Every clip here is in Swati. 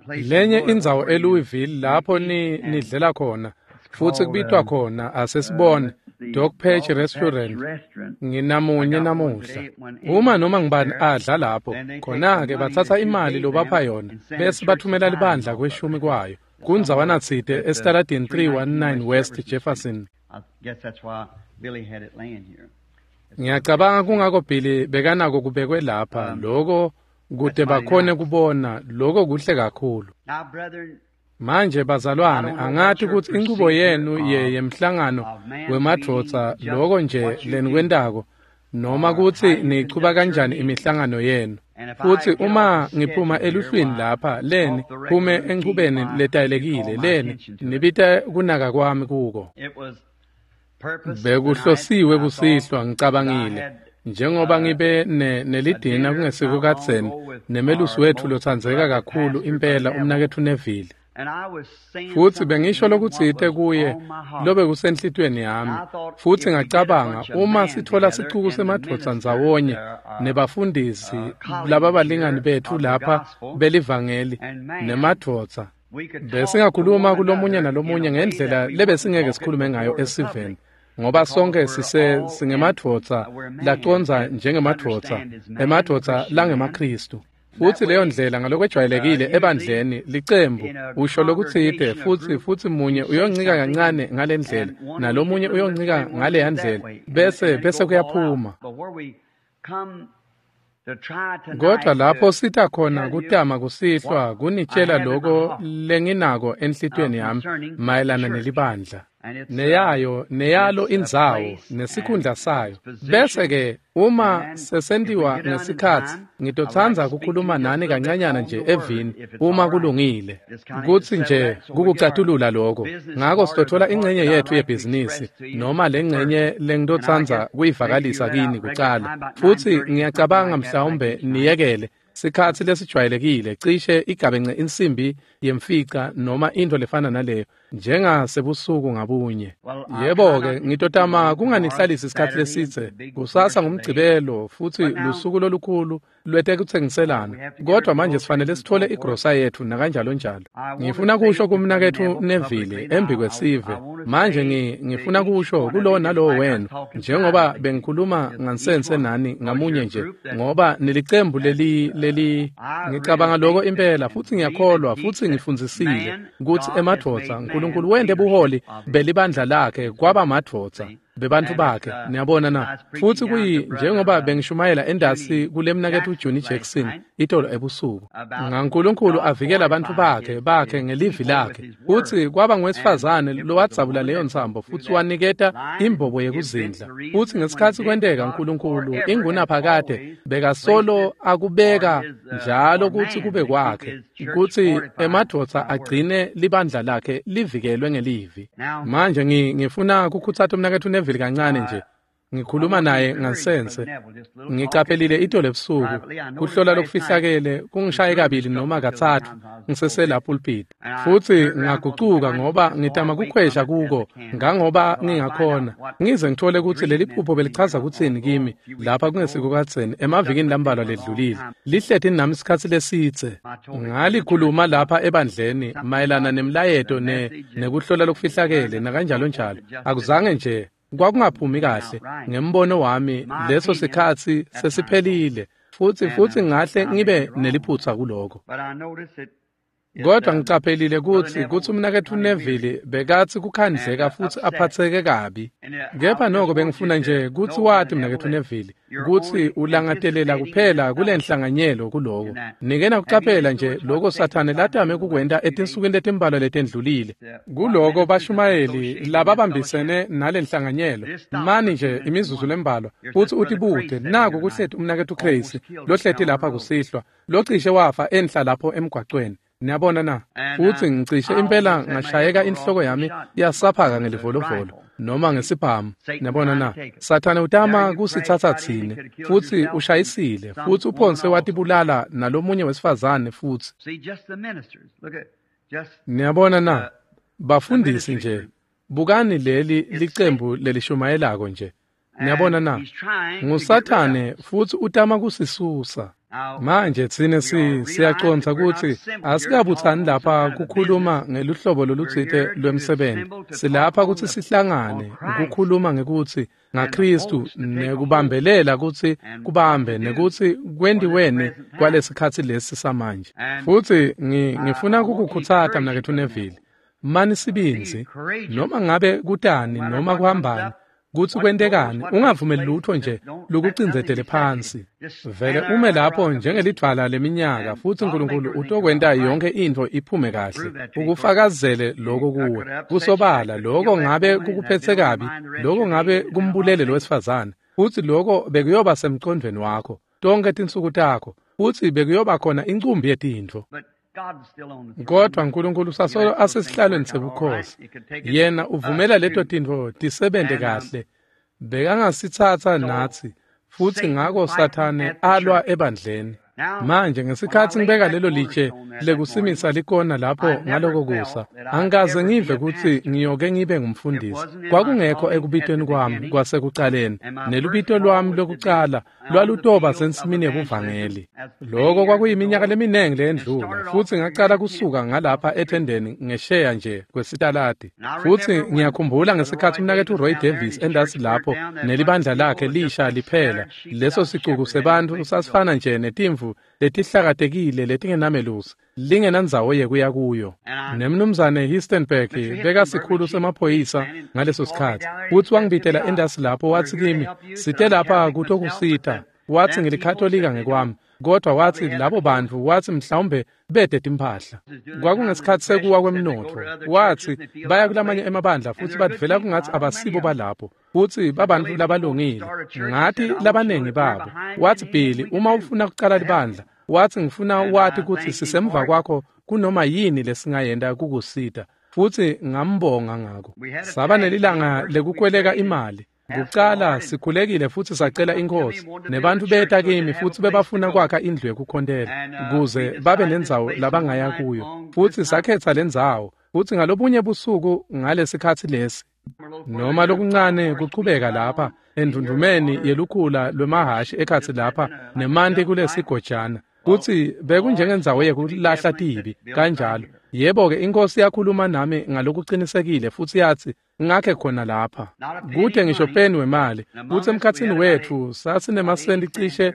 Lenye indzawo eLouisville lapho nidlela khona, futsi kubitwa khona, asesibone, Dog Patch Restaurant, nginamunye namuhla. Uma noma ngibani adla lapho, khona-ke batsatsa imali lobapha yona, bese bathumela libandla kweshumi kwayo, kundzawana tsite esitaladini 319 West Jefferson. Ngiyacabanga kungako Billy bekanako kubekwe lapha, loko kute bakhone kubona, loko kuhle kakhulu. Manje bazalwane, angati kutsi inchubo yenu yemhlangano wemadvodza loko nje lenikwentako, noma kutsi nichuba kanjani imihlangano yenu. Futsi uma ngiphuma eluhlwini lapha, leni phume enchubeni letayelekile, leni nibite kunaka kwami kuko. Bekuhlosiwe kusihlwa, ngicabangile, njengoba ngibe nelidina kungesiko kadzeni nemelusi wetfu lotsandzeka kakhulu impela umnaketfu Neville. Futsi bengisho lokutsite kuye lobekusenhlitiyweni yami, futsi ngacabanga uma sitfola sicuku semadvodza ndzawonye nebafundisi lababalingani betfu lapha belivangeli nemadvodza, besingakhuluma kulomunye nalomunye ngendlela lebesingeke sikhulume ngayo esiveni, ngoba sonke singemadvodza lacondza njengemadvodza, emadvodza langemaKhristu. Futsi leyo ndlela ngalokwejwayelekile ebandleni licembu usho lokutsite, futsi munye uyoncika kancane ngale ndlela nalomunye uyoncika ngaleya ndlela, bese kuyaphuma. Kodwa lapho sita khona kutama kusihlwa kunitshela loko lenginako enhlitiyweni yami mayelana nelibandla, neyayo neyalo indzawo nesikhundla sayo. Bese-ke uma sesentiwa ngesikhatsi, ngitotsandza kukhuluma nani kancanyana nje evini uma kulungile, kutsi nje kukucatulula lokho. Ngako sitothola ingcenye yetfu yebhizinisi noma lengcenye lengitotsandza kuyivakalisa kini kucala, futsi ngiyacabanga mhlawumbe niyekele sikhatsi lesijwayelekile cishe igabence insimbi yemfica noma into lefana naleyo, njengasebusuku ngabunye. Yebo-ke, ngitotama kunganihlalisi isikhatsi lesidze. Kusasa ngumgcibelo futsi lusuku lolukhulu lwetekutsengiselana, kodwa manje sifanele sithole igrosa yetfu nakanjalo njalo. Ngifuna kusho kumnaketfu Neville embi kwesive. Manje ngifuna kusho kulowo nalowo wenu, njengoba bengikhuluma ngansense nani ngamunye nje, ngoba nilicembu leli ngicabanga lokho impela, futsi ngiyakholwa futsi ngifundzisile kutsi emadvodza uNkulunkulu wente buholi belibandla lakhe kwaba madvodza bebantfu bakhe. Niyabona na? Futsi kuyi njengoba bengishumayela endasi kulemnaketfu Johnny Jackson itolo ebusuku, ngaNkulunkulu avikela abantu bakhe ngelivi lakhe, futsi kwaba ngowesifazane lowadzabula leyo ntsambo futsi waniketa imbobo yekuzindla. Futsi ngesikhatsi kwenteka, uNkulunkulu ingunaphakade bekasolo akubeka njalo kutsi kube kwakhe, kutsi emadvodza agcine libandla lakhe livikelwe ngelivi. Manje ngifuna kukhutsata umnaketfu Neville kancane nje. Ngikhuluma naye ngansense. Ngicaphelile itolo ebusuku kuhlola lokufihlakele kungishaye kabili noma katsatfu ngisesela pulpit, futsi ngagucuka ngoba ngitama kukhwesha kuko ngangoba ngingakhona, ngize ngithole kutsi leli phupho belichaza kutsini kimi lapha kungesiko kadzeni emavikini lambalwa ledlulile. Lihleti nami isikhatsi lesidze. Ngalikhuluma lapha ebandleni mayelana nemlayeto nekuhlola lokufihlakele nakanjalo njalo. Akuzange nje kwakungaphumi kahle ngembono wami, leso sikhatsi sesiphelile, futsi ngahle ngibe neliphutsa kuloko. Kodwa ngicaphelile kutsi umnaketfu Neville bekatsi kukhandleka futsi aphatseke kabi. Kepha noko bengifuna nje kutsi wati mnaketfu Neville kutsi ulangatelela kuphela kulenhlanganyelo kuloko. Nike nakucaphela nje loko Sathane latame kukwenta etinsukwini letimbalwa letendlulile. Kuloko bashumayeli lababambisene nalenhlanganyelo, mani nje imizuzu lembalwa, futsi utibute naku kuhleti umnaketfu Crazy lohleti lapha kusihlwa, locishe wafa enhla lapho emgwacweni. Niyabona na? Futsi ngicishe impela ngashayeka inhloko yami yasaphaka ngelivolovolo noma ngesibhamu. Niyabona na? Sathane utama kusitsatsa tsine, futsi ushayisile, futsi uphonse watibulala nalomunye wesifazane futsi. Niyabona na? Bafundisi nje, bukani leli licembu lelishumayelako nje. Niyabona na? NguSathane futsi utama kusisusa. Manje tsine siyacondza kutsi asikabutsani lapha kukhuluma ngeluhlobo lolutsite lwemsebenti. Silapha kutsi sihlangane ukukhuluma ngekutsi ngaKristu nekubambelela kutsi kubambe nekutsi kwentiweni kwalesikhatsi lesi samanje. Futsi ngifuna kukukhutsata mnaketfu Neville, mani sibindzi, noma ngabe kutani noma kuhambani, kutsi kwentekani, ungavumeli lutho nje lukucindzetele phansi. Vele ume lapho njengelidvwala leminyaka, futsi uNkulunkulu utokwenta yonke intfo iphume kahle, ukufakazele lokho kuwe. Kusobala lokho ngabe kukuphetse kabi, lokho ngabe kumbulele lowesifazane, futsi lokho bekuyoba semcondvweni wakho tonkhe tinsuku takho, futsi bekuyoba khona incumbi yetintfo. Kodwa uNkulunkulu sasolo asesihlalweni sebukhosi. Yena uvumela leto tintfo tisebente kahle. Bekangasitsatsa natsi, futsi ngako Sathane alwa ebandleni. Manje ngesikhatsi ngibeka lelo litshe lekusimisa likona lapho ngaloko kusa, angikaze ngive kutsi ngiyoke ngibe ngumfundisi. Kwakungekho ekubitweni kwami kwasekucaleni, nelubito lwami lokucala lwalutoba sensimini yebuvangeli. Loko kwakuyiminyaka leminingi leyendlula, futsi ngacala kusuka ngalapha ethendeni ngesheya nje kwesitaladi. Futsi ngiyakhumbula ngesikhatsi umnaketfu Roy Davis endasi lapho nelibandla lakhe lisha liphela, leso sicuku sebantfu sasifana nje netimvu letihlakatekile letingenamelusi, lingenandzawo yekuya kuyo. Nemnumzane Histenberg bekasikhulu semaphoyisa ngaleso sikhatsi, futsi wangibitela endasi lapho watsi kimi, site lapha kutokusita. Watsi ngilikhatolika ngekwami, kodwa watsi labo bantfu watsi mhlawumbe bede timphahla. Kwakungesikhatsi sekuwa kwemnotfo. Watsi baya kulamanye emabandla futsi badvela kungatsi abasibo balapho, futsi babantfu labalungile. Ngati labanengi babo. Watsi Billy, uma ufuna kucala libandla, watsi ngifuna wati kutsi sisemva kwakho kunoma yini lesingayenta kukusita. Futsi ngambonga ngako. Saba nelilanga lekukweleka imali. Kucala sikhulekile futsi sacela iNkhosi, nebantfu beta kimi futsi bebafuna kwakha indlu yekukhontela kuze babe nendzawo labangaya kuyo. Futsi sakhetsa lendzawo, futsi ngalobunye busuku ngalesikhatsi lesi, noma lokuncane kuchubeka lapha endvundvumeni yelukhula lwemahhashi ekhatsi lapha nemanti kulesigojana, kutsi bekunjengendzawo yekulahla tibi kanjalo. Yebo-ke, iNkhosi yakhuluma nami ngalokucinisekile futsi yatsi ngakhe khona lapha kute ngisho peni wemali, kutsi emkhatsini wetfu sasinemasenti cishe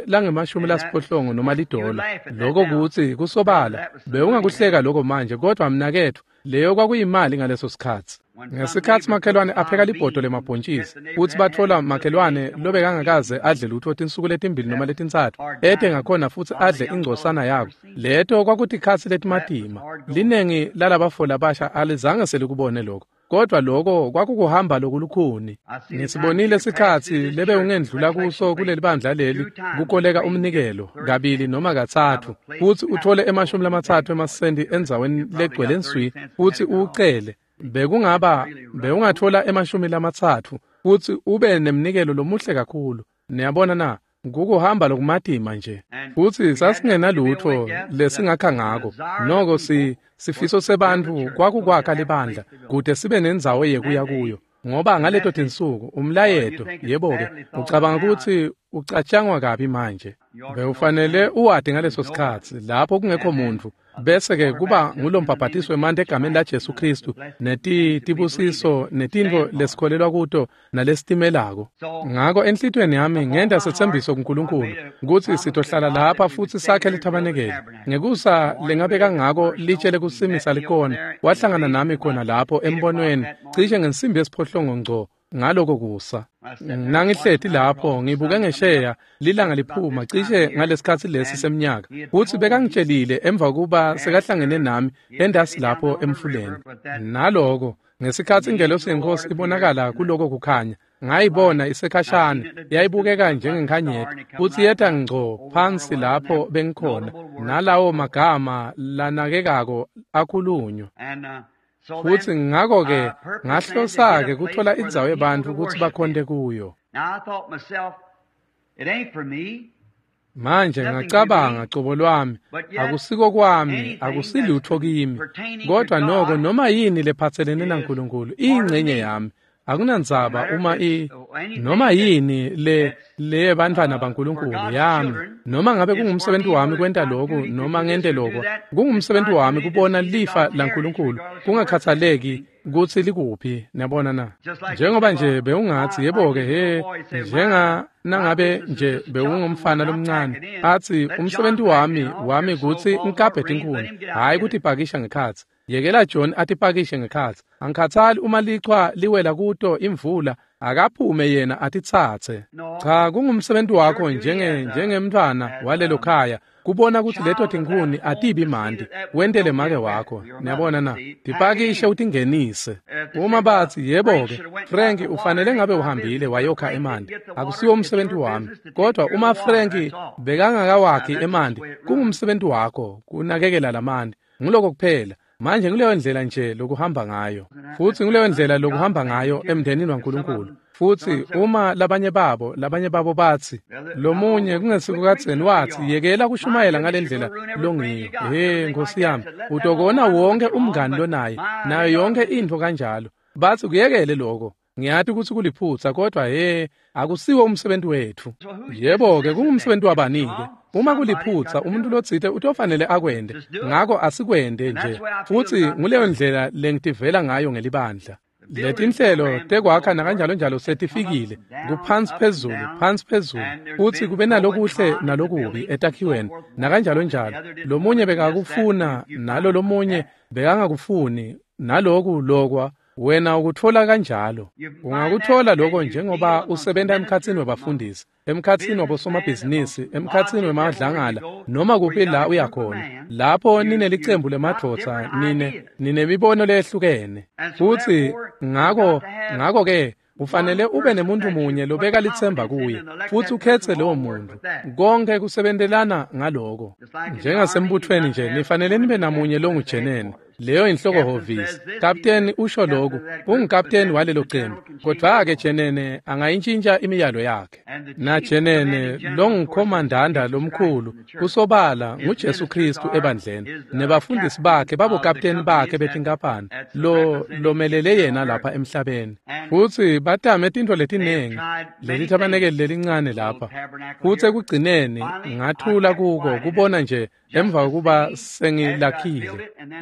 lange-80 noma $1. Lokho kutsi kusobala bewungakuhleka lokho manje, kodwa mnaketfu leyo kwakuyimali ngaleso sikhatsi. Ngesikhatsi makhelwane apheka libhodo lemabhontjisi, futsi batfola makhelwane lobekangakaze adle lutho tinsuku letimbili noma letintsatfu, ete ngakhona futsi adle ingcosana yako. Leto kwakutikhatsi letimatima. Linengi lalabafo labasha alizange selikubone lokho, kodwa lokho kwakukuhamba lokulukhuni. Ngisibonile sikhatsi lebe ungendlula kuso kuleli bandla leli kukoleka umnikelo kabili noma katsatfu, futsi uthole 30 emasenti endzaweni legcwele nswi, futsi uwucele. Bewungathola 30 futsi ube nemnikelo lomuhle kakhulu. Niyabona na? Kukuhamba lokumatima nje. Futsi sasingenalutho lesingakha ngako. Noko sifiso sebantfu kwakukwakha libandla kute sibe nendzawo yekuya kuyo. Ngoba ngaleto tinsuku umlayeto, yebo-ke, ucabanga kutsi ucatshangwa kabi manje. Bewufanele uwati ngaleso sikhatsi lapho kungekho muntfu, bese-ke kuba ngulombhabhatiso wemanti egameni laJesu Khristu, netibusiso netintfo lesikholelwa kuto nalesitimelako. Ngako enhlitiyweni yami ngenta setsembiso kuNkulunkulu kutsi sitohlala lapha futsi sakhe lithabanekeli. Ngekusa lengabeka ngako litshe lekusimisa likona, wahlangana nami khona lapho embonweni cishe ngensimbi yesiphohlongo ngco ngaloko kusa. Nangihleti lapho ngibuke ngesheya lilanga liphuma cishe ngalesikhatsi lesi semnyaka, futsi bekangitshelile emva kuba sekahlangene nami endasi lapho emfuleni. Naloko ngesikhatsi ingelosi yeNkhosi ibonakala kuloko kukhanya, ngayibona isekhashana, yayibukeka njengenkhanyeti, futsi yeta ngco phansi lapho bengikhona, nalawo magama lanakekako akhulunywa. Futsi ngako-ke ngahlosa-ke kutfola indzawo yebantfu kutsi bakhonte kuyo. Manje ngacabanga cobo lwami, akusiko kwami, akusilutho kimi, kodwa noko noma yini lephatselene naNkulunkulu iyingcenye yami. Akunandzaba uma noma yini le bantfwana baNkulunkulu yami, noma ngabe kungumsebenzi wami kwenta lokhu noma ngente lokho, kungumsebenzi wami kubona lifa laNkulunkulu kungakhathaleki kutsi likuphi. Niyabona na? Njengoba nje bewungatsi yebo-ke he, njenga nangabe nje bewungumfana lomncane atsi umsebenzi wami kutsi ngikabhe tinkhuni, hhayi kutipakisha ngekhatsi. Yekela John atipakishe ngekhatsi. Angikhathali uma lichwa liwela kuto imvula, akaphume yena atitsatse. Cha, kungumsebenzi wakho njengemntfwana walelo khaya kubona kutsi leto tinkhuni atibi manti, wentele make wakho. Niyabona na? Tipakishe utingenise. Uma batsi yebo-ke, Frank ufanele ngabe uhambile wayokha emanti, akusiwo umsebenzi wami. Kodwa uma Frank bekangakawakhi emanti, kungumsebenzi wakho kunakekela lamanti. Nguloko kuphela. Manje nguleyo ndlela nje lokuhamba ngayo, futsi nguleyo ndlela lokuhamba ngayo emndenini waNkulunkulu. Futsi uma labanye babo batsi, lomunye kungesikukadzeni watsi, yekela kushumayela ngalendlela longiyo. He Nkosi yami, utokona wonke umngani lonaye, nayo yonke intfo kanjalo. Batsi kuyekele lokho. Ngiyati kutsi kuliphutsa, kodwa he, akusiwo umsebenzi wetfu. Yebo-ke, kungumsebenzi wabani-ke? Uma kuliphutsa, umuntu lotsite utofanele akwente. Ngako asikwente nje. Futsi nguleyo ndlela lengitivela ngayo ngelibandla. Letinhlelo tekwakha nakanjalo njalo setifikile, kuphansi phezulu, phansi phezulu, futsi kube nalokuhle nalokubi etakhiweni nakanjalo njalo. Lomunye bekakufuna, nalo lomunye bekangakufuni, naloku lokwa. Wena ukutfola kanjalo. Ungakutfola lokho njengoba usebenta emkhatsini webafundisi, emkhatsini wabosomabhizinisi, emkhatsini wemadlangala, noma kuphi la uyakhona. Lapho ninelicembu lemadvodza, ninemibono leyehlukene. Futsi ngako-ke ufanele ube nemuntu munye lobeka litsemba kuye, futsi ukhetse lowo muntu. Konke kusebentelana ngaloko. Njengasembuthweni nje, nifanele nibe namunye longujenene. Leyo inhloko hhovisi. Kapteni usho lokhu, ungukapteni walelo cembu. Kodwa-ke jenene angayintshintsha imiyalo yakhe. Na jenene longukhomandanda lomkhulu kusobala nguJesu Kristu ebandleni. Nebafundisi bakhe babokapteni bakhe betinkampani lomelele yena lapha emhlabeni. Futsi batame tintfo letinengi, leli tabanekeli lelincane lapha. Futsi ekugcineni ngathula kuko kubona nje emva kokuba sengilakhile.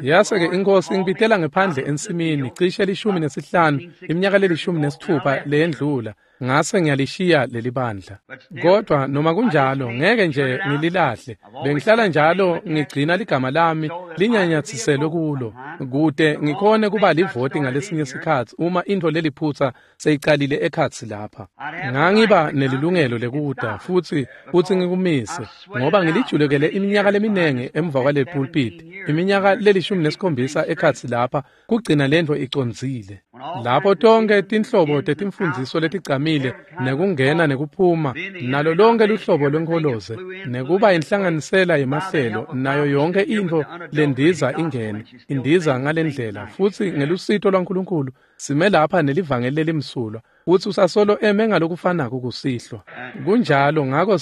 Yase-ke inkosi ingibitela ngephandle ensimini cishe 15, iminyaka le-16 leyendlula, ngase ngiyalishiya leli bandla. Kodwa noma kunjalo ngeke nje ngililahle. Bengihlala njalo ngigcina ligama lami linyanyatsiselwe kulo, kute ngikhone kuba livoti ngalesinye sikhatsi uma intfo leliphutsa seyicalile ekhatsi lapha. Ngangiba nelilungelo lekuta futsi ngikumise, ngoba ngilijulukele iminyaka leminengi emva kwale pulpit, iminyaka le-17 ekhatsi lapha, kugcina lentfo icondzile. Lapho tonke tinhlobo tetimfundziso letigcamile, nekungena nekuphuma, nalo lonke luhlobo lwenkholoze, nekuba inhlanganisela yemahlelo, nayo yonke intfo lendiza ingene, indiza ngalendlela. Futsi ngelusito lwaNkulunkulu sime lapha nelivangeli lelimsulwa, futsi usasolo eme ngalokufanako kusihlwa. Kunjalo ngako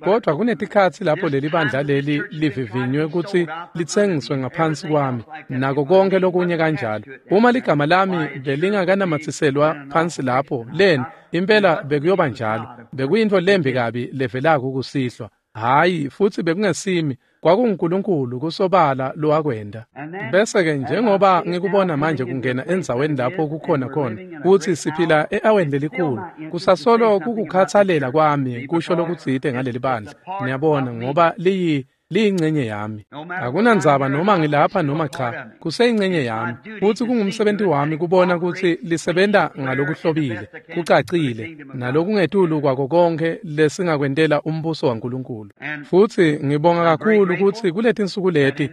kodwa kunetikhatsi lapho leli bandla leli livivinywe kutsi litsengiswe ngaphansi kwami, nako konke lokunye kanjalo. Uma ligama lami belingakanamathiselwa phansi lapho, leni impela bekuyoba njalo. Bekuyintfo lembi kabi levelako kusihlwa. Hhayi, futsi bekungesimi, kwakunguNkulunkulu kusobala lowakwenta. Bese-ke njengoba ngikubona manje kungena endzaweni lapho kukhona khona, kutsi siphila e-aweni lelikhulu, kusasolo kukukhatsalela kwami kusho lokutsite ngaleli bandla. Niyabona, ngoba liyingcenye yami. Akunandzaba noma ngilapha noma cha, kuseyingcenye yami. Futsi kungumsebenzi wami kubona kutsi lisebenta ngalokuhlobile, kucacile, nalokungetulu kwako konke lesingakwentela umbuso waNkulunkulu. Futsi ngibonga kakhulu kutsi kuletinsuku leti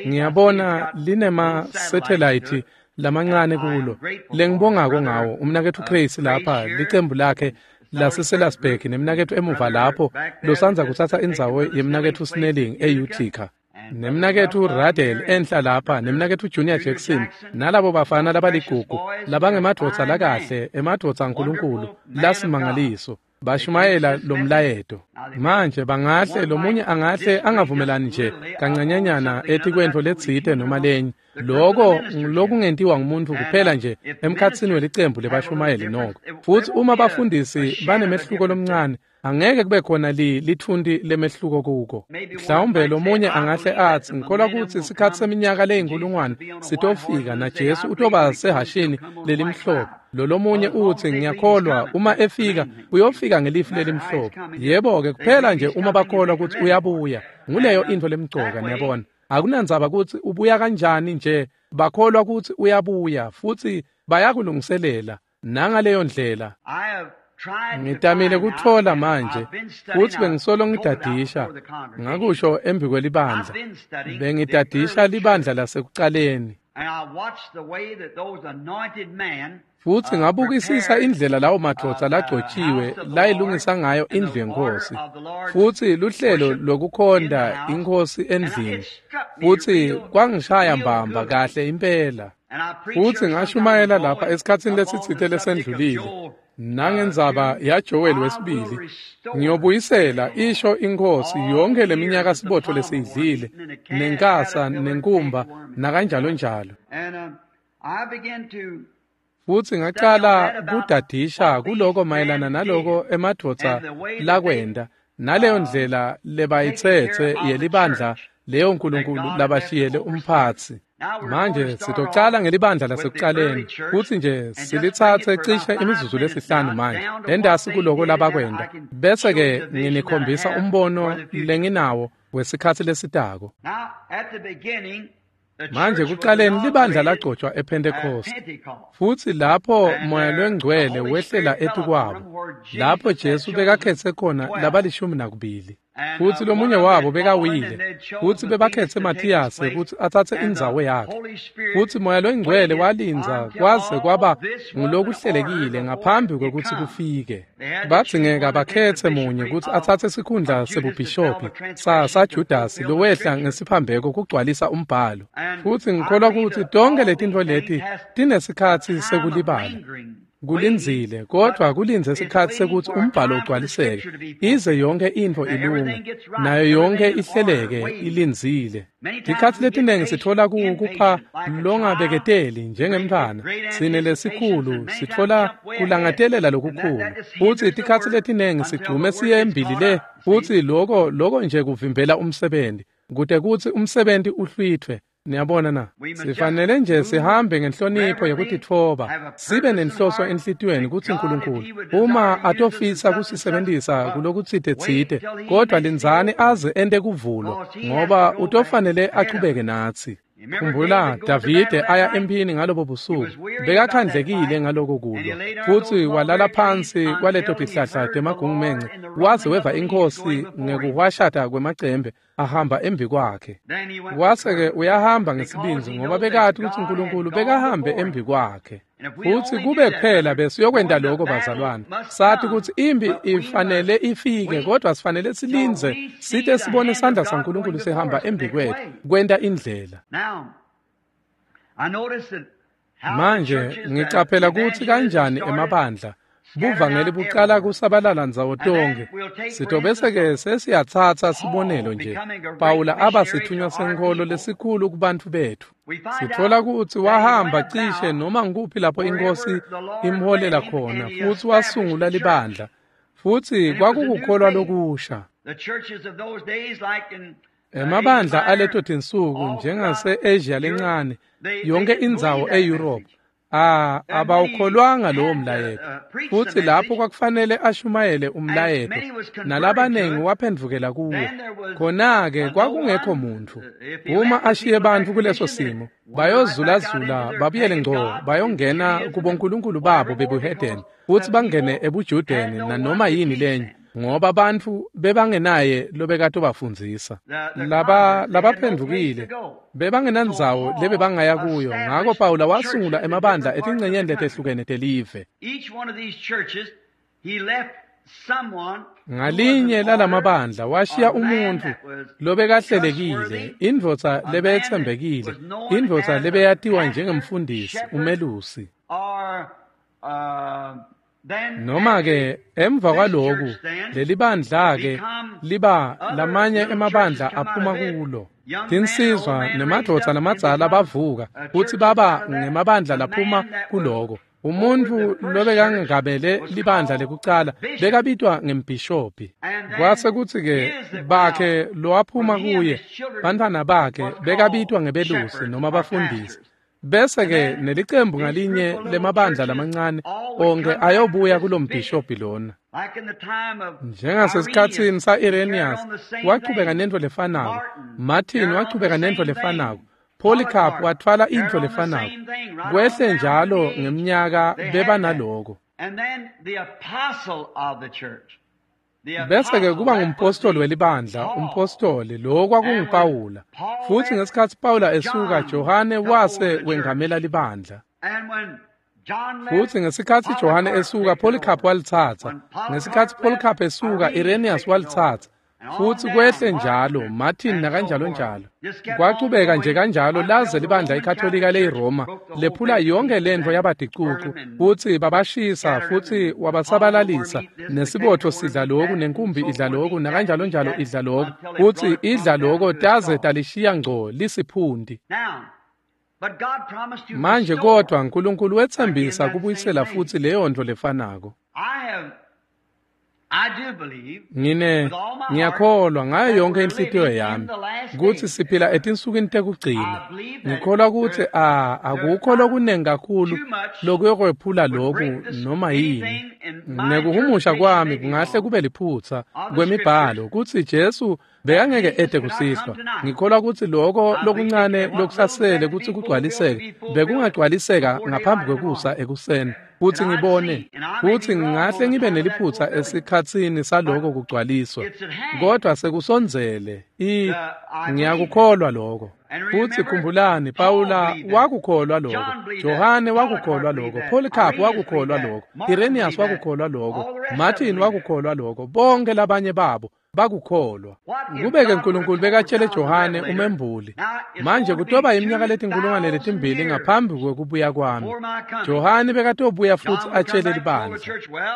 ngiyabona linema-satellite lamancane kulo. Lengibongako ngawo umnaketfu Grace lapha, licembu lakhe laseSelasburg, nemnaketfu emuva lapho losandza kutsatsa indzawo yemnaketfu Snelling e-Utica, nemnaketfu Radel enhla lapha, nemnaketfu Junior Jackson, nalabo bafana labaligugu labangemadvodza lakahle, emadvodza aNkulunkulu lasimangaliso. Bashumayela lomlayeto. Manje bangahle lomunye angahle angavumelani nje kancanyanyana etikwentfo letsite noma lenye. Loko lokungentiwa ngumuntu kuphela nje emkhatsini welicembu lebashumayeli noko. Futsi uma bafundisi banemehluko lomncane, angeke kube khona lithunti lemehluko kuko. Mhlawumbe lomunye angahle atsi, ngikholwa kutsi sikhatsi seminyaka leyinkulungwane sitofika na Jesu utoba sehashini lelimhlophe. Lolomunye utsi, ngiyakholwa uma efika uyofika ngelifu lelimhlophe. Yebo-ke, kuphela nje uma bakholwa kutsi uyabuya. Nguleyo intfo lemcoka, niyabona. Akunandzaba kutsi ubuya kanjani nje, bakholwa kutsi uyabuya futsi bayakulungiselela nangaleyo ndlela. Ngitamile kutfola manje futsi bengisolo ngidadisha, ngakusho embi kwelibandla. Bengidadisha libandla lasekucaleni. Futsi ngabukisisa indlela lawo madvodza lagcotjiwe layilungisa ngayo indlu yeNkhosi, futsi luhlelo lokukhonta iNkhosi endlini, futsi kwangishaya mbamba kahle impela. Futsi ngashumayela lapha esikhatsini lesitsite lesendlulile nangendzaba yaJoel wesibili. Ngiyobuyisela, isho iNkhosi, yonke leminyaka sibotfo lesiyidlile, nenkasa, nenkumba, nakanjalo njalo. Futsi ngacala kudadisha kuloko mayelana naloko emadvodza lakwenta, naleyo ndlela lebayitsetse yelibandla leyo Nkulunkulu labashiyele umphatsi. Manje sitocala ngelibandla lasekucaleni, futsi nje silitsatse cishe imizuzu lesihlanu manje entasi kuloko labakwenta, bese-ke nginikhombisa umbono lenginawo wesikhatsi lesitako. Manje kucaleni libandla lagcotshwa ePhentekhosti, futsi lapho Moya Longcwele wehlela etukwabo, lapho Jesu bekakhetse khona labalishumi nakubili. Futsi lomunye wabo bekawile, futsi bebakhetse Mathiyase kutsi atsatse indzawo yakhe. Futsi Moya Longcwele walindza kwaze kwaba ngulokuhlelekile ngaphambi kwekutsi kufike. Badzingeka bakhetse munye kutsi atsatse sikhundla sebubhishophi saJudasi lowehla ngesiphambeko kugcwalisa umbhalo. Futsi ngikholwa kutsi tonkhe letintfo leti tinesikhatsi sekulibala. Kulindzile, kodvwa kulindze sikhatsi sekutsi umbhalo ugcwaliseke, ize yonke intfo ilunge, nayo yonke ihleleke ilindzile. Tikhatsi letinengi sitfola kupha longabeketeli njengemntfwana, sine lesikhulu sitfola kulangatelela lokukhulu, futsi tikhatsi letinengi sigcume siye embili le, futsi loko nje kuvimbela umsebenti, kute kutsi umsebenti uhlwithwe. Niyabona na? Sifanele nje sihambe ngenhlonipho yekutitfoba, sibe nenhloso enhlitiyweni kutsi Nkulunkulu uma atofisa kusisebentisa kulokutsite tsite, kodwa lindzani aze ente kuvulwa, ngoba utofanele achubeke natsi. Khumbula Davide aya emphini ngalobo busuku, bekakhandlekile ngaloko kulwa, futsi walala phansi kwaleto tihlahla temagungumence, waze weva iNkhosi ngekuhwashata kwemacembe ahamba embi kwakhe. Wase-ke uyahamba ngesibindzi ngoba bekati kutsi Nkulunkulu bekahambe embi kwakhe. Futsi kube kuphela besiyokwenta lokho bazalwane, sathi kutsi impi ifanele ifike, kodwa sifanele silindze site sibone isandla saNkulunkulu sihamba embi kwethu kwenta indlela. Manje ngicaphela kutsi kanjani emabandla buvangeli bucala kusabalala ndzawo tonkhe. Sitobese-ke sesiyatsatsa sibonelo nje, Pawula aba sithunywa senkholo lesikhulu kubantfu betfu. Sitfola kutsi wahamba cishe noma ngukuphi lapho iNkhosi imholela khona, futsi wasungula libandla, futsi kwakukukholwa lokusha. Emabandla aleto tinsuku njengase-Asia lencane, yonke indzawo e-Europe, abawukholwanga lowo mlayeto, futsi lapho kwakufanele ashumayele umlayeto, nalabanengi waphendvukela kuwo. Khona-ke kwakungekho muntfu. Uma ashiye bantfu kuleso simo, bayozulazula babuyele ngco bayongena kubonkulunkulu babo bebuhedeni, futsi bangene ebujudeni nanoma yini lenye, ngoba bantfu bebangenaye lobekatobafundzisa. Labaphendvukile bebangenandzawo lebebangaya kuyo, ngako Pawula wasungula emabandla etingcenyeni letehlukene telive. Ngalinye lalamabandla washiya umuntfu lobekahlelekile, indvodza lebeyetsembekile, indvodza lebeyatiwa njengemfundisi, umelusi. Noma-ke emva kwaloku lelibandla-ke liba lamanye emabandla aphuma kulo. Tinsizwa nemadvodza lamadzala bavuka kutsi baba ngemabandla laphuma kuloko. Umuntu lobekangabele libandla lekucala bekabitwa ngembhishobhi. Kwase kutsi-ke bakhe lowaphuma kuye, bantfwana bakhe bekabitwa ngebelusi noma bafundisi. Bese-ke nelicembu ngalinye lemabandla lamancane onke ayobuya kulombhishobhi lona. Njengasesikhatsini sa-Irenaeus wachubeka nentfo lefanako, Martin wachubeka nentfo lefanako, Polycarp watfwala intfo lefanako. Kwehle njalo ngemnyaka bebanaloko. Bese-ke kuba ngumpostoli welibandla, umpostoli lo kwakunguPawula. Futsi ngesikhatsi Pawula esuka, Johane wase wengamela libandla. Futsi ngesikhatsi Johane esuka, Polycarp walitsatsa. Ngesikhatsi Polycarp esuka, Irenaeus walitsatsa. Futsi kwehle njalo, Martin nakanjalo njalo. Kwachubeka nje kanjalo laze libandla iKatolika leyiRoma lephula yonke lentfo yabadicucu futsi babashisa futsi wabasabalalisa nesibotfo sidla loku nenkumbi idla loku nakanjalo njalo idla loku futsi idla loko taze talishiya ngco lisiphundi. Manje kodwa Nkulunkulu wetsembisa kubuyisela futsi leyo ntfo lefanako. Ngiyakholwa ngayo yonke inhlitiyo yami kutsi siphila etinsukwini tekugcina. Ngikholwa kutsi akukho lokunengi kakhulu lokuyokwephula loku noma yini. Nekuhumusha kwami kungahle kube liphutsa kwemibhalo kutsi Jesu bekangeke ete kusihlwa. Ngikholwa kutsi loko lokuncane lokusasele kutsi kugcwaliseke bekungagcwaliseka ngaphambi kwekusa ekuseni. Futsi ngibone futsi ngingahle ngibe neliphutsa esikhatsini saloko kugcwaliswa, kodwa sekusondzele. Ngiyakukholwa lokho. Futsi khumbulani, Pawula wakukholwa lokho, Johane wakukholwa lokho, Polycarp wakukholwa lokho, Irenaeus wakukholwa lokho, Martin wakukholwa lokho, bonke labanye babo bakukholwa. Kube-ke Nkulunkulu bekatshele Johane umembuli, manje kutoba iminyaka letinkulungwane letimbili ngaphambi kwekubuya kwami. Johane bekatobuya futsi atshele libandla.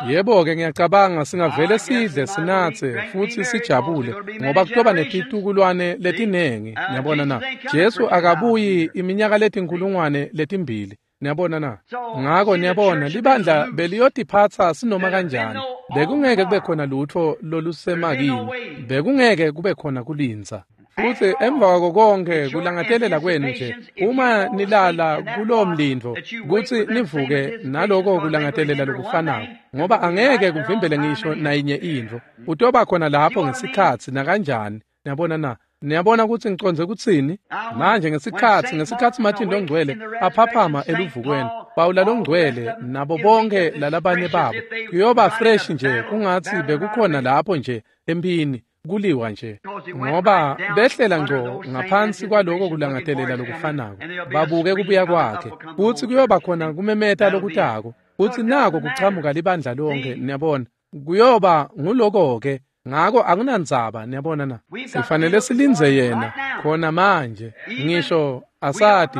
Yebo-ke ngiyacabanga singavele sidle sinatse futsi sijabule ngoba kutoba netitukulwane letinengi. Niyabona na? Jesu akabuyi iminyaka letinkulungwane letimbili. Niyabona na? Ngako niyabona libandla beliyotiphatsa sinoma kanjani. Bekungeke kube khona lutfo lolusemakini. Bekungeke kube khona kulindza. Futsi emva kwako konke kulangatelela kwenu nje, uma nilala kulowo mlindvo kutsi nivuke naloko kulangatelela lokufanako, ngoba angeke kuvimbele ngisho nayinye intfo. Utoba khona lapho ngesikhatsi nakanjani. Niyabona na? Niyabona kutsi ngicondze kutsini? Manje ngesikhatsi Martin longcwele aphaphama eluvukweni, Pawula longcwele nabo bonke lalabanye babo, kuyoba fresh nje kungatsi bekukhona lapho nje emphini kuliwa nje, ngoba behlela ngco ngaphansi kwaloko kulangatelela lokufanako, babuke kubuya kwakhe. Futsi kuyoba khona kumemeta lokutako, futsi nako kuchamuka libandla lonke. Niyabona, kuyoba nguloko-ke. Ngako akunandzaba, niyabona na? Sifanele silindze yena khona manje. Ngisho asati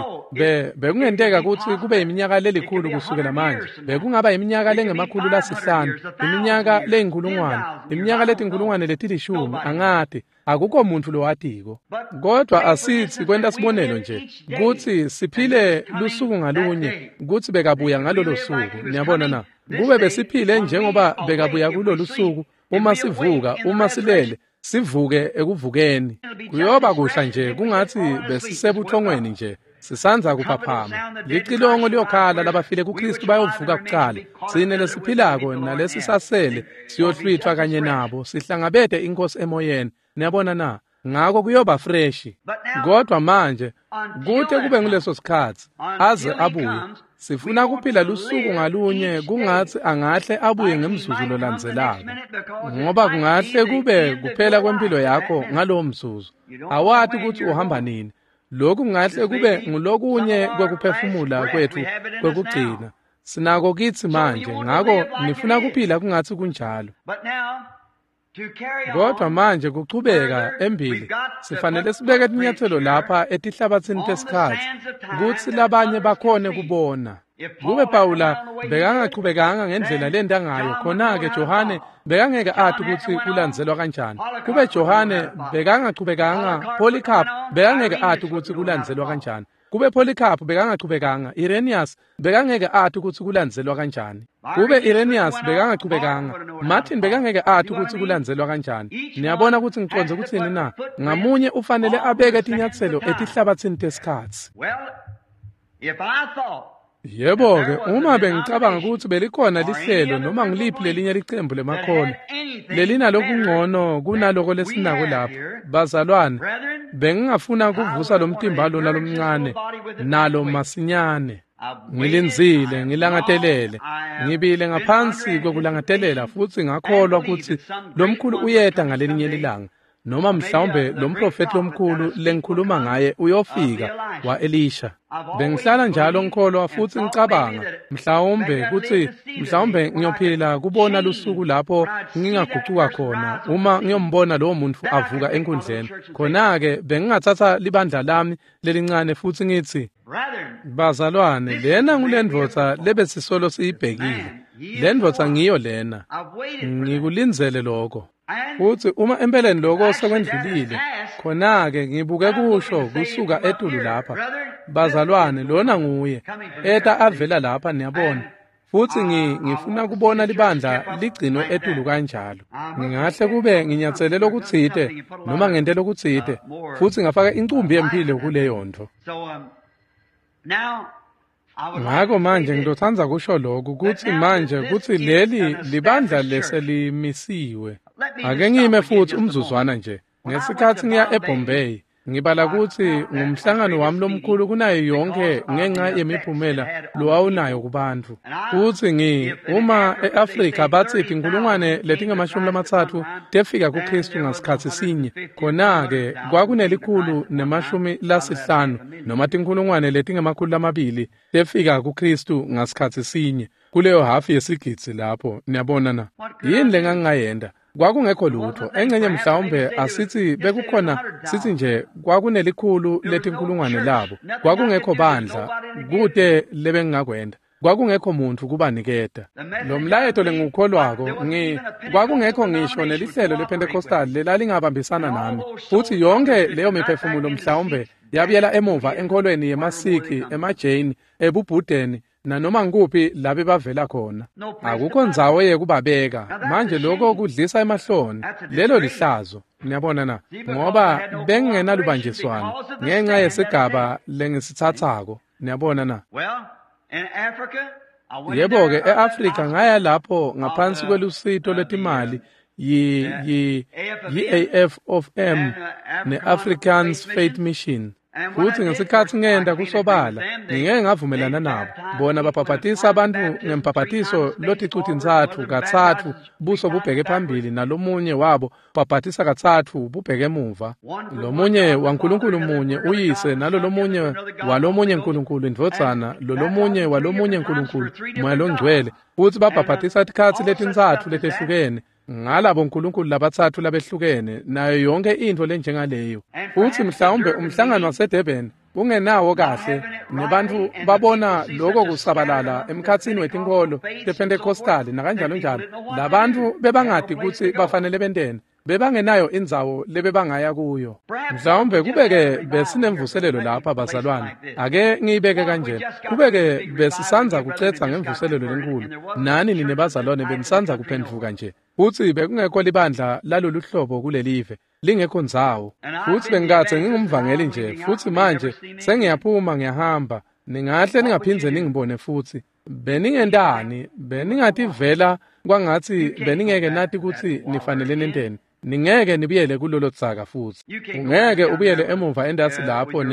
bekungenteka kutsi kube iminyaka lelikhulu kusukela manje, bekungaba iminyaka lengemakhulu lasihlanu, iminyaka leyinkulungwane, iminyaka letinkulungwane letilishumi, angati. Akukho muntfu lowatiko. Kodwa asithi kwenta sibonelo nje kutsi siphile lusuku ngalunye kutsi bekabuya ngalolo suku. Niyabona na? Kube besiphile njengoba bekabuya kulolu suku, uma sivuka, uma silele, sivuke ekuvukeni. Kuyoba kuhla nje kungatsi besisebuthongweni nje, sisandza kuphaphama. Licilongo liyokhala, labafile kuKristu bayovuka kucala. Tsine lesiphilako nalesisasele siyohlwithwa kanye nabo, sihlangabete iNkosi emoyeni. Niyabona na? Ngako kuyoba freshi. Kodwa manje kute kube nguleso sikhatsi aze abuye, sifuna kuphila lusuku ngalunye kungatsi angahle abuye ngemzuzu lolandzelako, ngoba kungahle kube kuphela kwempilo yakho ngalowo mzuzu. Awati kutsi uhamba nini. Lokhu kungahle kube ngulokunye kwekuphefumula kwetfu kwekugcina. Sinako kitsi manje, ngako nifuna kuphila kungatsi kunjalo. Kodwa manje kuchubeka embili, sifanele sibeke tinyatselo lapha etihlabatsini tesikhatsi kutsi labanye bakhone kubona. Kube Pawula bekangachubekanga ngendlela lenta ngayo, khona-ke Johane bekangeke ati kutsi kulandzelwa kanjani. Kube Johane bekangachubekanga, Polycarp bekangeke ati kutsi kulandzelwa kanjani. Kube Polycarp bekangachubekanga, Irenaeus bekangeke ati kutsi kulandzelwa kanjani. Kube Irenaeus bekangachubekanga, Martin bekangeke ati kutsi kulandzelwa kanjani. Niyabona kutsi ngicondze kutsini na? Ngamunye ufanele abeke tinyatselo etihlabatsini tesikhatsi. Yebo-ke, uma bengicabanga kutsi belikhona lihlelo noma ngiliphi lelinye licembu lemakholwa lelinalokungcono kunaloko lesinako lapha, bazalwane, bengingafuna kuvusa lo mtimba lona lomncane nalo masinyane. Ngilindzile, ngilangatelele, ngibile ngaphansi kwekulangatelela futsi ngakholwa kutsi lomkhulu uyeta ngalelinye lilanga, noma mhlawumbe lo mprofethi lomkhulu lengikhuluma ngaye uyofika wa-Elisha. Bengihlala njalo ngikholwa futsi ngicabanga mhlawumbe kutsi mhlawumbe ngiyophila kubona lusuku lapho ngingagucuka khona uma ngiyombona lowo muntu avuka enkundleni. Khona-ke bengingatsatsa libandla lami lelincane futsi ngitsi, bazalwane, lena ngulendvodza lebesisolo siyibhekile. Lendvodza ngiyo lena. Ngikulindzele lokho. Futsi uma empeleni lokho sekwendlulile, khona-ke ngibuke kusho kusuka etulu lapha, bazalwane, lona nguye eta avela lapha, niyabona. Futsi ngifuna kubona libandla ligcinwe etulu kanjalo. Ngingahle kube nginyatsele lokutsite noma ngente lokutsite, futsi ngafaka incumbi yemphilo kuleyo ntfo. Ngako manje ngitotsandza kusho lokhu kutsi manje kutsi leli libandla leselimisiwe. Ake ngime futsi umzuzwana nje. Ngesikhatsi ngiya eBombay, ngibala kutsi ngumhlangano wami lomkhulu kunayo yonke ngenxa yemiphumela lowawunayo kubantfu. Futsi uma e-Afrika batsi tinkulungwane letingama-30 tefika kuKhristu ngasikhatsi sinye, khona-ke kwakunelikhulu nemashumi lasihlanu noma tinkulungwane letingama-200 tefika kuKhristu ngasikhatsi sinye kuleyo hafu yesigidzi lapho. Niyabona na? Yini lengangingayenta? Kwakungekho lutho. Engcenye mhlawumbe asithi bekukhona, sithi nje kwakunelikhulu letinkulungwane labo. Kwakungekho bandla, kute lebengingakwenta. Kwakungekho muntu kubaniketa lo mlayeto lengiwukholwako. Kwakungekho ngisho nelihlelo lePentecostal lelalingabambisana nami, futsi yonke leyo miphefumulo mhlawumbe yabuyela emuva enkholweni yemaSikhi, emaJain, ebuBhudeni nanoma ngikuphi labe bavela khona. Akukho ndzawo yekubabeka. Manje lokho kudlisa emahloni, lelo lihlazo. Niyabona na? Ngoba bengingenalubanjiswano ngenxa yesigaba lengisitsatsako. Niyabona na? Yebo-ke, e-Afrika ngaya lapho ngaphansi kwelusito lwetimali yi-AF of M ne-Africans Faith Mission. Futsi ngesikhatsi ngenta kusobala ngingeke ngavumelana nabo, bona babhabhatisa abantu ngembhabhatiso loticu-tintsatfu katsatfu buso bubheke phambili, nalomunye wabo babhatisa katsatfu bubheke emuva, lomunye waNkulunkulu munye uyise, nalolomunye walomunye Nkulunkulu indvodzana, lolomunye walomunye Nkulunkulu Moya Longcwele. Futsi babhabhatisa tikhatsi letintsatfu letehlukene ngalabo nkulunkulu labatsatfu labehlukene, nayo yonke intfo lenjengaleyo. Futsi mhlawumbe umhlangano waseDurban ungenawo kahle, nebantfu babona loko kusabalala emkhatsini wetinkholo tePentecostal nakanjalo njalo, labantfu bebangati kutsi bafanele benteni, bebangenayo indzawo lebebangaya kuyo. Mhlawumbe kubeke besinemvuselelo lapha, bazalwane, ake ngiyibeke kanje, kubeke besisandza kucetsa ngemvuselelo lenkulu, nani nine bazalwane benisandza kuphendvuka nje, futsi bekungekho libandla lalolu hlobo kulelive, lingekho ndzawo, futsi bengikadze ngingumvangeli nje, futsi manje sengiyaphuma ngiyahamba, ningahle ningaphindze ningibone futsi, beningentani? Beningativela kwangatsi beningeke nati kutsi nifanele nenteni. Ningeke nibuyele kulolo dzaka futsi. Ungeke ubuyele emuva entasi lapho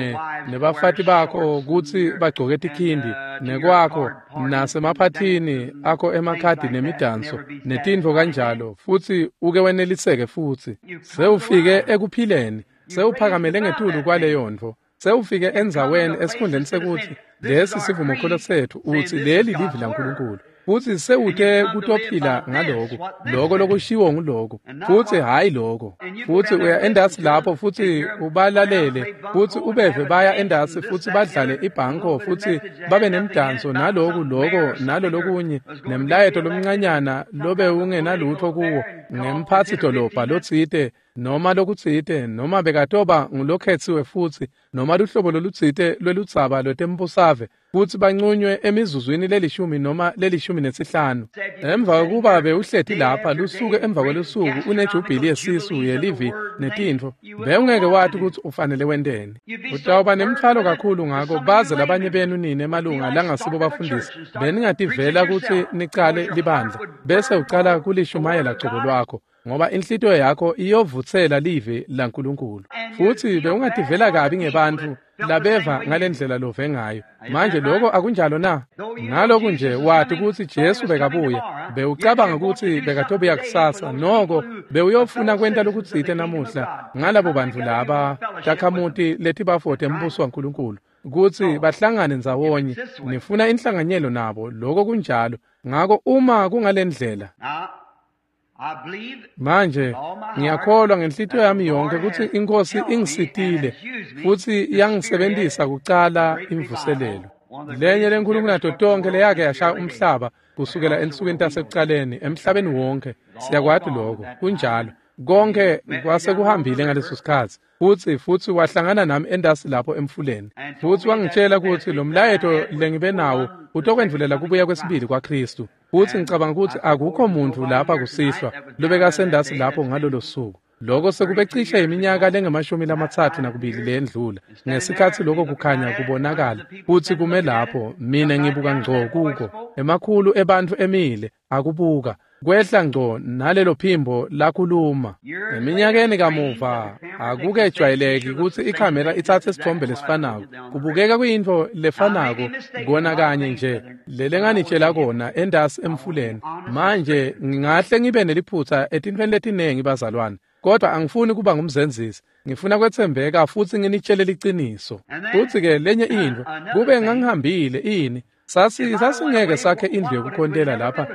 nebafati bakho kutsi bagcoke tikhindi, nekwakho nasemaphathini akho emakhadi nemidanso netintfo kanjalo, futsi uke weneliseke futsi. Sewufike ekuphileni, sewuphakamele ngetulu kwaleyo ntfo. Sewufike endzaweni esikhundleni sekuthi lesi sivumokholo sethu, uthi leli livi laNkulunkulu. Futsi sewute kutophila ngaloko, loko lokushiwo nguloko, futsi hhayi loko. Futsi uya endasi lapho futsi ubalalele, futsi ubeve baya endasi futsi badlale ibhanko futsi babe nemdanso naloku loko nalo lokunye, nemlayeto lomncanyana lobe ungenalutfo kuwo, ngemphatsi dolobha lotsite noma lokutsite, noma bekatoba ngulokhetsiwe futsi, noma luhlobo lolutsite lweludzaba lwetembusave, futsi bancunywe emizuzwini lelishumi noma 15. Emva kwekuba bewuhleti lapha lusuku emva kwelusuku unejubhili yesisu yelivi netintfo, bewungeke wati kutsi ufanele wenteni. Utawuba nemtfwalo kakhulu ngako baze labanye benu nine emalunga langasibo bafundisi beningativela kutsi nicale libandla, bese ucala kulishumayela cobo lwakho, ngoba inhlitiyo yakho iyovutsela livi laNkulunkulu. Futsi bewungativela kabi ngebantfu labeva ngalendlela love ngayo. Manje lokho akunjalo na? Ngalokhu nje wati kutsi Jesu bekabuya, bewucabanga kutsi bekatobuya kusasa, noko bewuyofuna kwenta lokutsite namuhla ngalabo bantfu laba takhamuti letibafote embuso waNkulunkulu, kutsi bahlangane ndzawonye, nifuna inhlanganyelo nabo, lokho kunjalo. Ngako uma kungalendlela, manje ngiyakholwa ngenhlitiyo yami yonke kutsi iNkhosi ingisitile futsi yangisebentisa kucala imvuselelo. Lenye lenkhulu kunato tonkhe leyake yashaya umhlaba kusukela ensukwini tasekucaleni emhlabeni wonke. Siyakwati lokho, kunjalo. Konke kwase kuhambile ngaleso sikhatsi. Futsi wahlangana nami endasi lapho emfuleni. Futsi wangitshela kutsi lo mlayeto lengibe nawo utokwendvulela kubuya kwesibili kwaKhristu. Futsi ngicabanga kutsi akukho muntfu lapha kusihlwa lobekasendasi lapho ngalolo suku. Lokho sekube cishe iminyaka lengamashumi-32 leyendlula. Ngesikhatsi lokho kukhanya kubonakala, futsi kume lapho, mina ngibuka ngco kuko. Emakhulu ebantfu emile, akubuka. Kwehla ngco nalelo phimbo lakhuluma. Eminyakeni kamuva akukejwayeleki kutsi ikhamera itsatse isithombe lesifanako. Kubukeka kuyintfo lefanako kona kanye nje lelenganitshela kona endasi emfuleni. Manje ngingahle ngibe neliphutsa etintfweni letinengi bazalwane, kodwa angifuni kuba ngumzenzisi. Ngifuna kwetsembeka futsi nginitshele liciniso. Futsi-ke lenye intfo, kube ngangihambile ini, sasingeke sakhe indlu yokukhontela lapha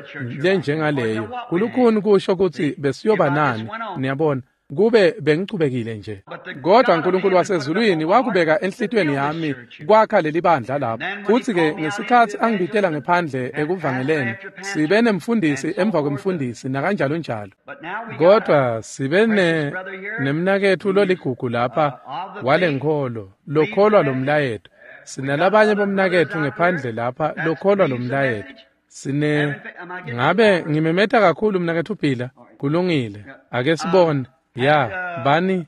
lenjengaleyo. Kulukhuni kusho kutsi besiyoba nani, niyabona, kube bengichubekile nje. Kodwa uNkulunkulu wasezulwini wakubeka enhlitiyweni yami kwakha leli bandla lapha. Futsi-ke ngesikhatsi angibitela ngephandle ekuvangeleni, sibe nemfundisi emva kwemfundisi nakanjalo njalo. Kodwa sibe nemnaketfu loligugu lapha walenkholo, lokholwa lomlayeto. Sinalabanye bomnaketfu ngephandle lapha lokholwa lomlayeto. Sine ngabe ngimemeta kakhulu mnaketfu Phila? Kulungile. Ake sibone. Ya, bani?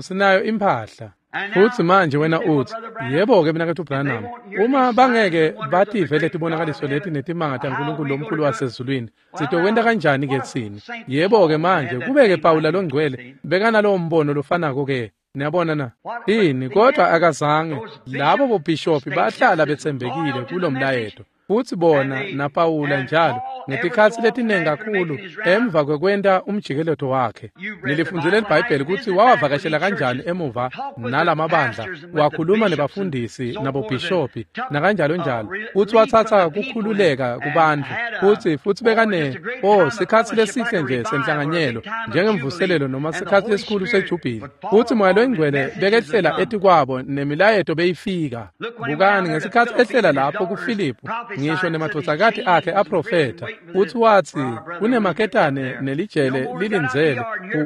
Sinayo imphahla. Futsi manje wena utsi, yebo-ke mnaketfu Branham, uma bangeke bative letibonakaliso leti netimanga taNkulunkulu lomkhulu wasezulwini, sitokwenta kanjani-ke tsine? Yebo-ke manje, kube-ke Pawula longcwele bekanalowo mbono lofanako-ke. Niyabona na? Ini, kodwa akazange. Labo bobhishophi bahlala betsembekile kulomlayeto. Futsi bona naPawula njalo ngetikhatsi letinengi kakhulu emva kwekwenta umjikeleto wakhe. Nilifundzile liBhayibheli kutsi wawavakashela kanjani emuva nalamabandla, wakhuluma nebafundisi nabobhishophi nakanjalo njalo. Futsi watsatsa kukhululeka kubantfu. Futsi bekane sikhatsi lesihle nje senhlanganyelo njengemvuselelo noma sikhatsi lesikhulu sejubhili. Futsi Moya loyiNgcwele bekehlela etikwabo nemilayeto beyifika. Bukani ngesikhatsi ehlela lapho kuFiliphu, ngisho nemadvodzakati akhe aprofetha. Futsi watsi kunemaketane nelijele lilindzele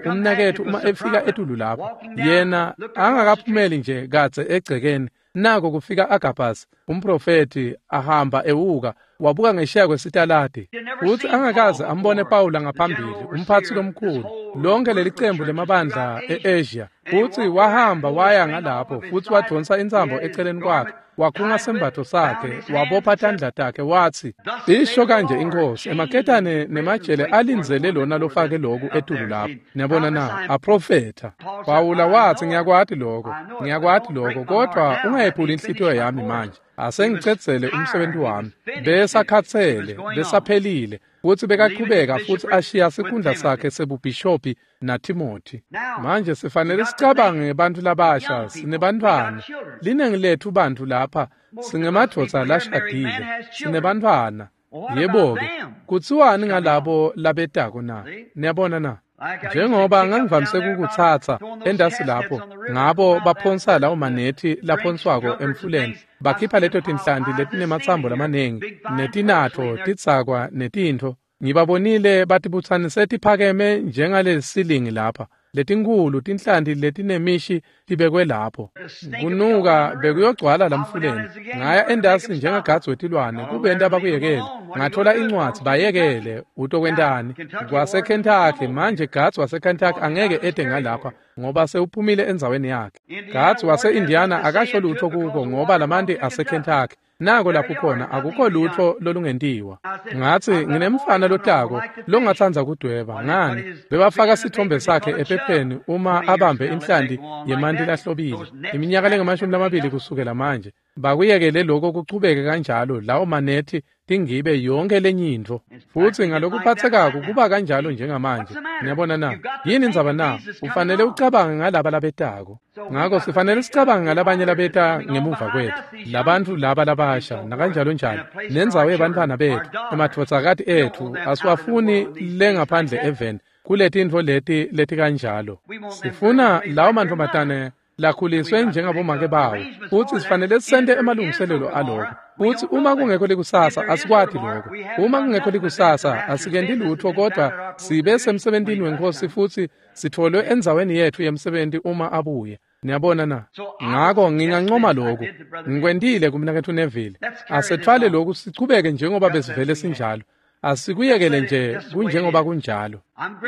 umnaketfu uma efika etulu lapho. Yena angakaphumeli nje kadze egcekeni, nako kufika Agabus umprofethi ahamba ewuka, wabuka ngesheya kwesitaladi. Futsi angakaze ambone Pawula ngaphambili, umphatsi lomkhulu, lonke leli cembu lemabandla e-Asia. Futsi wahamba waya ngalapho, futsi wadonsa intsambo eceleni kwakhe, wakhunga sembatfo sakhe, wabopha tandla takhe, watsi, isho kanje iNkhosi, emaketane nemajele alindzele lona lofake loku etulu lapho. Niyabona na? Aprofetha. Pawula watsi, ngiyakwati lokho, kodwa ungayephuli inhlitiyo yami manje. Asengicedzele umsebenzi wami. Besakhatsele, besaphelile, futsi bekachubeka futsi ashiya sikhundla sakhe sebubhishophi naTimothy. Manje sifanele sicabange ngebantfu labasha, sinebantfwana. Linengi lethu bantfu lapha singemadvodza lashadile, sinebantfwana. Yebo-ke, kutsiwani ngalabo labetako na? Niyabona na? Njengoba ngangivamise kukutsatsa endasi lapho, ngabo baphonsa lawo manethi laphonswako emfuleni, bakhipha leto tinhlanti letinematsambo lamaningi, netinatfo, tidzakwa netintfo. Ngibabonile batibutsanise tiphakeme njengalesilingi lapha, letinkhulu tinhlanti letinemishi tibekwe lapho. Kunuka bekuyogcwala lamfuleni. Ngaya endasi njengagadzi wetilwane kubenta bakuyekele. Ngathola incwadzi bayekele utokwentani. KwaseKentucky manje gadzi waseKentucky angeke ede ngalapha ngoba sewuphumile endzaweni yakhe. Gadzi wase-Indiana akasho lutho kuko ngoba lamanti aseKentucky. Nako lapho khona akukho lutho lolungentiwa. Ngatsi nginemfana lotako longatsandza kudweba. Ngani bebafaka sithombe sakhe ephepheni uma abambe inhlanti yemanti lahlobile. Iminyaka lengamashumi lamabili kusukela manje. Bakuyekele lokho kuchubeke kanjalo lawo manethi tingibe yonke lenye intfo. Futsi ngalokuphatsekako kuba kanjalo njengamanje. Niyabona na? Yini indzaba na? Ufanele ucabange ngalaba labetako. Ngako sifanele sicabange ngalabanye labeta ngemuva kwethu. Labantfu laba labasha nakanjalo njalo. Nendzawo yebantfwana bethu, emadvodzakati etfu asiwafuni lengaphandle eveni kuletintfo leti letikanjalo. Sifuna lawo mantfombatane lakhuliswe njengabomake bawo, futsi sifanele sente emalungiselelo aloko. Futsi uma kungekho likusasa asikwati lokho. Uma kungekho likusasa asikenti lutho kodwa sibe semsebentini weNkhosi futsi sitfolwe endzaweni yetfu yemsebenti uma abuye. Niyabona na? Ngako ngingancoma lokhu. Ngikwentile kumnaketfu Neville. Asethwale lokhu sichubeke njengoba besivele sinjalo. Asikuyekele nje kunjengoba kunjalo.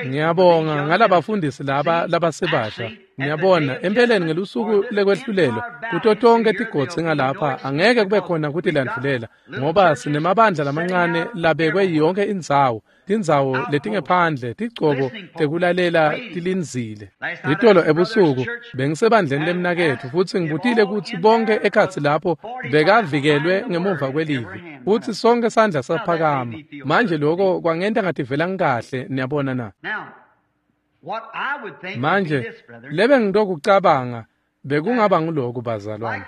Ngiyabonga ngalabafundisi laba labasebasha. Ngiyabona empeleni ngelusuku lekwehlulelwa kuto tonke tigodzi ngalapha angeke kube khona kutilandvulela ngoba sinemabandla lamancane labekwe yonke indzawo, tindzawo letingephandle, tigcobo tekulalela tilindzile. Itolo ebusuku bengisebandleni lemnaketfu futsi ngibutile kutsi bonke ekhatsi lapho bekavikelwe ngemuva kwelivi futsi sonke sandla saphakama. Manje lokho kwangenta ngativela ngikahle, niyabona na? Manje lebe ngitokucabanga bekungaba nguloku bazalwane,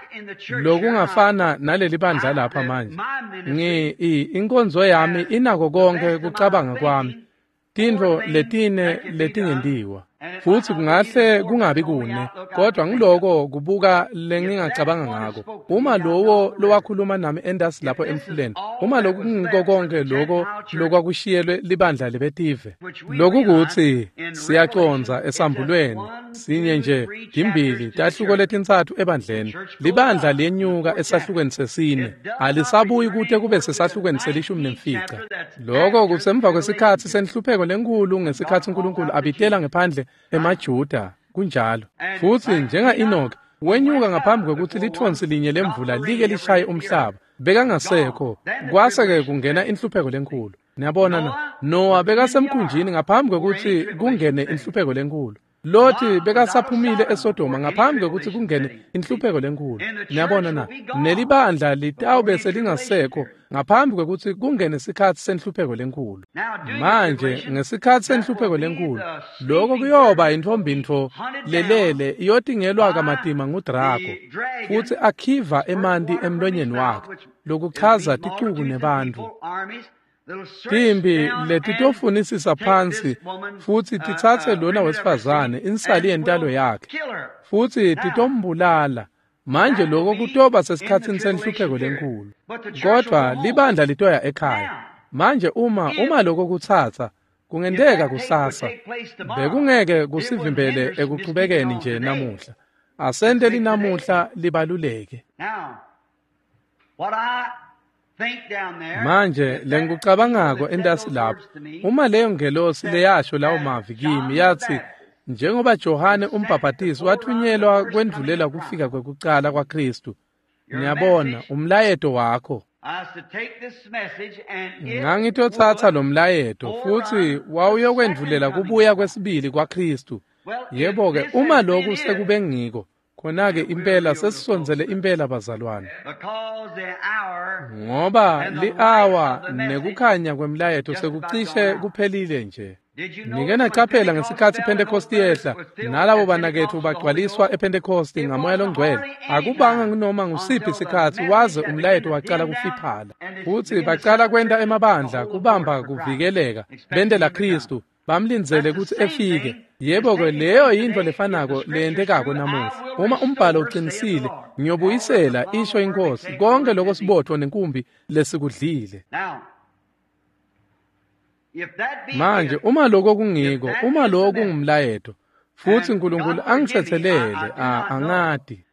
lokungafana naleli bandla lapha manje. Inkonzo yami inako konke kucabanga kwami, tintfo letine letingentiwa. Futsi kungahle kungabi kune, kodwa ngiloko kubuka lengingacabanga ngako. Uma lowo lowakhuluma nami endasi lapho emfuleni, uma lokhu kungiko konke loko lokwakushiyelwe libandla lebetive, lokhu kutsi siyacondza esambulweni sinye nje, timbili tahluko letintsatfu ebandleni. Libandla liyenyuka esahlukweni sesine, alisabuyi kute kube sesahlukweni selishumi nemfica. Loko kusemva kwesikhatsi senhlupheko lenkhulu, ngesikhatsi uNkulunkulu abitela ngephandle emaJuda. Kunjalo. Futsi njenga-Enoch wenyuka ngaphambi kwekutsi litfonsi linye lemvula like lishaye umhlaba, bekangasekho. Kwase-ke kungena inhlupheko lenkhulu. Niyabona na? Noah bekasemkhunjini ngaphambi kwekutsi kungene inhlupheko lenkhulu. Loti bekasaphumile eSodoma ngaphambi kwekutsi kungene inhlupheko lenkhulu. Niyabona na? Nelibandla litawube selingasekho ngaphambi kwekutsi kungene sikhatsi senhlupheko lenkhulu. Manje ngesikhatsi senhlupheko lenkhulu, lokho kuyoba intfombintfo lelele iyotingelwa kamatima nguDrago, futsi akhiva emanti emlonyeni wakhe, lokuchaza ticuku nebantfu. Timbi letitofunisisa phansi futsi titsatse lona wesifazane insali yentalo yakhe futsi titombulala. Manje lokho kutoba sesikhatsini senhlupheko lenkhulu, kodvwa libandla litoya ekhaya. Manje uma lokho kutsatsa kungenteka kusasa, bekungeke kusivimbele ekuchubekeni nje namuhla. Asente linamuhla libaluleke. Manje lengikucabangako entasi lapho, uma leyo ngelosi leyasho lawo mavi kimi yatsi, njengoba Johane umbhabhatisi wathunyelwa kwendvulela kufika kwekucala kwaKhristu, niyabona, umlayeto wakho. Ngangitotsatsa lo mlayeto futsi wawuyokwendvulela kubuya kwesibili kwaKhristu. Yebo-ke, uma lokhu sekube ngiko, khona-ke impela sesisondzele impela bazalwane. Ngoba li-awa nekukhanya kwemlayeto sekucishe kuphelile nje. Nike nacaphela ngesikhatsi iPhentekhosti yehla, nalabo banaketfu bagcwaliswa ePhentekhosti ngaMoya loNgcwele. Akubanga noma ngusiphi sikhatsi waze umlayeto wacala kufiphala. Futsi bacala kwenta emabandla kubamba kuvikeleka, bentela Khristu, bamlindzele kutsi efike. Yebo-ke, leyo yintfo lefanako leyentekako namuhla. Uma umbhalo uqinisile, ngiyobuyisela, isho iNkhosi, konke loko sibotfo nenkumbi lesikudlile. Manje uma lokho kungiko, uma lokho kungumlayeto, futsi uNkulunkulu angitsetselele, angati.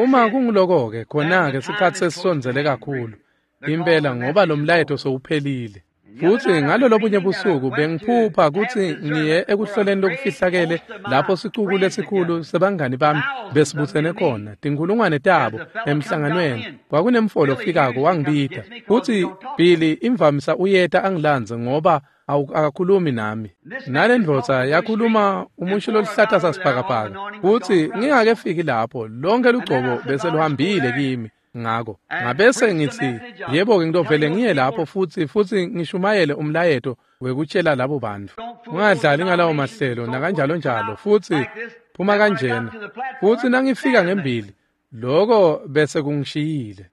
Uma kunguloko-ke, khona-ke sikhatsi sesisondzele kakhulu. Impela ngoba lo mlayeto sowuphelile. Futsi ngalolobunye busuku bengiphupha kutsi ngiye ekuhloleni lokufihlakele lapho sicuku lesikhulu sebangani bami besibutsene khona, tinkhulungwane tabo emhlanganweni. Kwakunemfolo ofikako wangibita. Futsi Billy imvamisa uyeta angilandze ngoba akakhulumi nami. Nale ndvodza yakhuluma umusho loluhlata sasibhakabhaka. Futsi ngingakefiki lapho, lonke lugcobo bese luhambile kimi. Ngako ngabese ngithi, yebo-ke, ngitovele ngiye lapho futsi ngishumayele umlayeto wekutshela labo bantfu. Ungadlali ngalawo mahlelo nakanjalo njalo, futsi phuma kanjena. Futsi nangifika ngembili, loko bese kungishiyile.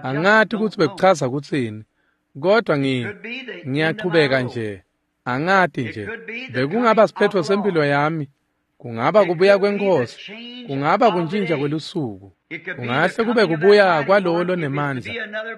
Angati kutsi bekuchaza kutsini, kodwa ngiyachubeka nje. Angati nje. Bekungaba siphetfo sempilo yami. Kungaba kubuya kweNkhosi, kungaba kuntjintja kwelusuku, kungahle kube kubuya kwalowo lonemandla,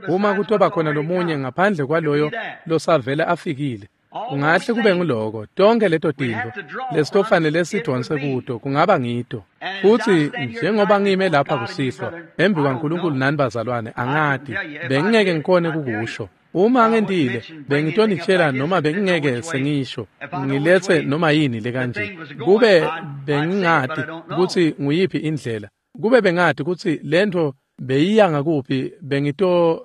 uma kutoba khona lomunye ngaphandle kwaloyo losavele afikile. Kungahle kube nguloko, tonke leto tintfo lesitofanele sidonse kuto, kungaba ngito. Futsi njengoba ngime lapha kusihlwa, embi kwaNkulunkulu nani bazalwane, angati, bengingeke ngikhone kukusho. Uma ngentile, bengitonitshela noma bengingeke sengisho, ngiletse noma yini lekanje. Kube bengingati kutsi nguyiphi indlela, kube bengati kutsi lentfo beyiya ngakuphi,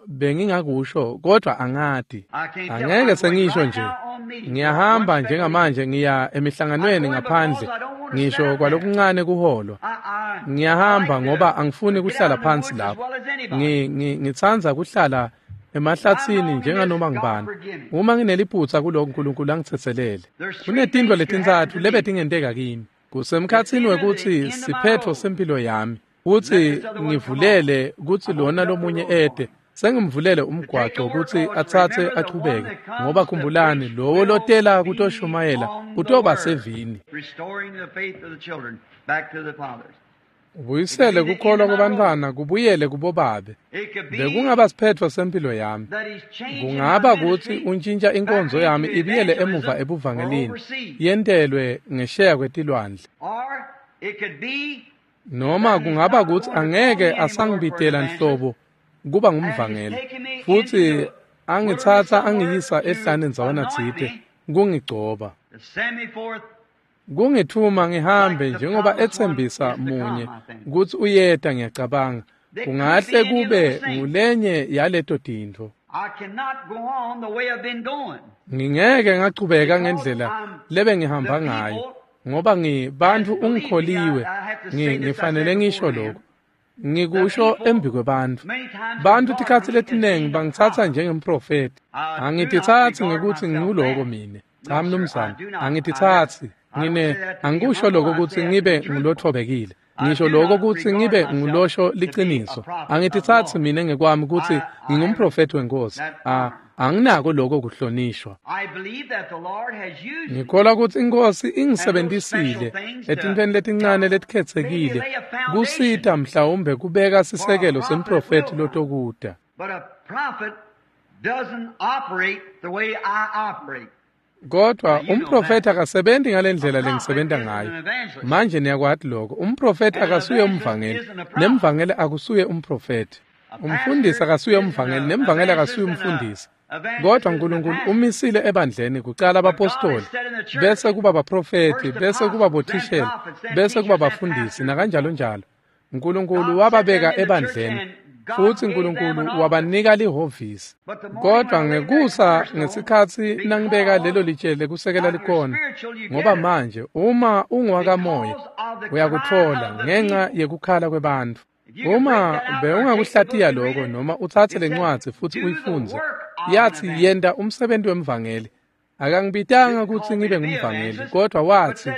bengingakusho, kodwa angati. Angeke sengisho nje. Ngiyahamba njengamanje ngiya emihlanganweni ngaphandle, ngisho kwalokuncane kuholwa. Ngiyahamba ngoba angifuni kuhlala phansi lapho. Ngitsandza kuhlala emahlatsini njenganoma ngibani. Uma ngineliphutsa kuloko, uNkulunkulu angitsetselele. Kunetintfo letintsatfu lebetingenteka kimi. Kusemkhatsini wekutsi siphetfo sempilo yami, kutsi ngivulele kutsi lona lomunye ete, sengimvulele umgwaco kutsi atsatse achubeke, ngoba khumbulani, lowo lotela kutoshumayela utoba sevini. Ubuyisele kukholwa kubantfwana kubuyele kubobabe. Bekungaba siphetfo sempilo yami. Kungaba kutsi untjintja inkonzo yami ibuyele emuva ebuvangelini, yentelwe ngesheya kwetilwandle. Noma kungaba kutsi angeke asangibitela nhlobo kuba ngumvangeli, futsi angitsatsa angiyisa ehlane ndzawana tsite kungigcoba. Kungithuma ngihambe njengoba etsembisa munye kutsi uyeta, ngiyacabanga. Kungahle kube ngulenye yaleto tintfo. Ngingeke ngachubeka ngendlela lebengihamba ngayo, ngoba bantfu ungikholiwe. Ngifanele ngisho lokho. Ngikusho embi kwebantfu. Bantfu tikhatsi letinengi bangitsatsa njengemprofeti. Angititsatsi ngekutsi nginguloko mine. Cha mnumzane, angititsatsi. Angikusho lokho kutsi ngibe ngulothobekile. Ngisho lokho kutsi ngibe ngulosho liciniso. Angititsatsi mine ngekwami kutsi ngingumprofeti weNkhosi. Anginako lokho kuhlonishwa. Ngikholwa kutsi iNkhosi ingisebentisile etintfweni letincane letikhetsekile kusita mhlawumbe kubeka sisekelo semprofeti lotokuta. Kodwa umprofeti akasebenzi ngalendlela lengisebenta ngayo. Manje niyakwati lokho. Umprofeti akasuye umvangeli, nemvangeli akusuye umprofeti. Umfundisi akasuye umvangeli, nemvangeli akasuye umfundisi. Kodwa uNkulunkulu umisile ebandleni kucala abapostoli, bese kuba baprofeti, bese kuba bothishela, bese kuba bafundisi nakanjalo njalo. uNkulunkulu wababeka ebandleni, futsi uNkulunkulu wabanika lihhovisi. Kodwa ngekusa ngesikhatsi nangibeka lelo litshe lekusekela likhona, ngoba manje uma ungowakamoya uyakutfola ngenxa yekukhala kwebantfu. Uma bewungakuhlatiya lokho noma utsatse lencwadzi futsi uyifundze, Yathi yenta umsebenzi wemvangeli. Akangibitanga kutsi ngibe ngumvangeli, kodwa wathi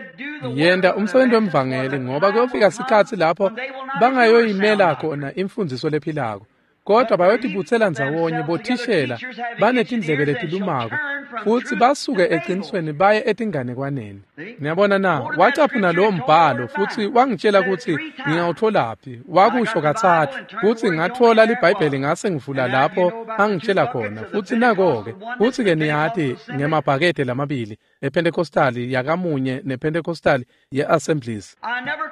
yenta umsebenzi wemvangeli ngoba kuyofika sikhatsi lapho bangayoyimela khona imfundiso lephilako. Kodwa bayotibutsela ndzawonye bothishela banetindlebe letilumako futsi basuke eqinisweni baye etinganekwaneni. Niyabona na, wacaphuna lowo mbhalo futsi wangitshela kutsi ngingawutholaphi. Wakusho katsatfu kutsi ngatfola liBhayibheli ngase ngivula lapho angitshela khona futsi nako-ke. Futsi-ke niyati ngemabhakede lamabili ePentecostali yakamunye nePentecostali ye-Assemblies.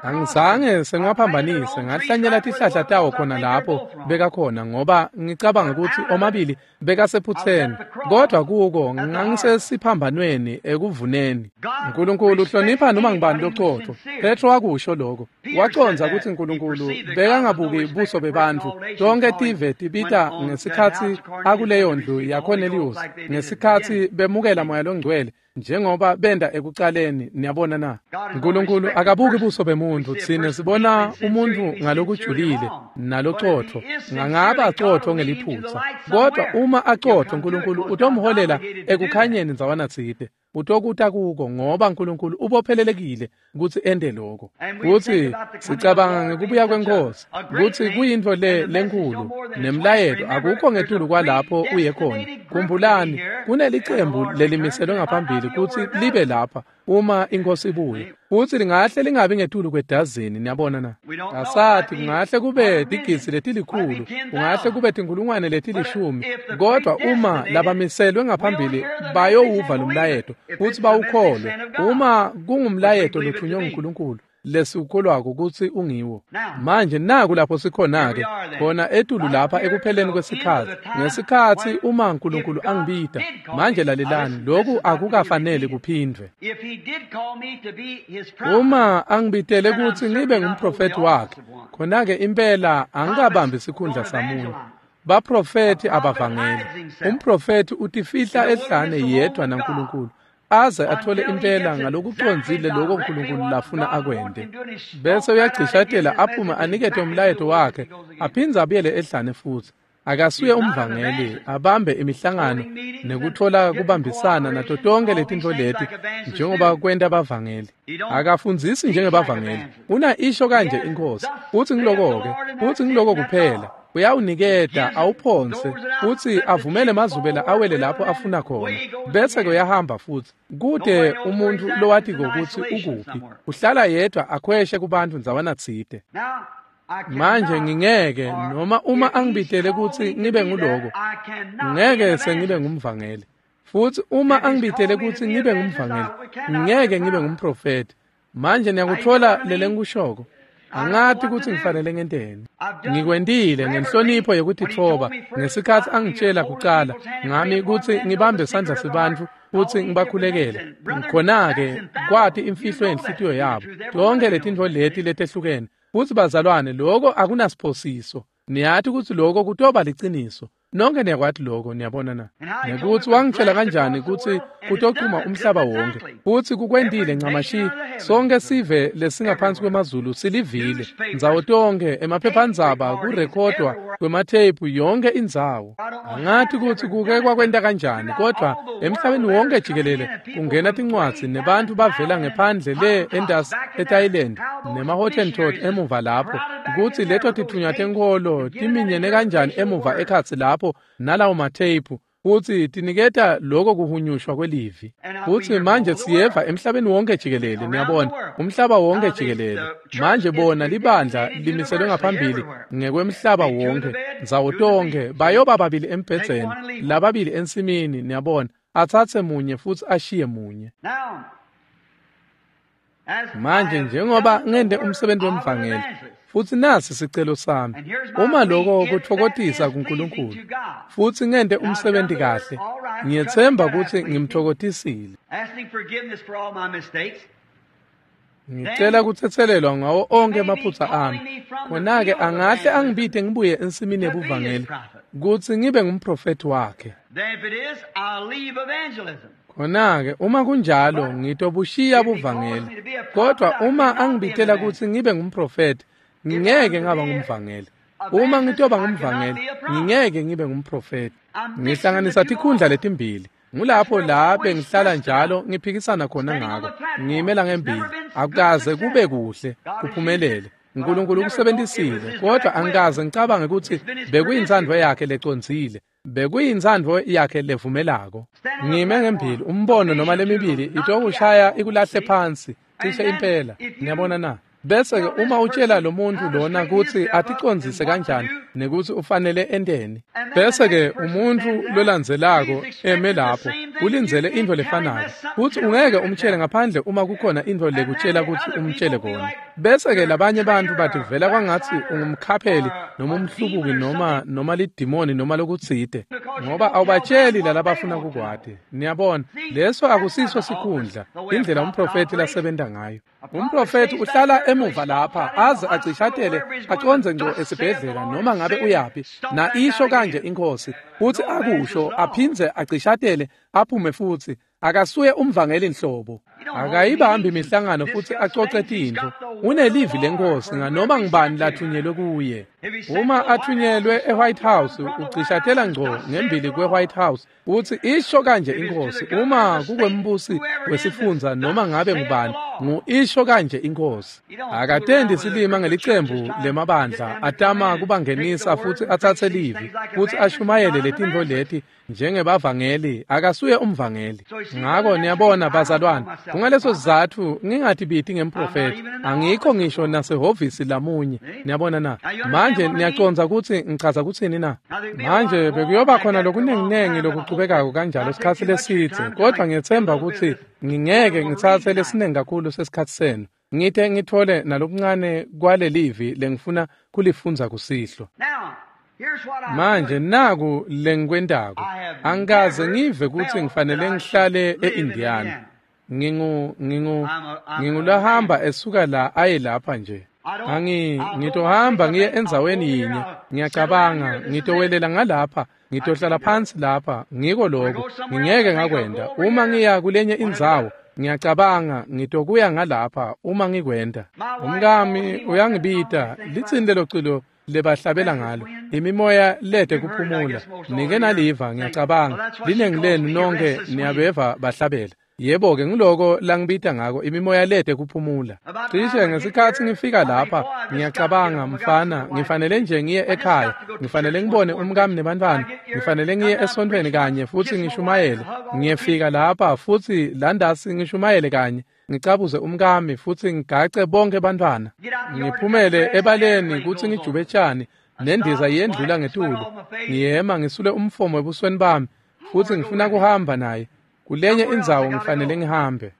Angizange sengiwaphambanise, ngahlanyela tihlahla tawo khona lapho bekakhona ngoba ngicabanga kutsi omabili bekasephutseni, kodwa kuko ngangisesiphambanweni ekuvuneni. Nkulunkulu uhlonipha noma ngubani locotfo. Petro wakusho lokho. Wacondza kutsi Nkulunkulu bekangabuki buso bebantfu. Tonke tive tibita ngesikhatsi akuleyo ndlu yaCornelius, ngesikhatsi bemukela Moya Longcwele njengoba benda ekucaleni. Niyabona na, Nkulunkulu akabuki buso bemuntu. Tsine sibona umuntu ngalokujulile nalocotfo, ngangaba acotfo ngeliphutsa, kodwa uma acotfo Nkulunkulu utomholela ekukhanyeni ndzawana tsite. Utokuta kuko ngoba Nkulunkulu ubophelelekile kutsi ente lokho. Kutsi sicabanga ngekubuya kweNkhosi kutsi kuyintfo le lenkhulu nemlayeto akukho ngetulu kwalapho uye khona. Khumbulani, kunelicembu lelimiselwe ngaphambili kutsi libe lapha uma iNkhosi ibuye, futsi lingahle lingabi ngetulu kwedazini. Niyabona na, asati, kungahle kube tigidzi letilikhulu, kungahle kube tinkulungwane letilishumi, kodwa uma labamiselwe ngaphambili bayowuva lo mlayeto futsi bawukholwe, uma kungumlayeto lothunywe nguNkulunkulu lesiwukholwako kutsi ungiwo. Manje naku lapho sikhona-ke khona etulu lapha ekupheleni kwesikhatsi, ngesikhatsi uma Nkulunkulu angibita. Manje lalelani, lokhu akukafanele kuphindvwe. Uma angibitele kutsi ngibe ngumprofethi wakhe, khona-ke impela angikabambi sikhundla samunye. Baprofethi abavangeli. Umprofethi utifihla ehlane yedwa naNkulunkulu aze athole impela ngalokucondzile lokho Nkulunkulu lafuna akwente. Bese uyagcishatela aphume anikete umlayeto wakhe, aphindze abuyele ehlane futsi. Akasuye umvangeli abambe imihlangano nekutfola kubambisana nato tonke letintfo leti njengoba kwenta bavangeli. Akafundzisi njengebavangeli. Una isho kanje iNkhosi, futsi ngiloko-ke, futsi ngiloko kuphela. Uyawuniketa awuphonse futsi avumele mazubela awele lapho afuna khona, bese ke uyahamba futsi. Kute umuntfu lowatiko kutsi ukuphi, uhlala yedwa akhweshe kubantfu ndzawana tsite. Manje ngingeke, noma uma angibitele kutsi ngibe nguloko, ngeke sengibe ngumvangeli. Futsi uma angibitele kutsi ngibe ngumvangeli, ngeke ngibe ngumprofethi. Manje niyakutfola lelengikushoko. Angati kutsi ngifanele ngenteni. Ngikwentile ngenhlonipho yekutitfoba ngesikhatsi angitshela kucala ngami kutsi ngibambe sandla sebantfu futsi ngibakhulekele. Khona-ke kwati imfihlo yenhlitiyo yabo, tonke letintfo leti letehlukene. Futsi bazalwane, lokho akunasiphosiso. Niyati kutsi lokho kutoba liciniso. Nonke niyakwati lokho, niyabona na. Nekutsi wangitshela kanjani kutsi kutochuma umhlaba wonke, futsi kukwentile ncamashi. Sonke sive lesingaphansi kwemazulu silivile, ndzawo tonke, emaphephandzaba, kurekhodwa kwematheyiphu, yonke indzawo. Angati kutsi kuke kwakwenta kanjani, kodwa emhlabeni wonke jikelele kungena tincwadzi nebantfu bavela ngephandle le entasi eThailand nema-Hottentot emuva lapho, kutsi leto titfunywa tenkholo timinyene kanjani emuva ekhatsi lapho nalawo matheyiphu, futsi tiniketa lokho kuhunyushwa kwelivi. Futsi manje siyeva emhlabeni wonke jikelele, niyabona, umhlaba wonke jikelele. Manje bona libandla limiselwe ngaphambili ngekwemhlaba wonke, ndzawo tonke, bayoba babili embhedzeni, lababili ensimini, niyabona, atsatse munye futsi ashiye munye. Manje njengoba ngente umsebenzi wemvangeli, futsi nasi sicelo sami, uma lokho kutfokotisa kuNkulunkulu futsi ngente umsebenzi kahle, ngiyetsemba kutsi ngimtfokotisile. Ngicela kutsetselelwa ngawo onke emaphutsa ami. Khona-ke angahle angibite ngibuye ensimini yebuvangeli kutsi ngibe ngumprofethi wakhe. Khona-ke uma kunjalo ngitobushiya buvangeli, kodwa uma angibitela kutsi ngibe ngumprofethi, ngingeke ngaba ngumvangeli. Uma ngitoba ngumvangeli, ngingeke ngibe ngumprofeti. Ngihlanganisa tikhundla letimbili. Ngulapho la bengihlala njalo ngiphikisana khona ngako. Ngimela ngembili. Akukaze kube kuhle, kuphumelele. uNkulunkulu ukusebenzisile, kodwa angikaze ngicabange ukuthi bekuyintsandvo yakhe lecondzile. Bekuyintsandvo yakhe levumelako. Ngime ngembili, umbono noma lemibili itokushaya ikulahle phansi, cishe impela. Ngiyabona na? Bese ke uma utshela lo muntu lona kutsi aticondzise kanjani nekuthi ufanele enteni, bese ke umuntu lolandzelako eme lapho ulindzele intfo lefanako, futsi ungeke umtshele ngaphandle uma kukhona intfo lekutshela kutsi umtshele kona. Bese ke labanye bantfu bativela kwangatsi ungumkhapheli noma umhlubuki noma lidimoni noma lokutsite, ngoba awubatsheli lalabafuna kukwati. Niyabona, leso akusiso sikhundla, indlela umprofeti lasebenta ngayo. Umprofeti uhlala emuva lapha aze acishatele acondze ngco esibhedlela noma ngabe uyaphi, na isho kanje inkosi, uthi akusho aphindze acishatele aphume futhi. Akasuye umvangeli nhlobo, akayibambi imihlangano futhi acoce tintfo. Unelivi lenkosi nganoma ngibani lathunyelwe kuye. Uma athunyelwe eWhite House, ucishatela ngco ngembili kweWhite House uthi isho kanje inkosi. Uma kukwembusi wesifundza noma ngabe ngubani, ngu-isho kanje inkosi. Akatendi silima ngelicembu lemabandla atama kubangenisa futhi atsatse livi futhi ashumayele letintfo leti njengebavangeli. Akasuye umvangeli. Ngako niyabona bazalwane, kungaleso sizatfu ngingatibiti ngemprofeti. Angikho ngisho nasehhovisi lamunye. Niyabona na? Manje niyacondza kutsi ngichaza kutsini na? Manje bekuyoba khona lokunenginengi lokuchubekako kanjalo sikhatsi lesidze, kodwa ngiyetsemba kutsi ngingeke ngitsatse lesinengi kakhulu sesikhatsi senu. Ngite ngitfole nalokuncane kwalelivi lengifuna kulifundza kusihlwa. Manje naku lengikwentako. Angikaze ngive kutsi ngifanele ngihlale e-Indiana. Ngingulahamba esuka la aye lapha nje. Ngitohamba ngiye endzaweni yinye. Ngiyacabanga ngitowelela ngalapha, ngitohlala phansi lapha, ngiko lokho. Ngingeke ngakwenda. Uma ngiya kulenye indzawo, ngiyacabanga ngitokuya ngalapha uma ngikwenda. Umkami uyangibita, litsini lelo culo lebahlabela ngalo, imimoya lede kuphumula. Nike naliva, ngiyacabanga linengi lenu nonke niyabeva bahlabela. Yebo-ke, ngiloko langibita ngako, imimoya lede kuphumula. Cishe ngesikhatsi ngifika lapha, ngiyacabanga, mfana, ngifanele nje ngiye ekhaya, ngifanele ngibone umkami nebantfwana, ngifanele ngiye esontfweni kanye futsi ngishumayele. Ngiyefika lapha futsi landasi ngishumayele kanye, ngicabuze umkami futsi ngigace bonke bantfwana. Ngiphumele ebaleni kutsi ngijube tjani, nendiza yendlula ngetulu. Ngiyema ngisule umfomo ebusweni bami futsi ngifuna kuhamba naye. Kulenye indzawo ngifanele ngihambe.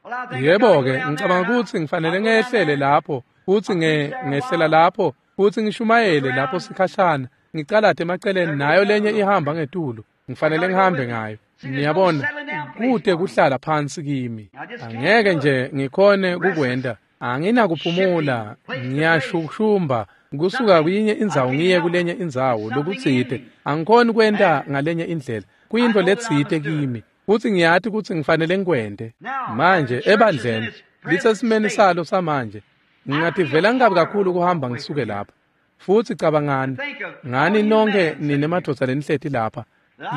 Yebo-ke, ngicabanga kutsi ngifanele ngehlele lapho futsi ngehlela lapho futsi ngishumayele lapho sikhashana, ngicalate emaceleni, nayo lenye ihamba ngetulu. Ngifanele ngihambe ngayo. Niyabona, kute kuhlala phansi kimi. Angeke nje ngikhone kukwenta. Anginakuphumula, ngiyashushumba kusuka kuyinye indzawo ngiye kulenye indzawo lokutsite. Angikhoni kwenta ngalenye indlela. Kuyintfo letsite kimi. Futsi ngiyati kutsi ngifanele ngikwente. Manje ebandleni lisesimeni salo samanje, ngingativela ngikabi kakhulu kuhamba ngisuke lapha. Futsi cabangani ngani nonke nine madvodza lenihleti lapha,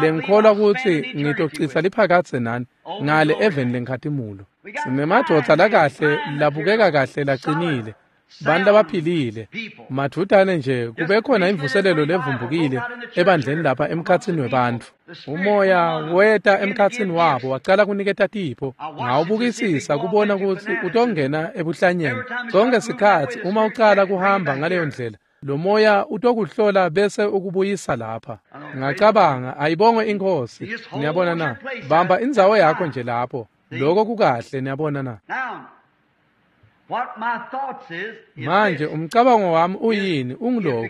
lengikholwa kutsi ngitocitsa liphakadze nani ngale eveni lenkhatimulo. Sinemadvodza lakahle, labukeka kahle, lacinile, bantu labaphilile. Madvutane nje kube khona imvuselelo levumbukile ebandleni lapha emkhatsini webantfu. Umoya weta emkhatsini wabo wacala kuniketa tipho. Ngawubukisisa kubona kutsi utongena ebuhlanyeni. Sonke sikhatsi uma ucala kuhamba ngaleyo ndlela, lo moya utokuhlola bese ukubuyisa lapha. Ngacabanga, ayibongwe inkosi. Niyabona na? Bamba indzawo yakho nje lapho. Lokho kukahle, niyabona na? Manje umcabango wami uyini? Ungiloko.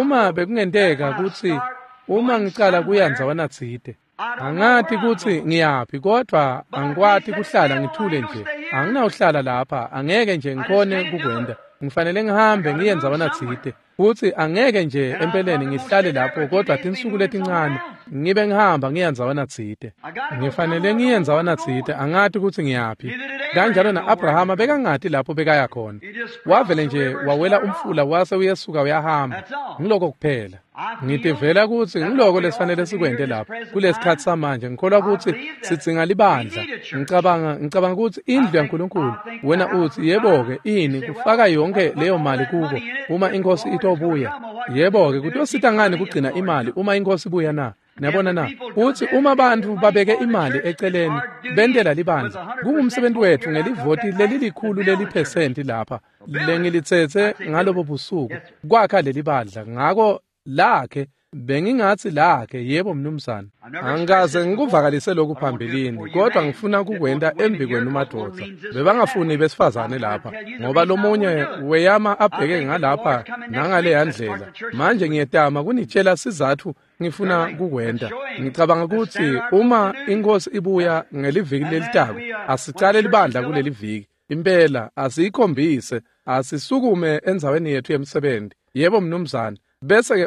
Uma bekungenteka kutsi uma ngicala kuya ndzawana tsite, angati kutsi ngiyaphi, kodwa angikwati kuhlala ngithule nje. Anginawuhlala lapha, angeke nje ngikhone kukwenta. Ngifanele ngihambe ngiye ndzawana tsite. Futsi angeke nje empeleni ngihlale lapho kodwa tinsuku letincane ngibe ngihamba ngiya ndzawana tsite. Ngifanele ngiye ndzawana tsite, angati kutsi ngiyaphi. Kanjalo na-Abrahama bekangati lapho bekaya khona. Wavele nje wawela umfula wase uyesuka uyahamba. Ngiloko kuphela. Ngitivela kutsi ngiloko lesifanele sikwente lapha kulesikhatsi samanje. Ngikholwa kutsi sidzinga libandla. Ngicabanga kutsi indlu yaNkulunkulu. Wena utsi yebo-ke ini kufaka yonke leyo mali kuko uma inkosi itobuya. Yebo-ke kutosita ngani kugcina imali uma inkosi ibuya na? Niyabona na? Utsi uma bantfu babeke imali eceleni bentela libandla, kungumsebenzi wetfu ngelivoti lelilikhulu leliphesenti lapha lengilitsetse ngalobo busuku kwakha lelibandla. Ngako lakhe bengingatsi lakhe, yebo mnumzane. Angikaze ngikuvakalise lokhu phambilini, kodwa ngifuna kukwenta embikwenu madvodza. Bebangafuni besifazane lapha ngoba lomunye weyama abheke ngalapha nangaleya ndlela. Manje ngiyetama kunitshela sizatfu ngifuna kukwenta. Ngicabanga kutsi uma inkosi ibuya ngeliviki lelitako, asicale libandla kuleli viki. Impela asiyikhombise, asisukume endzaweni yetfu yemsebenti. Yebo mnumzane. Bese ke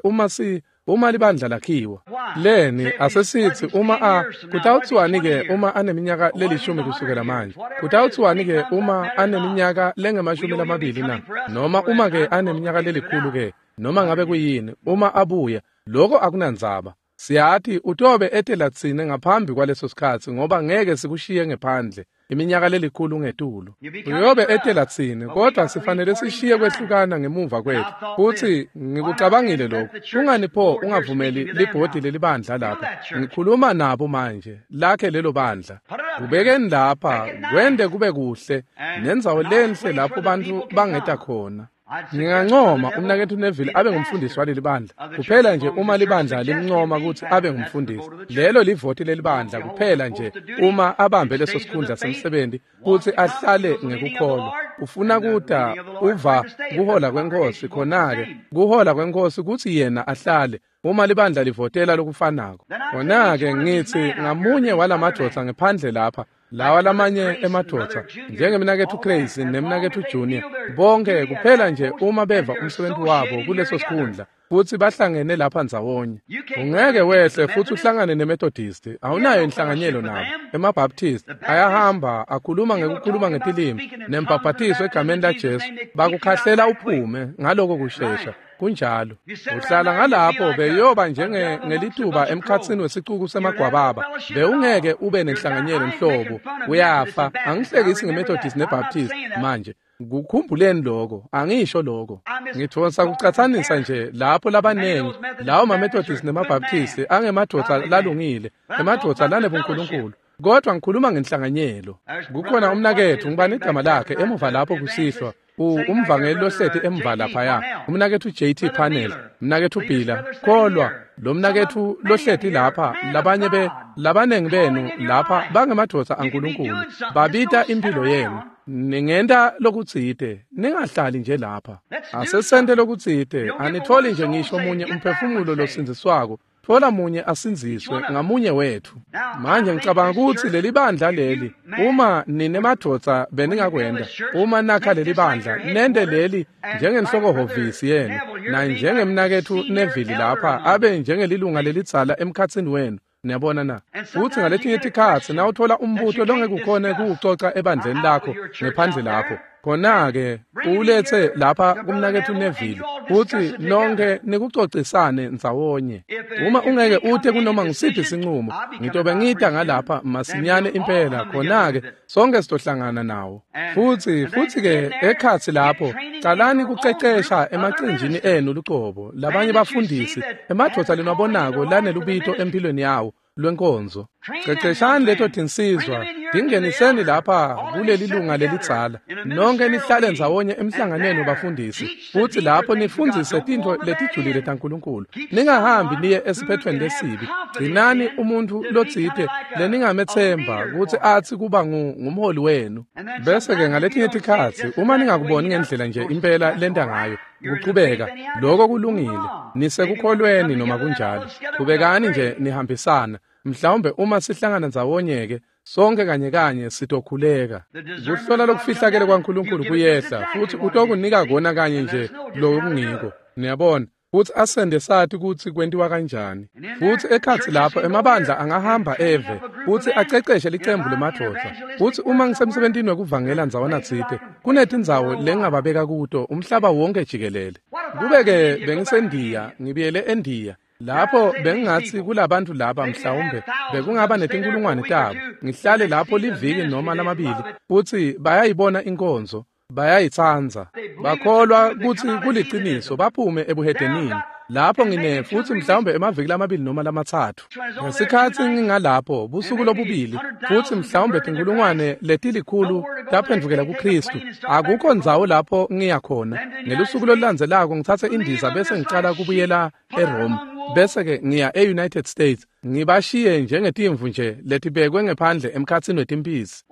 uma libandla lakhiwa leni asesitsi uma kutawutsiwani ke uma aneminyaka lelishumi kusukela manje? Kutawutsiwani ke uma aneminyaka lengemashumi lamabili na? Noma uma ke aneminyaka lelikhulu ke? Noma ngabe kuyini, uma abuya, lokho akunandzaba. Siyati utobe etela tsine ngaphambi kwaleso sikhatsi ngoba ngeke sikushiye ngephandle iminyaka lelikhulu ngetulu. Uyobe etela tsine, kodwa sifanele sishiye kwehlukana ngemuva kwethu. Futsi ngikucabangile lokhu. Kungani pho ungavumeli libhodi lelibandla lapha? Ngikhuluma nabo manje, lakhe lelo bandla. Kubekeni lapha, kwente kube kuhle, nendzawo lenhle lapho bantfu bangeta khona. Ngingancoma umnaketfu Neville abe ngumfundisi waleli bandla. Kuphela nje uma libandla limncoma kutsi abe ngumfundisi. Lelo livoti lelibandla kuphela nje uma abambe leso sikhundla semsebenti kutsi ahlale ngekukholwa. Ufuna kuta uva kuhola kwenkosi, khona-ke kuhola kwenkosi kutsi yena ahlale uma libandla livotela lokufanako. Khona-ke ngitsi ngamunye walamadvodza ngephandle lapha, lawa lamanye emadvodza njengemnaketfu Crazy nemnaketfu Junior, bonke kuphela nje uma beva umsebenzi wabo kuleso sikhundla futsi bahlangene lapha ndzawonye. Ungeke wehle futsi uhlangane neMethodist, awunayo inhlanganyelo nabo. EmaBaptist ayahamba akhuluma ngekukhuluma ngetilimi nembhaphathiso egameni laJesu, bakukhahlela uphume ngaloko kushesha. Kunjalo. Uhlala ngalapho beyoba njengelituba emkhatsini wesicuku semagwababa. Bewungeke ube nenhlanganyelo nhlobo. Uyafa. Angihlekisi ngeMethodist neBaptist manje. Kukhumbuleni lokho, angisho lokho. Ngithonsa kucatsanisa nje lapho labanengi lawo maMethodist nemaBaptist angemadvodza lalungile, emadvodza lanebunkulunkulu. Kodwa ngikhuluma ngenhlanganyelo. Kukhona umnaketfu, ngibani igama lakhe emuva lapho kusihlwa, umvangeli lohleti emva laphaya, umnaketfu JT Panel, umnaketfu Bila, kholwa lo mnaketfu lohleti lapha, labanye labanengi benu lapha bangemadvodza aNkulunkulu, babita impilo yenu. Ningenta lokutsite, ningahlali nje lapha. Asesente lokutsite, anitholi nje ngisho munye umphefumulo losindziswako. Thola munye asindziswe ngamunye wetfu. Manje ngicabanga kutsi leli bandla leli, uma nine madvodza beningakwenta, uma nakha leli bandla, nente leli njengenhlokohhovisi yenu, na njengemnaketfu Neville lapha abe njengelilunga lelidzala emkhatsini wenu. Niyabona na? Futsi ngaletinye tikhatsi nawuthola umbuto longekukhona kuwucoca ebandleni lakho ngephandle lapho, khona-ke uwulethe lapha kumnaketfu Neville futsi nonke nikucocisane ndzawonye. Uma ungeke ute kunoma ngisiphi sinqumo, ngitobe ngita ngalapha masinyane impela, khona-ke sonke sitohlangana nawo. Futsi-ke ekhatsi lapho, calani kucecesha emacenjini enu lucobo, labanye bafundisi, emadvodza leniwabonako lanelubito emphilweni yawo lwenkonzo. Ceceshani leto tinsizwa, tingeniseni lapha kuleli lunga lelidzala. Nonke nihlale ndzawonye emhlanganweni wabafundisi, futsi lapho nifundzise tintfo letijulile taNkulunkulu. Ningahambi niye esiphethweni lesibi. Gcinani umuntfu lotsite leningametsemba kutsi atsi kuba ngumholi wenu. Bese-ke ngaletinye tikhatsi uma ningakuboni ngendlela nje impela lenta ngayo, kuchubeka, lokho kulungile. Nisekukholweni noma kunjalo. Chubekani nje nihambisana. Mhlawumbe uma sihlangana ndzawonye-ke Sonke kanye kanye sitokhuleka. Kuhlola lokufihlakele kwaNkulunkulu kuyehla futhi utokunika kona kanye nje lokungiko. Niyabona? Futhi asende sathi kutsi kwentiwa kanjani. Futhi ekhatsi lapho emabandla angahamba eve futhi aceceshe licembu lemadvodza. Futhi uma ngisemsebentini wekuvangela ndzawana tsite, kunetindzawo lengingababeka kuto umhlaba wonke jikelele. Kube-ke bengisendiya, ngibuyele eNdiya. Lapho bengingatsi kulabantu laba mhlawumbe bekungaba netinkulungwane tabo. Ngihlale lapho liviki noma lamabili futhi bayayibona inkonzo. Bayayitsandza. Bakholwa kutsi kuliciniso baphume ebuhedenini. Lapho ngine futhi mhlawumbe emaviki lamabili noma lamathathu. Ngesikhatsi ngingalapho busuku lobubili futhi mhlawumbe tinkulungwane letilikhulu taphendvukela kuKristu. Akukho ndzawo lapho ngiya khona. Ngelusuku lolulandzelako ngitsatse indiza bese ngicala kubuyela eRome. Bese-ke ngiya e-United States. Ngibashiye njengetimvu nje letibekwe ngephandle emkhatsini wetimphisi.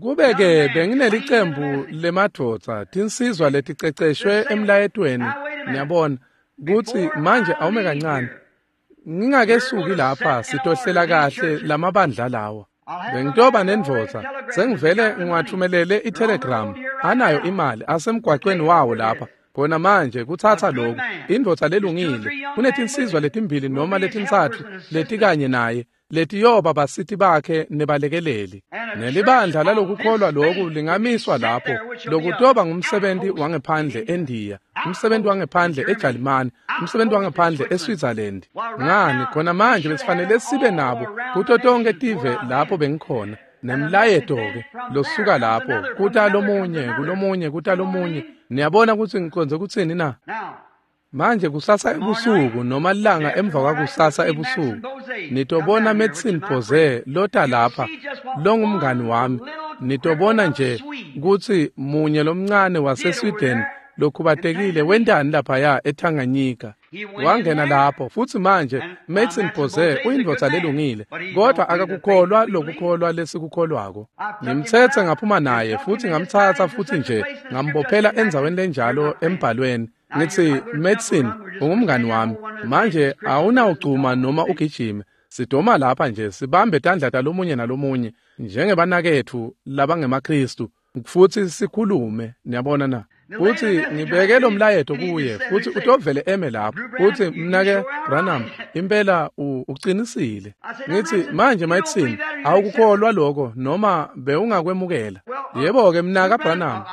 Kube-ke benginelicembu lemadvodza, tinsizwa leticeceshwe emlayetweni, niyabona, kutsi manje awume kancane. Ngingakesuki lapha sitohlela kahle lamabandla lawa. Bengitoba nendvodza, sengivele ngiwathumelele itelegram, anayo imali asemgwaqweni wawo lapha. Khona manje kutsatsa lokhu, indvodza lelungile, kunetinsizwa letimbili noma letintsatfu letikanye naye, letiyoba basiti bakhe nebalekeleli. Nelibandla lalokukholwa loku lingamiswa lapho, lokutoba ngumsebenti wangephandle eNdiya, umsebenti wangephandle eJalimane, umsebenti wangephandle eSwitzerland. Ngani, khona manje besifanele sibe nabo kuto tonke tive lapho bengikhona. Nemlayeto-ke losuka lapho kuta lomunye, kulomunye, kuta lomunye. Niyabona kutsi ngiconze kutsini na? Manje kusasa ebusuku noma lilanga emva kwakusasa ebusuku nitobona Medicine Bose lota lapha longumngani wami. Nitobona nje kutsi munye lomncane waseSweden lokhubatekile wentani laphaya eTanganyika. Wangena lapho futhi manje Medicine Bose uyindvodza lelungile, kodwa akakukholwa lokukholwa lesikukholwako. Ngimthethe ngaphuma naye futhi ngamthatha futhi nje ngambophela endzaweni lenjalo embhalweni. Ngithi Medicine ungumngani wami, manje awunawugcuma noma ugijime. Sidoma lapha nje sibambe tandla talomunye nalomunye njengebanaketfu labangemaKristu futhi sikhulume, niyabona na? Futhi ngibeke lo mlayeto kuye futhi utovele eme lapho. Futhi mnake Branham, impela uqinisile. Ngithi manje Medicine awukukholwa lokho noma bewungakwemukela. Yebo-ke mnaka Branham,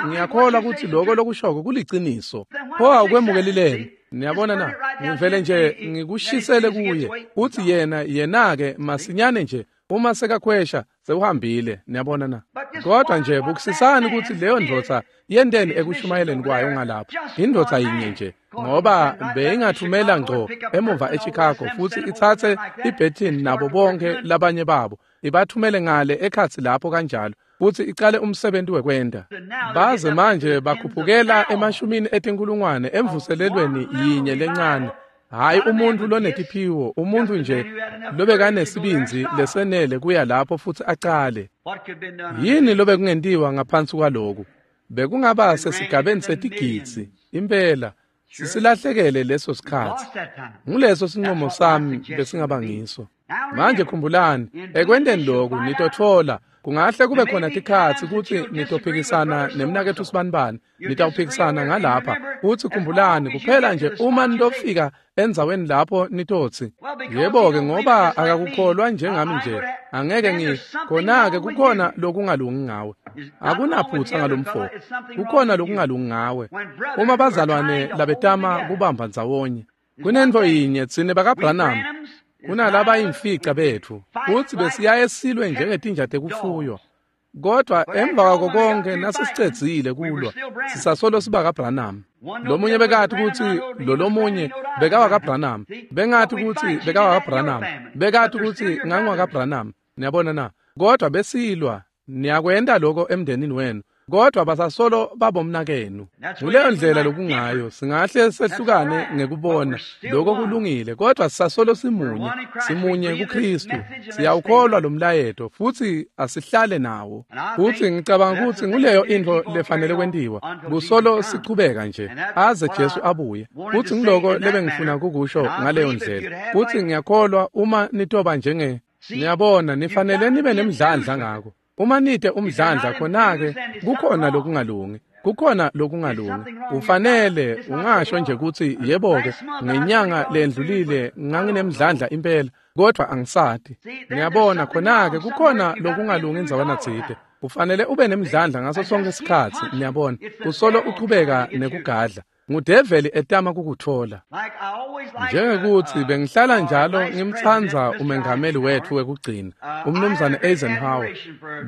ngiyakholwa ukuthi lokho lokushoko kuliciniso. Pho awukwemukelileni? Niyabona na? Ngivele nje ngikushisele kuye. Uthi yena-ke masinyane nje uma sekakhwesha sewuhambile, niyabona na? Kodwa nje bukusisani ukuthi leyo ndvodza yenteni ekushumayeleni kwayo ngalapho. Indvodza yinye nje, ngoba beyingathumela ngco emuva eChicago futhi ithathe iBertin nabo bonke labanye babo, ibathumele ngale ekhatsi lapho kanjalo, futhi icale umsebenzi wekwenda. Baze manje bakhuphukela emashumini etinkulungwane emvuselelweni yinye lencane. Hayi umuntu lonetiphiwo, umuntu nje lobekanesibindzi lesenele kuya lapho futhi acale. Yini lobe kungentiwa ngaphansi kwaloku? Bekungaba sesigabeni setigidzi, impela. Sisilahlekele leso sikhatsi. Nguleso sinqumo sami besingaba ngiso. Manje khumbulani, ekwenteni loku nitotfola kungahle kube khona tikhatsi kutsi nitophikisana nemnaketfu sibanibani, nitawuphikisana ngalapha. Kutsi khumbulani kuphela nje uma nitofika endzaweni lapho nitotsi, yebo-ke ngoba akakukholwa njengami nje, angeke ngi khona-ke kukhona lokungalungi ngawe. Akunaphutha ngalomfo, kukhona lokungalungi ngawe. Uma bazalwane labetama kubamba ndzawonye, kunentfo yinye tsine bakaBranham, kunalaba imfica betfu futsi besiyaye silwe njengetinja tekufuywa. Kodwa emva kwako konke nasesicedzile kulwa, sisasolo siba kaBranham. Lomunye bekathi kutsi lolomunye bekawakaBranham, bengathi kutsi bekawakaBranham, bekathi kutsi ngangwakaBranham. Niyabona na? Kodwa besilwa, niyakwenta lokho emndenini wenu. Kodwa basasolo babomnakenu. Nguleyo ndlela lokungayo, singahle sehlukane ngekubona lokho kulungile, kodwa sisasolo simunye, simunye kuKristu. Siyawukholwa lo mlayeto futhi asihlale nawo. Futhi ngicabanga ukuthi nguleyo intfo lefanele kwentiwa, kusolo sichubeka nje aze Jesu abuye. Futhi ngiloko lebengifuna kukusho ngaleyo ndlela. Futhi ngiyakholwa uma nitoba njenge Niyabona, nifanele nibe nemdlandla ngako. Uma nite umdlandla khona-ke kukhona lokungalungi. Kukhona lokungalungi. Ufanele ungasho nje kutsi yebo-ke ngenyanga lendlulile nganginemdlandla impela kodwa angisati. Niyabona khona-ke kukhona lokungalungi indzawana tsite. Ufanele ube nemdlandla ngaso sonke isikhatsi, niyabona. Usolo uchubeka nekugadla. Ngudeveli etama kukutfola. Njengekuthi bengihlala njalo ngimtsandza umengameli wetfu wekugcina, umnumzane Eisenhower.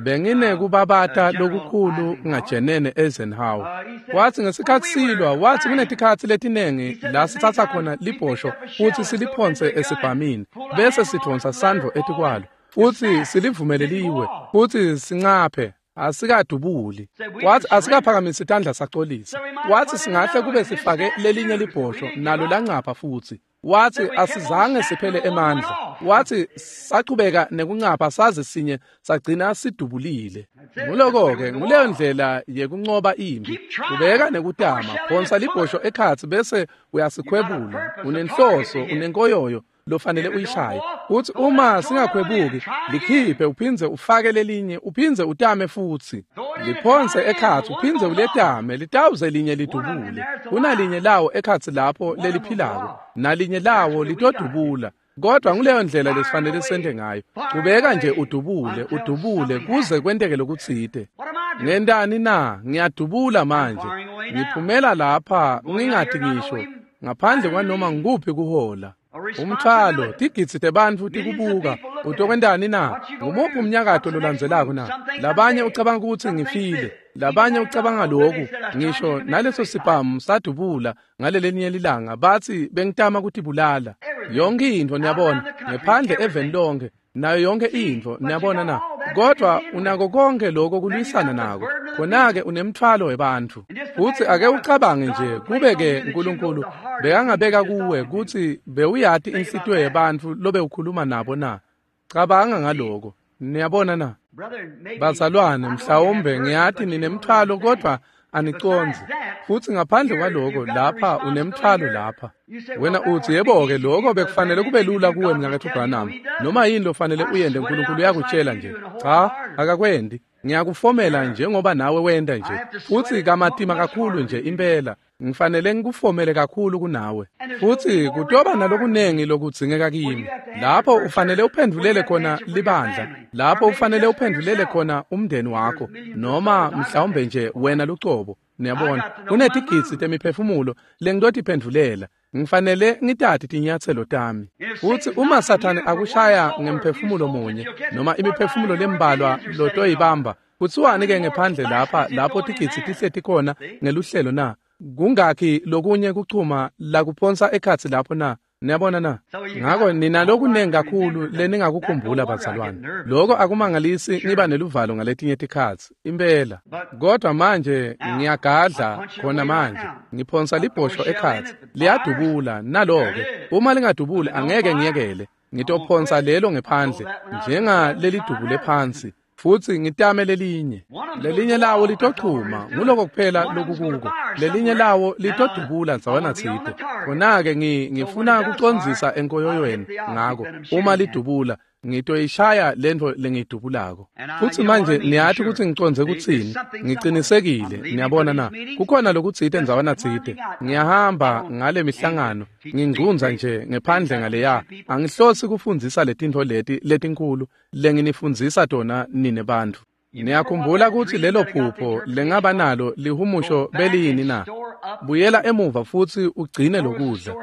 Benginekubabata lokukhulu ngajenene Eisenhower. Wathi ngesikhatsi silwa, wathi kunetikhatsi letinengi la sitsatsa khona libhosho futhi siliphonse esibhamini, bese sidvonsa sandvo etikwalo, futhi silivumele liwe, futhi sincaphe. Asikadubuli. Wathi asikaphakamisi tandla sacolisa. Wathi singahle kube sifake lelinye libhosho nalo lancapha futhi. Wathi asizange siphele emandla. Wathi sachubeka nekuncapha saze sinye sagcina sidubulile. Nguloko-ke nguleyo ndlela yekuncoba impi. Kubeka nekutama, phonsa libhosho ekhatsi bese uyasikhwebula. Unenhloso, unenkoyoyo lofanele uyishaye. Uthi uma singakhwebuki likhiphe uphindze ufake lelinye, uphindze utame futhi. Liphonse ekhatsi uphindze uletame, litawuze linye lidubule. Kunalinye lawo ekhatsi lapho leliphilako, nalinye lawo litodubula. Kodwa nguleyo ndlela lesifanele sente ngayo. Chubeka nje udubule, udubule kuze kwenteke lokutsite. Ngentani na? Ngiyadubula manje. Ngiphumela lapha ngingati ngisho ngaphandle kwanoma ngikuphi kuhola. Umthwalo, tigidzi tebantfu tikubuka. Utokwentani na? Ngumuphi umnyakato lolandzelako na? Labanye ucabanga ukuthi ngifile, labanye ucabanga lokhu. Ngisho naleso sibhamu sadubula ngalelinye lilanga, bathi bengitama kutibulala. Yonke intfo, niyabona, ngephandle eveni lonke, nayo yonke intfo, niyabona na? Kodwa unako konke lokho kulwisana nako. Khona-ke unemthwalo webantfu. Futhi ake ucabange nje, kube-ke uNkulunkulu bekangabeka kuwe kutsi bewuyati inhlitiyo yebantfu lobe ukhuluma nabo na? Cabanga ngaloko. Niyabona na? Bazalwane, mhlawumbe ngiyati ninemthwalo kodwa anicondzi. Futhi ngaphandle kwaloko lapha unemthwalo lapha. Wena uthi yebo-ke lokho bekufanele kube lula kuwe mnaketfu Branham. Noma yini lofanele uyente uNkulunkulu uyakutshela nje. Cha, akakwendi. Ngiyakufomela njengoba nawe wenta nje. Futhi kamatima kakhulu nje impela. Ngifanele ngikufomele kakhulu kunawe. Futhi kutoba nalokunengi lokudzingeka kimi. Lapho ufanele uphendvulele khona libandla. Lapho ufanele uphendvulele khona umndeni wakho noma mhlawumbe nje wena lucobo. Niyabona, kunetigidzi temiphefumulo lengitotiphendvulela. Ngifanele ngitati tinyatselo tami. Futhi uma Sathane akushaya ngemphefumulo munye noma imiphefumulo lembalwa lotoyibamba, kuthiwani-ke ngephandle lapha lapho tigidzi tihleti khona ngeluhlelo na? Kungakhi lokunye kuchuma lakuphonsa ekhatsi lapho na? Niyabona na? Ngako nina lokunengi kakhulu leningakukhumbula bazalwane. Lokho akumangalisi ngiba neluvalo ngaletinye tikhatsi, impela. Kodwa manje ngiyagadla khona manje, ngiphonsa libhosho ekhatsi, liyadubula nalo-ke. Uma lingadubuli angeke ngiyekele, ngitophonsa lelo ngephandle njengalelidubule phansi. Futhi ngitame lelinye. Lelinye lawo litochuma, nguloko kuphela lokukuko. Lelinye lawo litodubula ndzawana tsite. Khona-ke ngifuna kucondzisa enkoyoyweni ngako. Uma lidubula, ngitoyishaya lentfo lengiyidubulako. Futhi manje niyati kutsi ngicondze kutsini. Ngicinisekile, niyabona na? Kukhona lokutsite ndzawana tsite. Ngiyahamba ngale mihlangano, ngingcundza nje ngephandle ngaleya. Angihlosi kufundzisa letintfo leti letinkhulu lenginifundzisa tona nine bantfu. Niyakhumbula kutsi lelo phupho lengaba nalo lihumusho beliyini na? Buyela emuva futsi ugcine lokudla.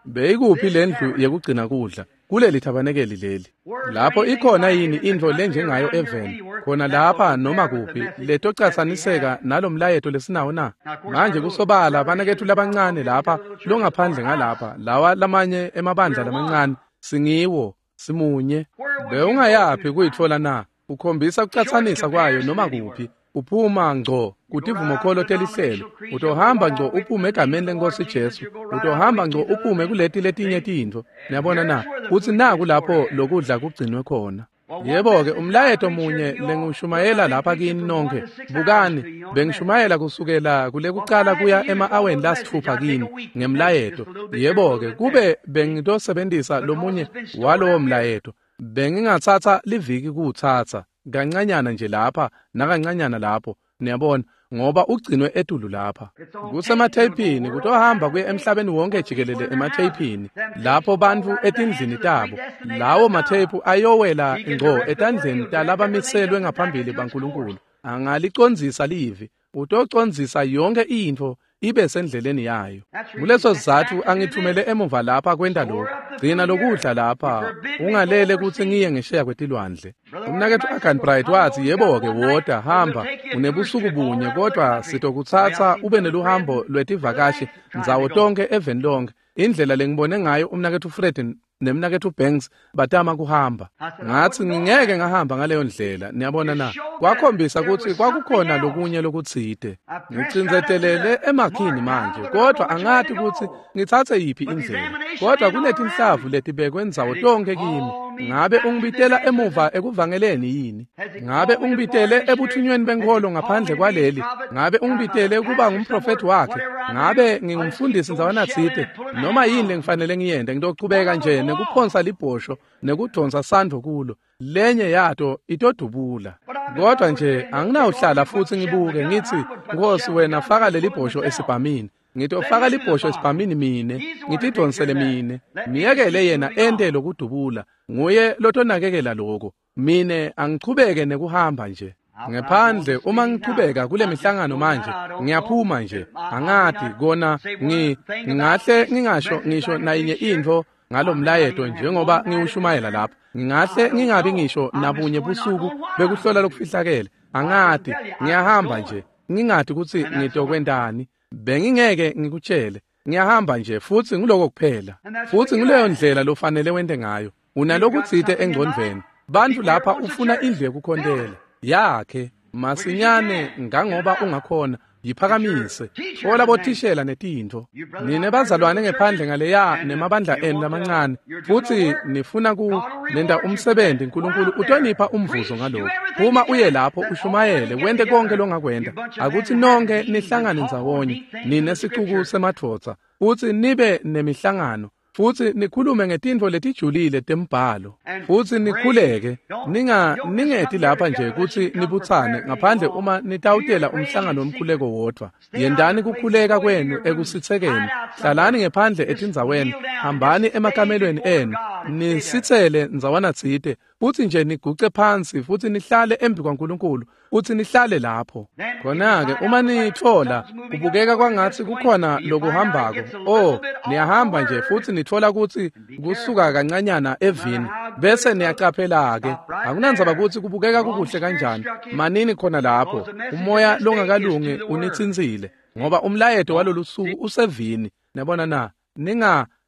Beyikuphi lendlu yekugcina kudla? Kuleli thabanekeli leli. Lapho ikhona yini intfo lenjengayo eveni? Khona lapha noma kuphi letocatsaniseka nalomlayeto lesinawo na? Manje kusobala banaketfu labancane lapha longaphandle ngalapha, lawa lamanye emabandla lamancane, singiwo, simunye. Bewungayaphi kuyitfola na? Ukhombisa kucatsanisa kwayo noma kuphi. Uphuma ngco kutivumokholo telihlelo. Utohamba ngco uphume egameni lenkosi Jesu. Utohamba ngco uphume kuleti letinye tintfo. Niyabona na? Kutsi naku lapho lokudla kugcinwe khona. Yebo-ke, umlayeto munye lengishumayela lapha kini nonke. Bukani, bengishumayela kusukela kulekucala kuya ema-aweni lasitfupha kini ngemlayeto. Yebo-ke, kube bengitosebentisa lomunye walowo mlayeto. Bengingatsatsa liviki kuwutsatsa, kancanyana nje lapha nakancanyana lapho, niyabona, ngoba ugcinwe etulu lapha. Kusematheyiphini, kutohamba kuye emhlabeni wonke jikelele ematheyiphini, lapho bantfu etindlini tabo. Lawo matheyiphu ayowela ngco etandleni talabamiselwe ngaphambili baNkulunkulu. Angalicondzisa livi, utocondzisa yonke intfo ibe sendleleni yayo. Kuleso sizatfu angithumele emuva lapha kwenta lokhu. Gcina lokudla lapha, ungalele kutsi ngiye ngesheya kwetilwandle. Umnaketfu Arganbright watsi, yebo-ke, woda, hamba, unebusuku bunye, kodwa sitokutsatsa ube neluhambo lwetivakashi ndzawo tonke eveni lonke. Indlela lengibone ngayo umnaketfu Fred nemnaketfu Banks batama kuhamba. Ngatsi ngingeke ngahamba ngaleyo ndlela, niyabona na. Kwakhombisa kutsi kwakukhona lokunye lokutsite. Ngicindzetelele emakhini manje, kodwa angati kutsi ngitsatse yiphi indlela. Kodwa kunetinhlavu letibekwe ndzawo tonke kimi. Ngabe ungibitela emuva ekuvangeleni yini? Ngabe ungibitele ebuthunyweni benkholo ngaphandle kwaleli? Ngabe ungibitele kuba ngumprofethi wakhe? Ngabe ngingumfundisi ndzawana tsite? Noma yini lengifanele ngiyente, ngitochubeka nje nekuphonsa libhosho nekudonsa sandvo kulo. Lenye yato itodubula. Kodwa nje anginawuhlala futsi ngibuke ngitsi, Nkosi, wena faka lelibhosho esibhamini. Ngitofaka libhosho esibhamini mine, ngitidonsele mine. Miyekele yena ente lokudubula. Nguye lotonakekela lokho. Mine angichubeke nekuhamba nje. Ngephandle uma ngichubeka kule mihlangano manje, ngiyaphuma nje. Angati kona ngingahle ngingasho ngisho nayinye intfo ngalomlayeto njengoba ngiwushumayela lapha. Ngingahle ngingabi ngisho nabunye busuku bekuhlola lokufihlakele. Angati, ngiyahamba nje. Ngingati kutsi ngitokwentani. Bengingeke ngikutshele. Ngiyahamba nje futsi nguloko kuphela. Futsi nguleyo ndlela lofanele wente ngayo. Unalokutsite engcondvweni. Bantfu lapha ufuna indlu yekukhontela yakhe masinyane ngangoba ungakhona. Yiphakamise, tfola bothishela netintfo. Nine bazalwane ngephandle ngaleya nemabandla enu lamancane, futsi nifuna ku nenta umsebenzi, Nkulunkulu utonipha umvuzo ngalokho. Uma uye lapho ushumayele, wente konke longakwenta. Akutsi nonke nihlangane ndzawonye, nine sicuku semadvodza, futsi nibe nemihlangano, futsi nikhulume ngetintfo letijulile tembhalo, futsi nikhuleke. Ningeti lapha nje kutsi nibutsane ngaphandle uma nitawutela umhlangano wemkhuleko wodvwa. Yentani kukhuleka kwenu ekusitsekeni. Hlalani ngephandle etindzaweni, hambani emakamelweni enu, nisitsele ndzawana tsite, futsi nje niguce phansi futsi nihlale embi kwaNkulunkulu, futsi nihlale lapho. Khona-ke uma nitfola kubukeka kwangatsi kukhona lokuhambako, oh, niyahamba nje futsi nitfola kutsi kusuka kancanyana evini, bese niyacaphela-ke. Akunandzaba kutsi kubukeka kukuhle kanjani, manini khona lapho. Umoya longakalungi unitsintsile, ngoba umlayeto walolusuku usevini. Niyabona na?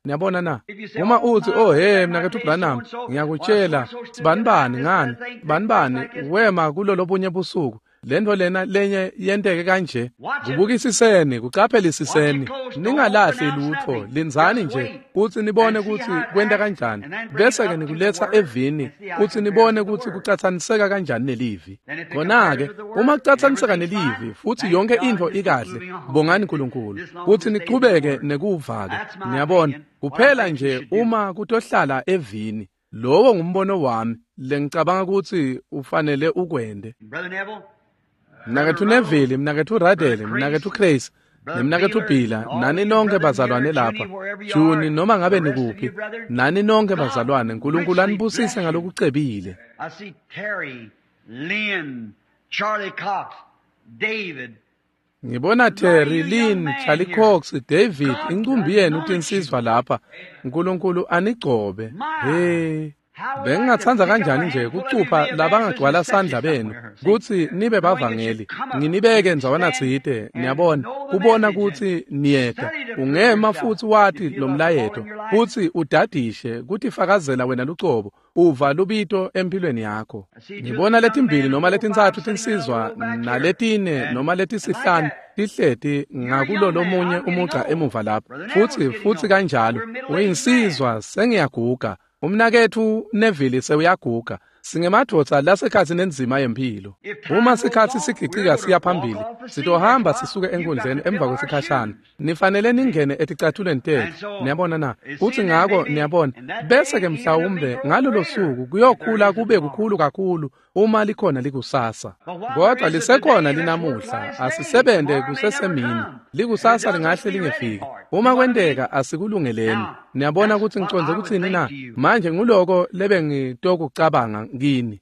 Niyabona na? Uma utsi, oh he, mnaketfu Branham, ngiyakutshela, sibanibani ngani, banibani wema kulolobunye busuku, lento lena lenye yenteke kanje. Kubukisiseni, kucaphelisiseni, ningalahli lutfo, lindzani nje kutsi nibone kutsi kwenta kanjani, bese-ke nikuletsa evini kutsi nibone kutsi kucatsaniseka kanjani nelivi. Khona-ke uma kucatsaniseka nelivi futsi yonke intfo ikahle, bongani Nkulunkulu kutsi nichubeke nekuva-ke. Niyabona, kuphela nje uma kutohlala evini. Lowo ngumbono wami lengicabanga kutsi ufanele ukwente. Mnaketfu Neville, mnaketfu Radele, mnaketfu Crace, nemnaketfu Bhila, nani nonke bazalwane lapha, Juni noma ngabe nikuphi, nani nonke bazalwane, Nkulunkulu anibusise ngalokucebile. I see Terry, Lynn, Charlie Cox, David. Ngibona Terry, Lynn, Charlie Cox, David, incumbi yenu tinsizwa lapha. Nkulunkulu anigcobe. Hey. Bengingatsandza kanjani nje kucupha labangagcwala sandla benu kutsi nibe bavangeli, nginibeke ndzawana tsite, niyabona, kubona kutsi niyeta. Ungema futsi wati lomlayeto, futsi udadishe kutifakazela wena lucobo, uva lubito empilweni yakho. Ngibona letimbili noma letintsatfu tinsizwa naletine noma letisihlanu tihleti ngakulo lomunye umugca emuva lapho, futsi kanjalo. Uyinsizwa, sengiyaguga. Umnaketfu Neville sewuyaguga. Singemadvodza lasekhatsi nenzima yempilo. Uma sikhatsi sigicika siya phambili, sitohamba sisuke enkundleni emva kwesikhashana. Nifanele ningene eticathulweni tetfu. Niyabona na? Futsi ngako niyabona, bese-ke mhlawumbe ngalolo suku kuyokhula kube kukhulu kakhulu uma likhona likusasa. Kodwa lisekhona linamuhla, asisebente kusesemini. Likusasa lingahle lingefiki. Uma kwenteka asikulungeleni. Niyabona kutsi ngicondze kutsini na? Manje nguloko lebengitokucabanga kini.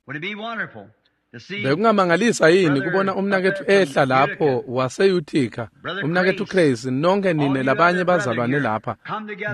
Bekungamangalisa yini kubona umnaketfu ehla lapho wase-Utica, umnaketfu Crazy, nonke nine labanye bazalwane lapha,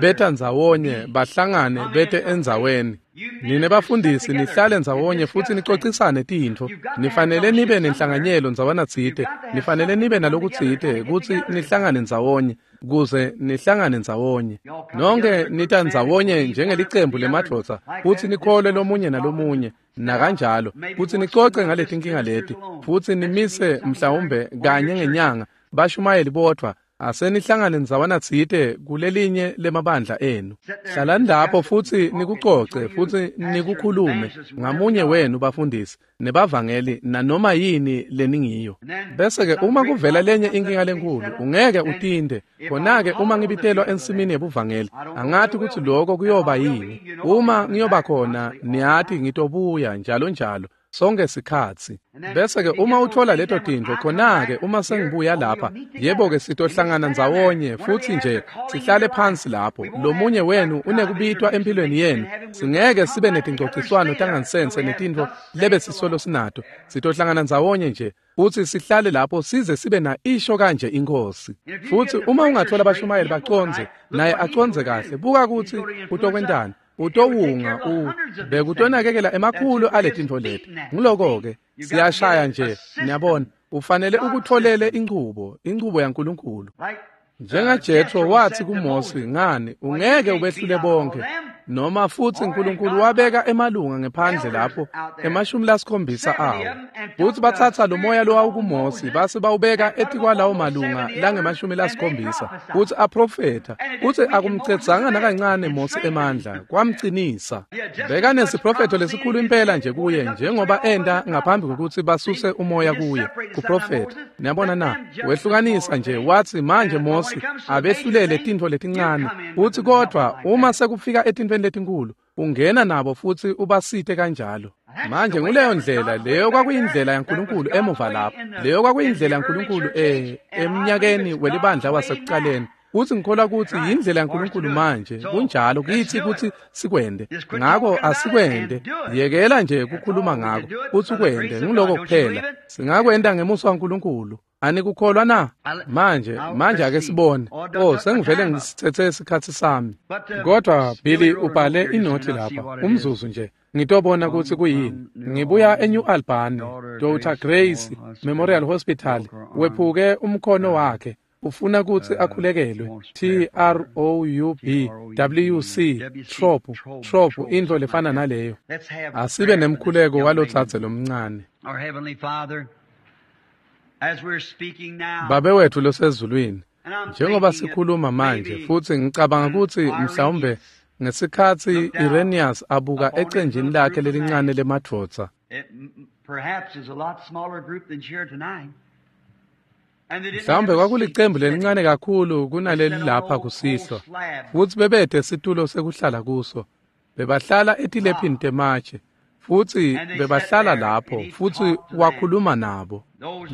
beta ndzawonye, bahlangane bete endzaweni. Nine bafundisi nihlale ndzawonye futsi nicocisane tintfo. Nifanele nibe nenhlanganyelo ndzawana tsite, nifanele nibe nalokutsite kutsi nihlangane ndzawonye, kuze nihlangane ndzawonye. Nonke nita ndzawonye njengelicembu lemadvodza futsi nikholwe lomunye nalomunye nakanjalo, futsi nicoce ngaletinkinga leti, futsi nimise mhlawumbe kanye ngenyanga bashumayeli bodvwa. Asenihlangane ndzawana tsite kulelinye lemabandla enu. Hlalani lapho futsi nikucoce futsi nikukhulume ngamunye wenu bafundisi nebavangeli nanoma yini leningiyo. Bese-ke uma kuvela lenye inkinga lenkulu, ungeke utinte. Khona-ke uma ngibitelwa ensimini yebuvangeli, angati kutsi loko kuyoba yini. Uma ngiyoba khona, niyati ngitobuya njalo njalo. Sonke sikhatsi. Bese-ke uma uthola leto tintfo, khona-ke uma sengibuya lapha, yebo-ke sitohlangana ndzawonye futsi nje sihlale phansi lapho. Lomunye wenu unekubitwa empilweni yenu. Singeke sibe netingcociswano tangansense netintfo lebe sisolo sinato. Sitohlangana ndzawonye nje futsi sihlale lapho size sibe na isho kanje iNkhosi. Futsi uma ungathola abashumayeli bacondze, naye acondze kahle, buka kutsi utokwentani. Utowunga bekutonakekela emakhulu aletintfo leti. Nguloko-ke siyashaya nje, niyabona, ufanele ukutholele inchubo, inchubo yaNkulunkulu. NjengaJethro wathi kuMose, ngani ungeke ubehlule bonke, noma futsi uNkulunkulu wabeka emalunga ngephandle lapho 70 awo. Futsi batsatsa lo moya lowawukuMose base bawubeka etikwalawo malunga lange-70, futsi aprofetha, futsi akumcedzanga nakancane Mose emandla, kwamcinisa. Bekanesiprofetho lesikhulu impela nje kuye njengoba enta ngaphambi kokuthi basuse umoya kuye kuprofetha. Niyabona na? Wehlukanisa nje wathi manje Mose abehlulele tintfo letincane, futsi kodvwa uma sekufika etintfweni letinkulu ungena nabo futsi ubasite kanjalo. Manje nguleyo ndlela, leyo kwakuyindlela yaNkulunkulu emuva lapho. Leyo kwakuyindlela yaNkulunkulu emnyakeni welibandla wasekucaleni. Futsi ngikholwa kutsi yindlela yaNkulunkulu manje, kunjalo kithi kutsi sikwende. Ngako asikwende, yekela nje kukhuluma ngako, futsi ukwende, nguloko kuphela. Singakwenta ngemusa waNkulunkulu. Anikukholwa na? Manje ake sibone. Oh, sengivele ngisithethe isikhatsi sami. Kodwa Billy ubhale inothi lapha, umzuzu nje. Ngitobona kutsi kuyini. Ngibuya eNew Albany, Dr. Grace Memorial Hospital, wephuke umkhono wakhe. Ufuna kutsi akhulekelwe. T-R-O-U-B W-C Trop, intfo lefana naleyo. Asibe nemkhuleko walotsatse lomncane. Babe wethu losezulwini, njengoba sikhuluma manje, futsi ngicabanga kutsi mhlawumbe ngesikhatsi Irenaeus abuka ecenjini lakhe lelincane lemadvodza, mhlawumbe kwakulicembu lelincane kakhulu kunaleli lapha kusihlwa, futsi bebete situlo sekuhlala kuso. Bebahlala etilephini tematshe, futsi bebahlala lapho, futsi wakhuluma nabo.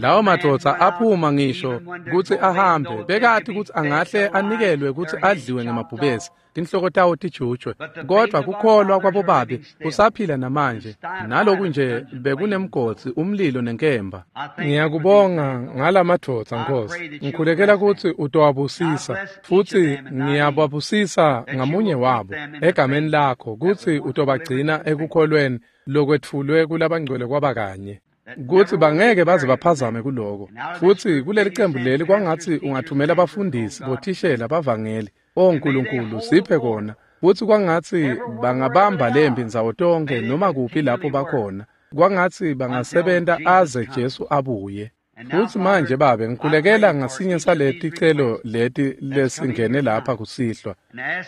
Lawo madvodza aphuma ngisho kutsi ahambe, bekati kutsi angahle anikelwe kutsi adliwe ngemabhubesi, tinhloko tawo tijutjwe. Kodvwa kukholwa kwabobabe kusaphila namanje, naloku nje bekunemgodzi, umlilo nenkemba. Ngiyakubonga ngalamadvodza, Nkosi. Ngikhulekela kutsi utowabusisa, futsi ngiyababusisa ngamunye wabo egameni lakho, kutsi utobagcina ekukholweni lokwetfulwe kulabangcwele kwaba kanye, kutsi bangeke baze baphazame kuloko. Futsi kuleli cembu leli kwangatsi ungathumela bafundisi, bothishela, bavangeli. O Nkulunkulu, siphe kona. Futsi kwangatsi bangabamba lempi ndzawo tonke noma kuphi lapho bakhona. Kwangatsi bangasebenta aze Jesu abuye. Futsi manje Babe, ngikhulekela ngasinye saleticelo leti lesingene lapha kusihlwa.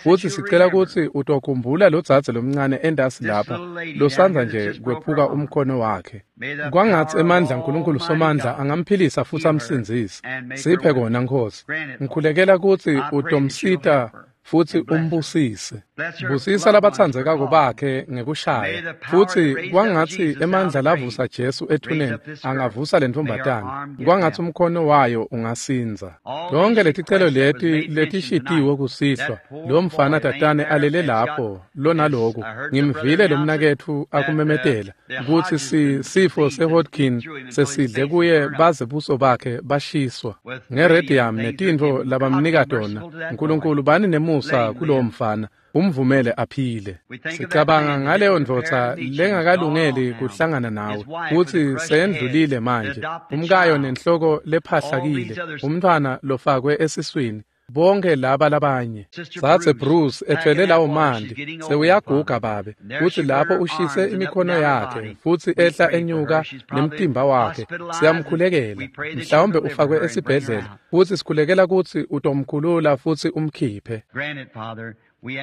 Futsi sicela kutsi utokhumbula lodzadze lomncane entasi lapha losandza nje kwephuka umkhono wakhe. Kwangatsi emandla aNkulunkulu Somandla angamphilisa futsi amsindzise. Siphe kona Nkhosi. Ngikhulekela kutsi utomsita futsi umbusise. Busisa labatsandzekako bakhe ngekushaya. Futsi kwangatsi emandla lavusa Jesu ethuneni angavusa lentfombatana. Kwangatsi umkhono wayo ungasindza. Tonke leticelo leti letishitiwe kusihlwa, lo mfana tatane alele lapho lonaloku. Ngimvile lo mnaketfu akumemetela kutsi sifo seHodgkin sesidle kuye baze buso bakhe bashiswa ngeradium netintfo labamnika tona. Nkulunkulu bani nemusa kulowo mfana, umvumele aphile. Sicabanga ngaleyo ndvodza lengakalungeli kuhlangana nawe, kutsi sendlulile manje, umkayo nenhloko lephahlakile, umntfwana lofakwe esiswini, bonke laba labanye. Dzadze Bruce ethwele lawo manti, sewuyaguga Babe, kutsi lapho ushise imikhono yakhe futsi ehla enyuka nemtimba wakhe. Siyamkhulekela, mhlawumbe ufakwe esibhedlela, futsi sikhulekela kutsi utomkhulula futsi umkhiphe.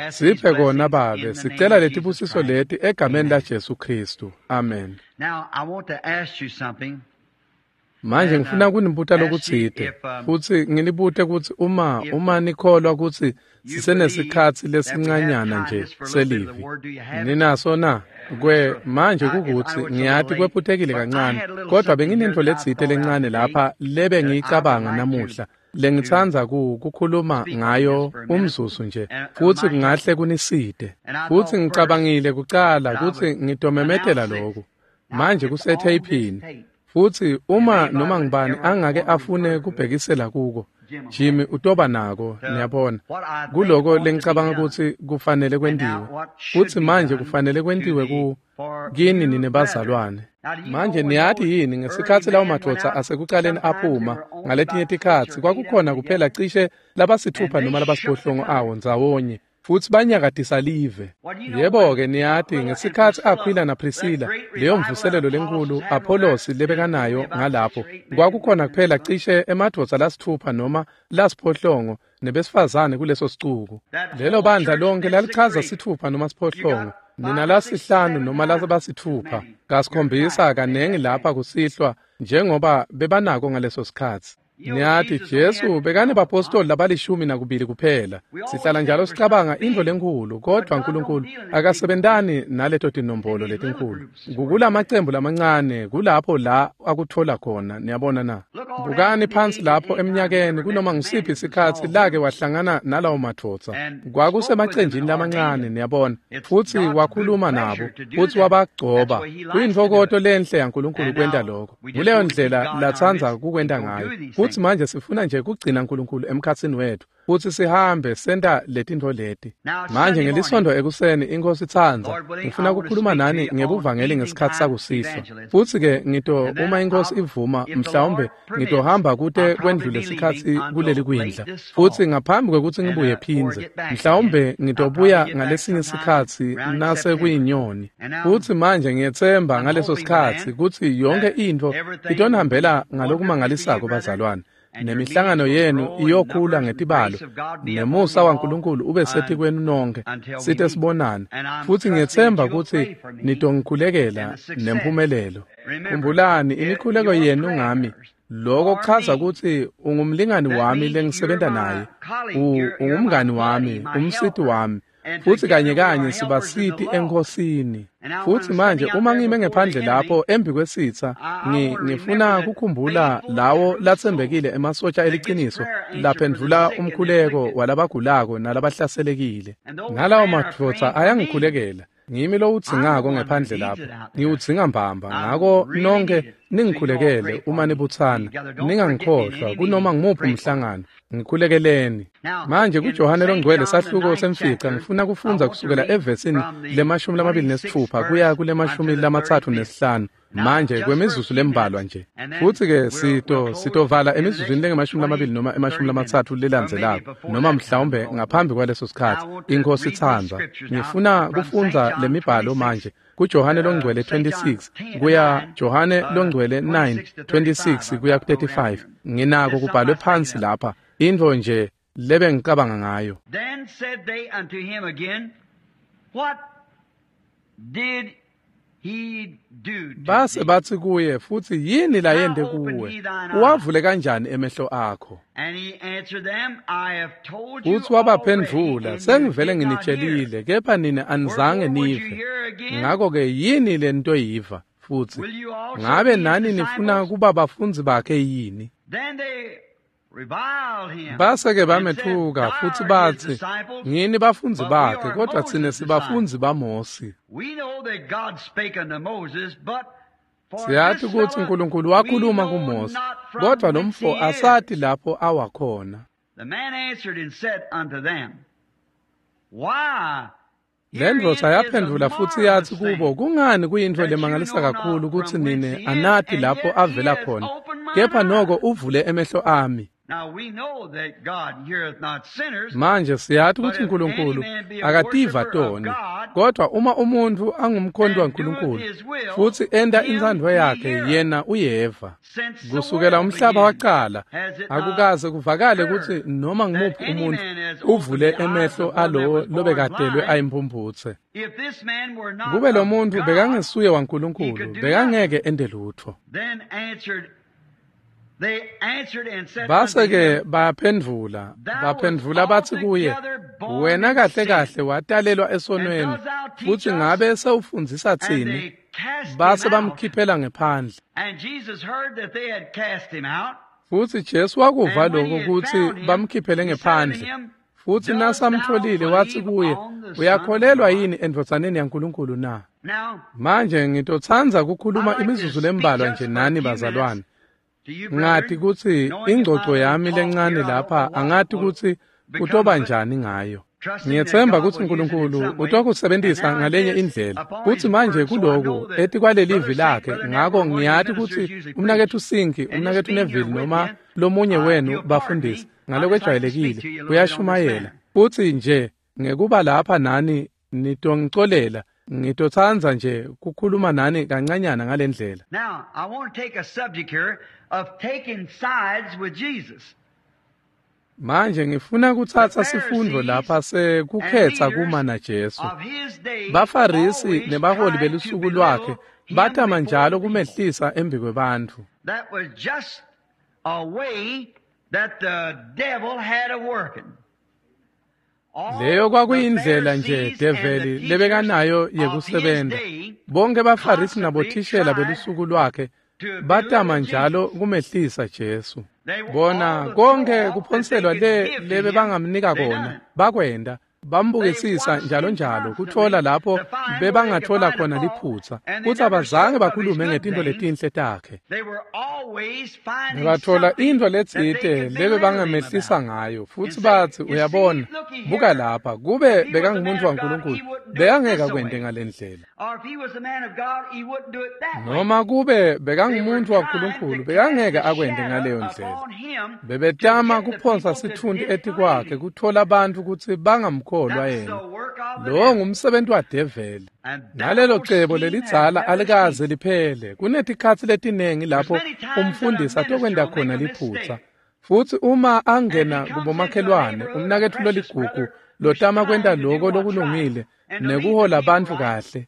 Siphe kona Babe, sicela letibusiso leti egameni laJesu Khristu. Amen. Manje ngifuna kunibuta lokutsite, futsi nginibute kutsi uma nikholwa kutsi sisenesikhatsi lesincanyana nje selivi. Ninaso na? Kwe manje kukutsi ngiyati kwephutekile kancane, kodwa benginentfo letsite lencane lapha lebe ngiyicabanga namuhla lengitsandza kukhuluma ngayo umzuzu nje, futsi kungahle kunisite. Futsi ngicabangile kucala kutsi ngitomemetela loku. Manje kusetheyiphini. Futsi uma noma ngibani angake afune kubhekisela kuko, Jimmy utoba nako, niyabona. Kuloko lengicabanga kutsi kufanele kwentiwe. Futsi manje kufanele kwentiwe ku kini nine bazalwane. Manje niyati yini ngesikhatsi lawo madvodza asekucaleni aphuma ngaletinye tikhatsi kwakukhona kuphela cishe labasithupha noma labasiphohlongo awo ndzawonye, futsi banyakatisa live. Yebo-ke niyati ngesikhatsi Aquila naPriscilla, leyo mvuselelo lenkulu Apollos lebekanayo ngalapho, kwakukhona kuphela cishe emadvodza lasithupha noma lasiphohlongo nebesifazane kuleso sicuku. Lelo bandla lonke lalichaza sithupha noma siphohlongo, nina lasihlanu noma lasabasithupha, kasikhombisa kanengi lapha kusihlwa njengoba bebanako ngaleso sikhatsi. Niyati Jesu bekane bapostoli labalishumi nakubili kuphela. Sihlala njalo sicabanga intfo lenkhulu, kodvwa Nkulunkulu akasebentani naleto tinombolo letinkhulu. Kukulamacembu lamancane kulapho la akuthola khona, niyabona na. Bukani phansi lapho eminyakeni kunoma ngusiphi sikhatsi lake wahlangana nalawo madvodza. Kwakusemacenjini lamancane, niyabona. Futsi wakhuluma nabo, futsi wabagcoba. Kuyintfokoto lenhle yaNkulunkulu kwenta lokho. Kuleyo ndlela latsandza kukwenta ngayo. Futsi manje sifuna nje kugcina Nkulunkulu emkhatsini wetfu, futsi sihambe senta letintfo leti. Manje ngelisondo ekuseni iNkhosi itsandza, ngifuna kukhuluma nani ngebuvangeli ngesikhatsi sakusihlwa. Futsi-ke ngito uma iNkhosi ivuma, mhlawumbe ngitohamba kute kwendlule sikhatsi kuleli kwindla. Futsi ngaphambi kwekutsi ngibuye phindze, mhlawumbe ngitobuya ngalesinye sikhatsi nase kuyinyoni. Futsi manje ngiyetsemba ngaleso sikhatsi kutsi yonke intfo itonihambela ngalokumangalisako bazalwane. Nemihlangano yenu iyokhula ngetibalo, nemusa waNkulunkulu ube setikwenu nonke, site sibonane. Futsi ngiyetsemba kutsi nitongikhulekela nemphumelelo. Khumbulani imikhuleko yenu ngami. Lokho kuchaza kutsi ungumlingani wami lengisebenta naye, ungumngani wami, umsiti wami, futsi kanye kanye sibasiti eNkhosini. Futsi manje uma ngime ngephandle lapho embi kwesitsa, ngifuna kukhumbula lawo latsembekile emasotja eliciniso laphendvula umkhuleko walabagulako nalabahlaselekile. Nalawo madvodza ayangikhulekela. Ngimi lowudzingako ngephandle lapho, ngiwudzinga mbamba. Ngako nonke ningikhulekele uma nibutsana, ningangikhohlwa kunoma ngumuphi umhlangano, ngikhulekeleni. Manje kuJohane loNgcwele sahluko semfica ngifuna kufundza kusukela evesini le-26 kuya kule-35. Manje kwemizuzu lembalwa nje. Futsi-ke sitovala emizuzwini lengama-20 noma 30 lelandzelako, noma mhlawumbe ngaphambi kwaleso sikhatsi, iNkhosi itsandza. Ngifuna kufundza lemibhalo manje kuJohane longcwele 26 kuya Johane longcwele 9 26 kuya ku-35. Nginako kubhalwe phansi lapha, intfo nje lebe ngicabanga ngayo. Then said they unto him again, What did he do to Base thee? bathi kuye, futhi yini layente kuwe? Uwavule kanjani emehlo akho? And he answered them, I have told you Futhi wabaphendvula, already, and you sengivele did not hear. nginitshelile, kepha nina anizange Wherefore would you nive. hear again? Ngakho-ke yini le nto yiva? Futhi Will you also ngabe be his nani nifuna disciples? kuba bafundzi bakhe yini? Then they reviled him Base-ke and said, bamethuka Thou futhi art his bathi, disciples, ngini bafundzi but we bakhe, are kodwa thina Moses' sibafundzi baMosi. We know that God spake unto Moses, but for Siyathi this ukuthi fellow uNkulunkulu we wakhuluma know kuMose, not from kodwa lo whence mfo he is. asati lapho awakhona. The man answered and said unto them, Why? Le ndvodza Herein is a yaphendvula futhi marvelous yathi kubo, thing, kungani kuyintfo that you lemangalisa know not kakhulu kutsi from whence nine he is, anati and lapho yet he avela has khona, opened mine kepha noko eyes. uvule emehlo ami. Now we know that God heareth not sinners, Manje siyathi but kutsi if any uNkulunkulu man be a akativa worshipper of toni, God kodwa uma umuntfu angumkhonti and doeth waNkulunkulu his will, futhi enta him intsandvo he yakhe, heareth. yena uyeva. Since the Kusukela world umhlaba began, waqala, has it not akukaze kuvakale kutsi heard noma that ngumuphi any umuntfu man has opened uvule the eyes emehlo of one that alowo was born lobekatelwe blind? ayimphumphutse. If this man were not Kube lo of muntfu God, bekangesuye he waNkulunkulu, could do bekangeke nothing. ente lutfo. Then answered they answered and said unto Base-ke him, bayaphendvula, Thou wast baphendvula bathi kuye, altogether born wena in kahle sin, kahle watalelwa and esonweni, dost thou teach futhi us? ngabe sewufundzisa And tsine? they cast him Base out. bamkhiphela ngephandle. And Jesus heard that they had cast him out. Futhi Jesu wakuva And when he lokho had kutsi found him, bamkhiphele he said unto ngephandle. him, Futhi Dost thou nasamtfolile wathi believe kuye, on the Son of uyakholelwa God? yini endvodzaneni yaNkulunkulu na? Now, Manje ngitotsandza I kukhuluma like to imizuzu speak lembalwa just nje for a nani few minutes bazalwane. to you, Ngati brethren, kutsi knowing that my ingcoco little yami talk lencane here, I don't lapha know what angati will kutsi become kutoba of it, njani ngayo. trusting that Ngiyetsemba God kutsi will use it in uNkulunkulu some way. And utokusebentisa now in ngalenye this, indlela. upon Kutsi his manje word, so I kuloku know that etikwalelivi Brother Saint, lakhe, Brother ngako Neville, one of the ngiyati ministers kutsi usually preach. umnaketfu Sinki, And just umnaketfu being here Neville with noma you, lomunye wenu you'll pardon me. bafundisi I just like to ngalokwejwayelekile speak to you a little bit on this uyashumayela. matter. Futsi nje ngekuba lapha nani nitongicolela, ngitotsandza nje kukhuluma nani kancanyana ngalendlela. Now, I want to take a subject here of taking sides with Jesus. Manje ngifuna The kutsatsa sifundvo Pharisees lapha and sekukhetsa leaders kuma naJesu. of his day Bafarisi always nebaholi tried to belusuku lwakhe belittle him batama before njalo the people. kumehlisa embikwebantfu. That was just a way that the devil had of working. Leyo All the kwakuyindlela nje Pharisees and the develi teachers lebekanayo of his yekusebenta. day Bonke baFarisi constantly nabothishela tried belusuku lwakhe to batama belittle njalo Jesus. kumehlisa Jesu. They all Bona the throw konke off that they kuphonselwa could le give to lebe him, bangamnika they kona done it. bakwenda They bambukisisa watched njalo him njalo kutfola constantly lapho to find where they could bebangatfola find a khona fault, liphutsa and they kutsi never abazange spoke of his bakhulume good ngetintfo things. letinhle takhe. They were always finding Batfola something intfo that they letsite could lebe belittle him bangamehlisa about ngayo and futsi say, batsi You see, uyabona looky buka here, lapha kube if he was a man bekangumuntu of God, waNkulunkulu he wouldn't do it bekangeke this akwente way. ngalendlela. Or if he was a man of God, he wouldn't do it that way. Noma kube They were bekangumuntu trying waNkulunkulu to cast bekangeke the akwente shadow ngaleyo ndlela. upon him to Bebetama get the kuphonsa people to sitfunti disbelieve etikwakhe him. kutfola bantfu kutsi bangamkholwa That's yena. the work of the Lowo devil. ngumsebenti wadeveli. And that Nalelo old cebo scheme has lelidzala never alikaze ceased. liphele. Kunetikhatsi letiningi There's lapho many times that a umfundisi minister atokwenta will make khona a liphutsa. mistake. Futsi uma And if he angena comes into a kubomakhelwane, neighborhood, a umnaketfu precious loligugu brother who's lotama kwenta trying to do loko what's right lokulungile and to lead the nekuhola people bantfu right, kahle.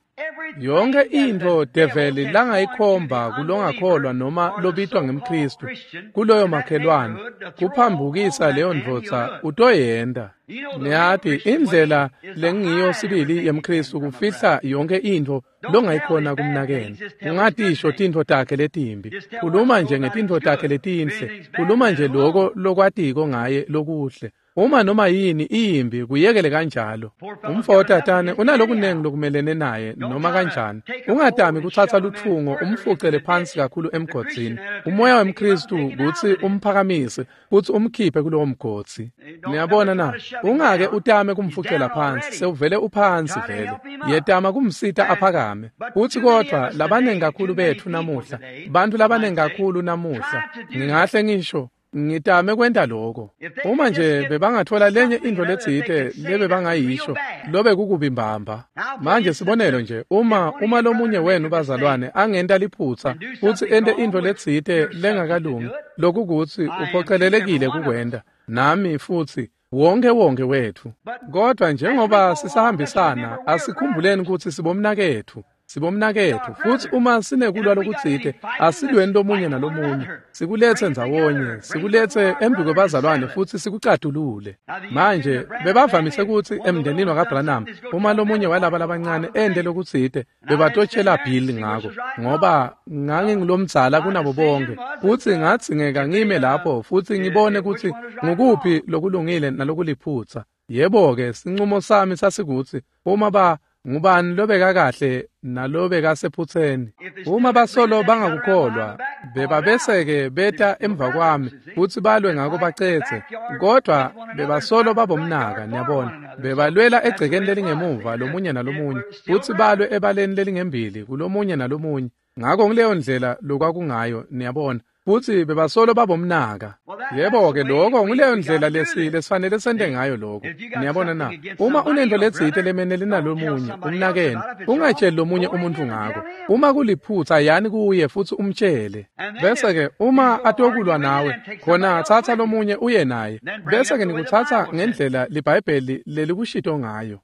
Yonke everything that intfo the devil develi can point to langayikhomba the kulongakholwa unbeliever noma or the lobitwa so-called ngemKhristu Christian kuloyo in that makhelwane neighborhood to throw off on kuphambukisa that leyo man, he'll ndvodza do it. utoyenta. You know, the real Niyati Christian way indlela is to lengiyo hide sibili everything you can yemKhristu from a kufihla brother. yonke intfo Don't tell longayikhona his bad kumnakenu. things, just tell his good Ungatisho things. tintfo takhe letimbi. Just tell what Khuluma you know nje about him's ngetintfo takhe good. If letinhle. anything's bad, Khuluma let nje it loko alone. lokwatiko ngaye lokuhle. Uma noma yini iyimbi kuyekele kanjalo. Poor fellow's Umfo got enough tatane against him unalokunengi anyhow. lokumelene naye Don't noma try to kanjani. take a pole Ungatami and kutsatsa shove a man lutfungo further into umfucele the phansi ditch. kakhulu The emgodzini. Christian attitude Umoya is pick him up and wemKhristu take him out kutsi of the ditch. umphakamise futsi umkhiphe kulowo mgodzi. Don't never Niyabona try na, to shove him ungake down. utame He's kumfucela down phansi, already. sewuvele uphansi Try to vele. help him up. Yetama kumsita And aphakame. but Futsi too many of kodvwa us labanengi today, kakhulu too many betfu people namuhla, today, bantfu I labanengi might say, kakhulu namuhla, try to do ngingahle ngisho Ngitame kwenta lokho. Uma nje bebangathola lenye intfo letsite lebebangayisho, lobe kukubi mbamba. Manje sibonelo nje, uma lomunye wenu bazalwane angenta liphutsa futsi ente intfo letsite lengakalungi, lokukutsi uphocelelekile kukwenta, nami futsi wonke wethu. Kodwa njengoba sisahambisana, asikhumbuleni kutsi sibomnaketfu. Sibomnaketfu, futsi uma sinekulwa lokutsite, asilweni lomunye nalomunye, sikuletse ndzawonye, sikuletse embikwebazalwane futsi sikucatulule. Manje bebavamise kutsi emndenini wakaBranham, uma lomunye walaba labancane ente lokutsite, bebatotshela Bill ngako, ngoba ngangingulomdzala kunabo bonke, futsi ngadzingeka ngime lapho futsi ngibone kutsi ngukuphi lokulungile nalokuliphutsa. Yebo-ke, sincumo sami sasikutsi uma ngubani lobeka kahle nalobeka sephutseni. Uma basolo bangakukholwa, bebabeseke beta emva kwami futsi balwe ngako bacetse. Kodwa bebasolo babomnaka, niyabona. Bebalwela egcekeni lelingemuva lomunye nalomunye, futsi balwe ebaleni lelingembili kulomunye nalomunye. Ngako ngileyo ndlela lokwakungayo, niyabona. Futsi bebasolo babomnaka. Yebo-ke, lokho nguleyo ndlela lesifanele sente ngayo lokho. Niyabona na? Uma unento letsite lemenele nalomunye, umnakeni, ungatsheli lomunye umuntu ngako. Uma kuliphutsa, yani kuye futsi umtshele. Bese-ke uma atokulwa nawe, khona tsatsa lomunye uye naye. Bese-ke nikutsatsa ngendlela liBhayibheli lelikushito ngayo.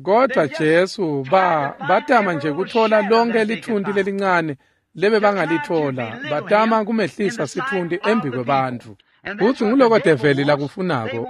Kodwa Jesu batama nje kuthola lonke lithunti lelincane lebebangalithola, batama kumehlisa sithunti embikwebantfu. Futsi nguloko develi lakufunako,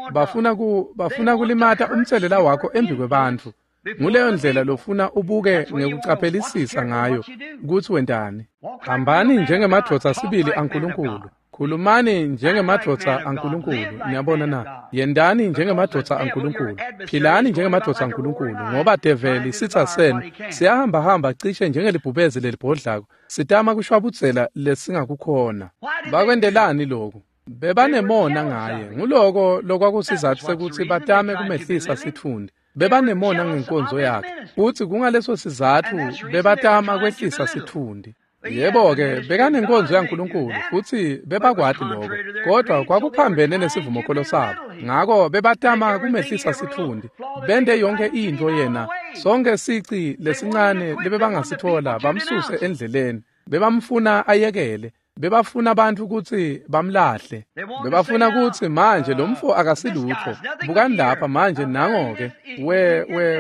bafuna kulimata umtselela wakho embikwebantfu. Nguleyo ndlela lofuna ubuke ngekucaphelisisa ngayo kutsi wentani. Hambani njengemadvodza sibili aNkulunkulu. Khulumani njengemadvodza aNkulunkulu, niyabona na? Yendani njengemadvodza aNkulunkulu, philani njengemadvodza aNkulunkulu, ngoba develi sitsa senu siyahambahamba cishe njengelibhubezi lelibhodlako, sitama kushwabudzela lesingakukhona. Bakwentelani lokhu? Bebanemona ngaye. Nguloko lokwakusizatfu sekutsi batame kumehlisa sitfundi. Bebanemona ngenkonzo yakhe, futsi kungaleso sizatfu bebatama kwehlisa sitfundi. Yebo-ke, bekanenkonzo yaNkulunkulu futsi bebakwati lokho, kodwa kwakuphambene nesivumokholo sabo. Ngako bebatama kumehlisa sitfundi, bente yonke intfo yena, sonke sici lesincane lebebangasithola bamsuse endleleni. Bebamfuna ayekele, bebafuna abantu kutsi bamlahle. Bebafuna kutsi manje lo mfo akasilutfo. Bukani lapha manje nango-ke,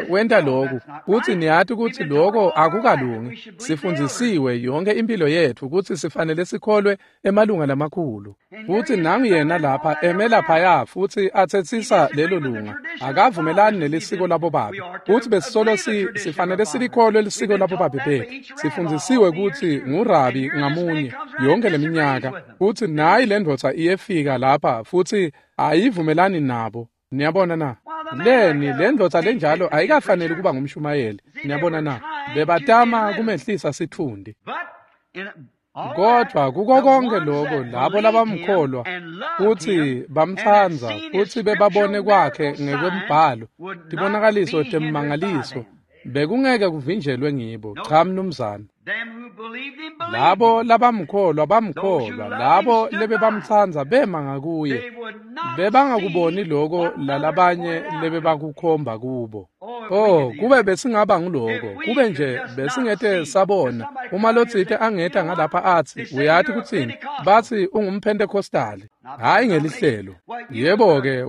wenta lokhu, kutsi niyati kutsi lokho akukalungi. Sifundzisiwe yonke impilo yetfu kutsi sifanele sikholwe emalunga lamakhulu. Futsi nangu yena lapha eme laphaya futsi atsetsisa lelo lunga. Akavumelani nelisiko labobabe. Futsi besisolo sifanele silikholwe lisiko labobabe bethu. Sifundzisiwe kutsi ngurabi ngamunye yonke leminyaka. Futsi nayi lendvodza iyefika lapha futsi ayivumelani nabo. Niyabona na? Leni lendvodza lenjalo ayikafaneli kuba ngumshumayeli. Niyabona na? Bebatama kumehlisa sitfundi. Kodwa kuko konke lokho, labo labamkholwa futsi bamtsandza futsi bebabone kwakhe ngekwembhalo tibonakaliso temmangaliso, bekungeke kuvinjelwe ngibo. Cha mnumzane. Labo labamkholwa bamkholwa, labo lebebamtsandza bema ngakuye. Bebangakuboni lokho lalabanye lebebakukhomba kubo. Oh, kube besingaba nguloko, kube nje besingete sabona. Uma lotsite angeta ngalapha atsi, uyati kutsini? Batsi ungumphentekostali, hhayi ngelihlelo. Yebo-ke,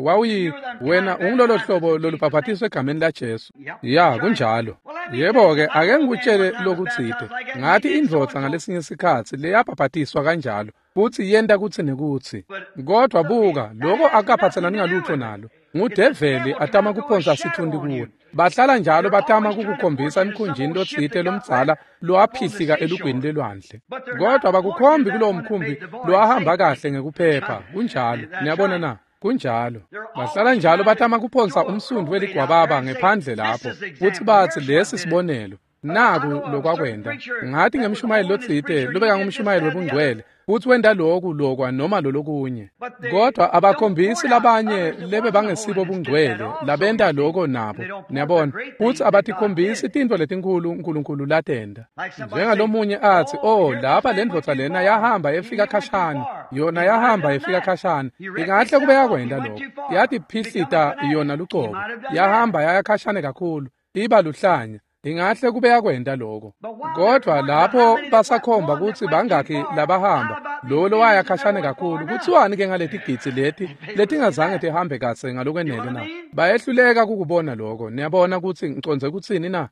wena ungulolo hlobo lolubhaphatiswe egameni laJesu. Ya, kunjalo. Yebo-ke, ake ngikutshele lokutsite. Ngathi indvodza ngalesinye sikhatsi leyabhaphatiswa kanjalo, futsi yenta kutsi nekutsi. Kodwa buka, lokho akukaphatselani ngalutho nalo. Ngudeveli atama kuphonsa sitfundi kuwe. Bahlala njalo batama kukukhombisa emkhunjini lotsite lomdzala lowaphihlika elugwini lelwandle. Kodwa bakukhombi kulowo mkhumbi lowahamba kahle ngekuphepha. Kunjalo. Niyabona na? Kunjalo. Bahlala njalo batama kuphonsa umsundvu weligwababa ngephandle lapho, futsi batsi lesi sibonelo. Naku lokwakwenda. Ngathi ngemshumayeli lotsite lobeka ngumshumayeli webungcwele futhi wenda lokhu lokwa noma lolokunye. Kodwa abakhombisi labanye lebe bangesibo bungcwele labenta lokho nabo. Niyabona, futhi abatikhombisi tintfo letinkulu uNkulunkulu latenda. Njengalomunye athi, "Oh, lapha le ndvodza lena yahamba efika khashana." Yona yahamba efika khashana. Ingahle kube yakwenda lokho. Yatiphihlita yona lucobo. Yahamba yaya khashane kakhulu. Iba luhlanya. Ingahle kube yakwenda lokho. Kodwa lapho basakhomba ukuthi bangakhi labahamba, lo lowaya khashane kakhulu, kuthiwani ke ngaleti gidzi leti letingazange tihambe kahle ngalokwenele na? Bayehluleka kukubona lokho. Niyabona ukuthi ngicondze kutsini na?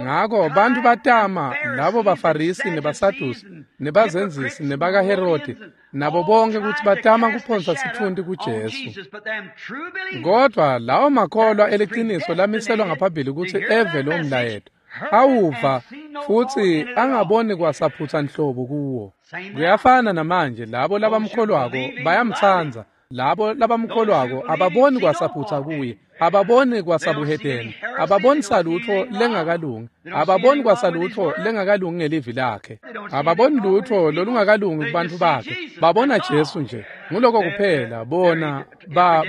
Ngako bantu batama labo baFarisi nebaSadusi nebazenzisi nebakaHerodi nabo bonke ukuthi batama kuphonsa sitfunti kuJesu. Kodwa lawo makholwa eliciniso lamiselwa ngaphambili ukuthi eve lo mlayeto, awuva futhi angaboni kwasaphutha nhlobo kuwo. Kuyafana namanje, labo labamkholwako bayamtsandza. Labo labamkholwako ababoni kwasaphutha kuye, ababoni kwasabuhedeni, ababoni salutho lengakalungi, ababoni kwasalutho lengakalungi ngelivi lakhe, ababoni lutho lolungakalungi kubantu bakhe. Babona Jesu nje, nguloko kuphela. Bona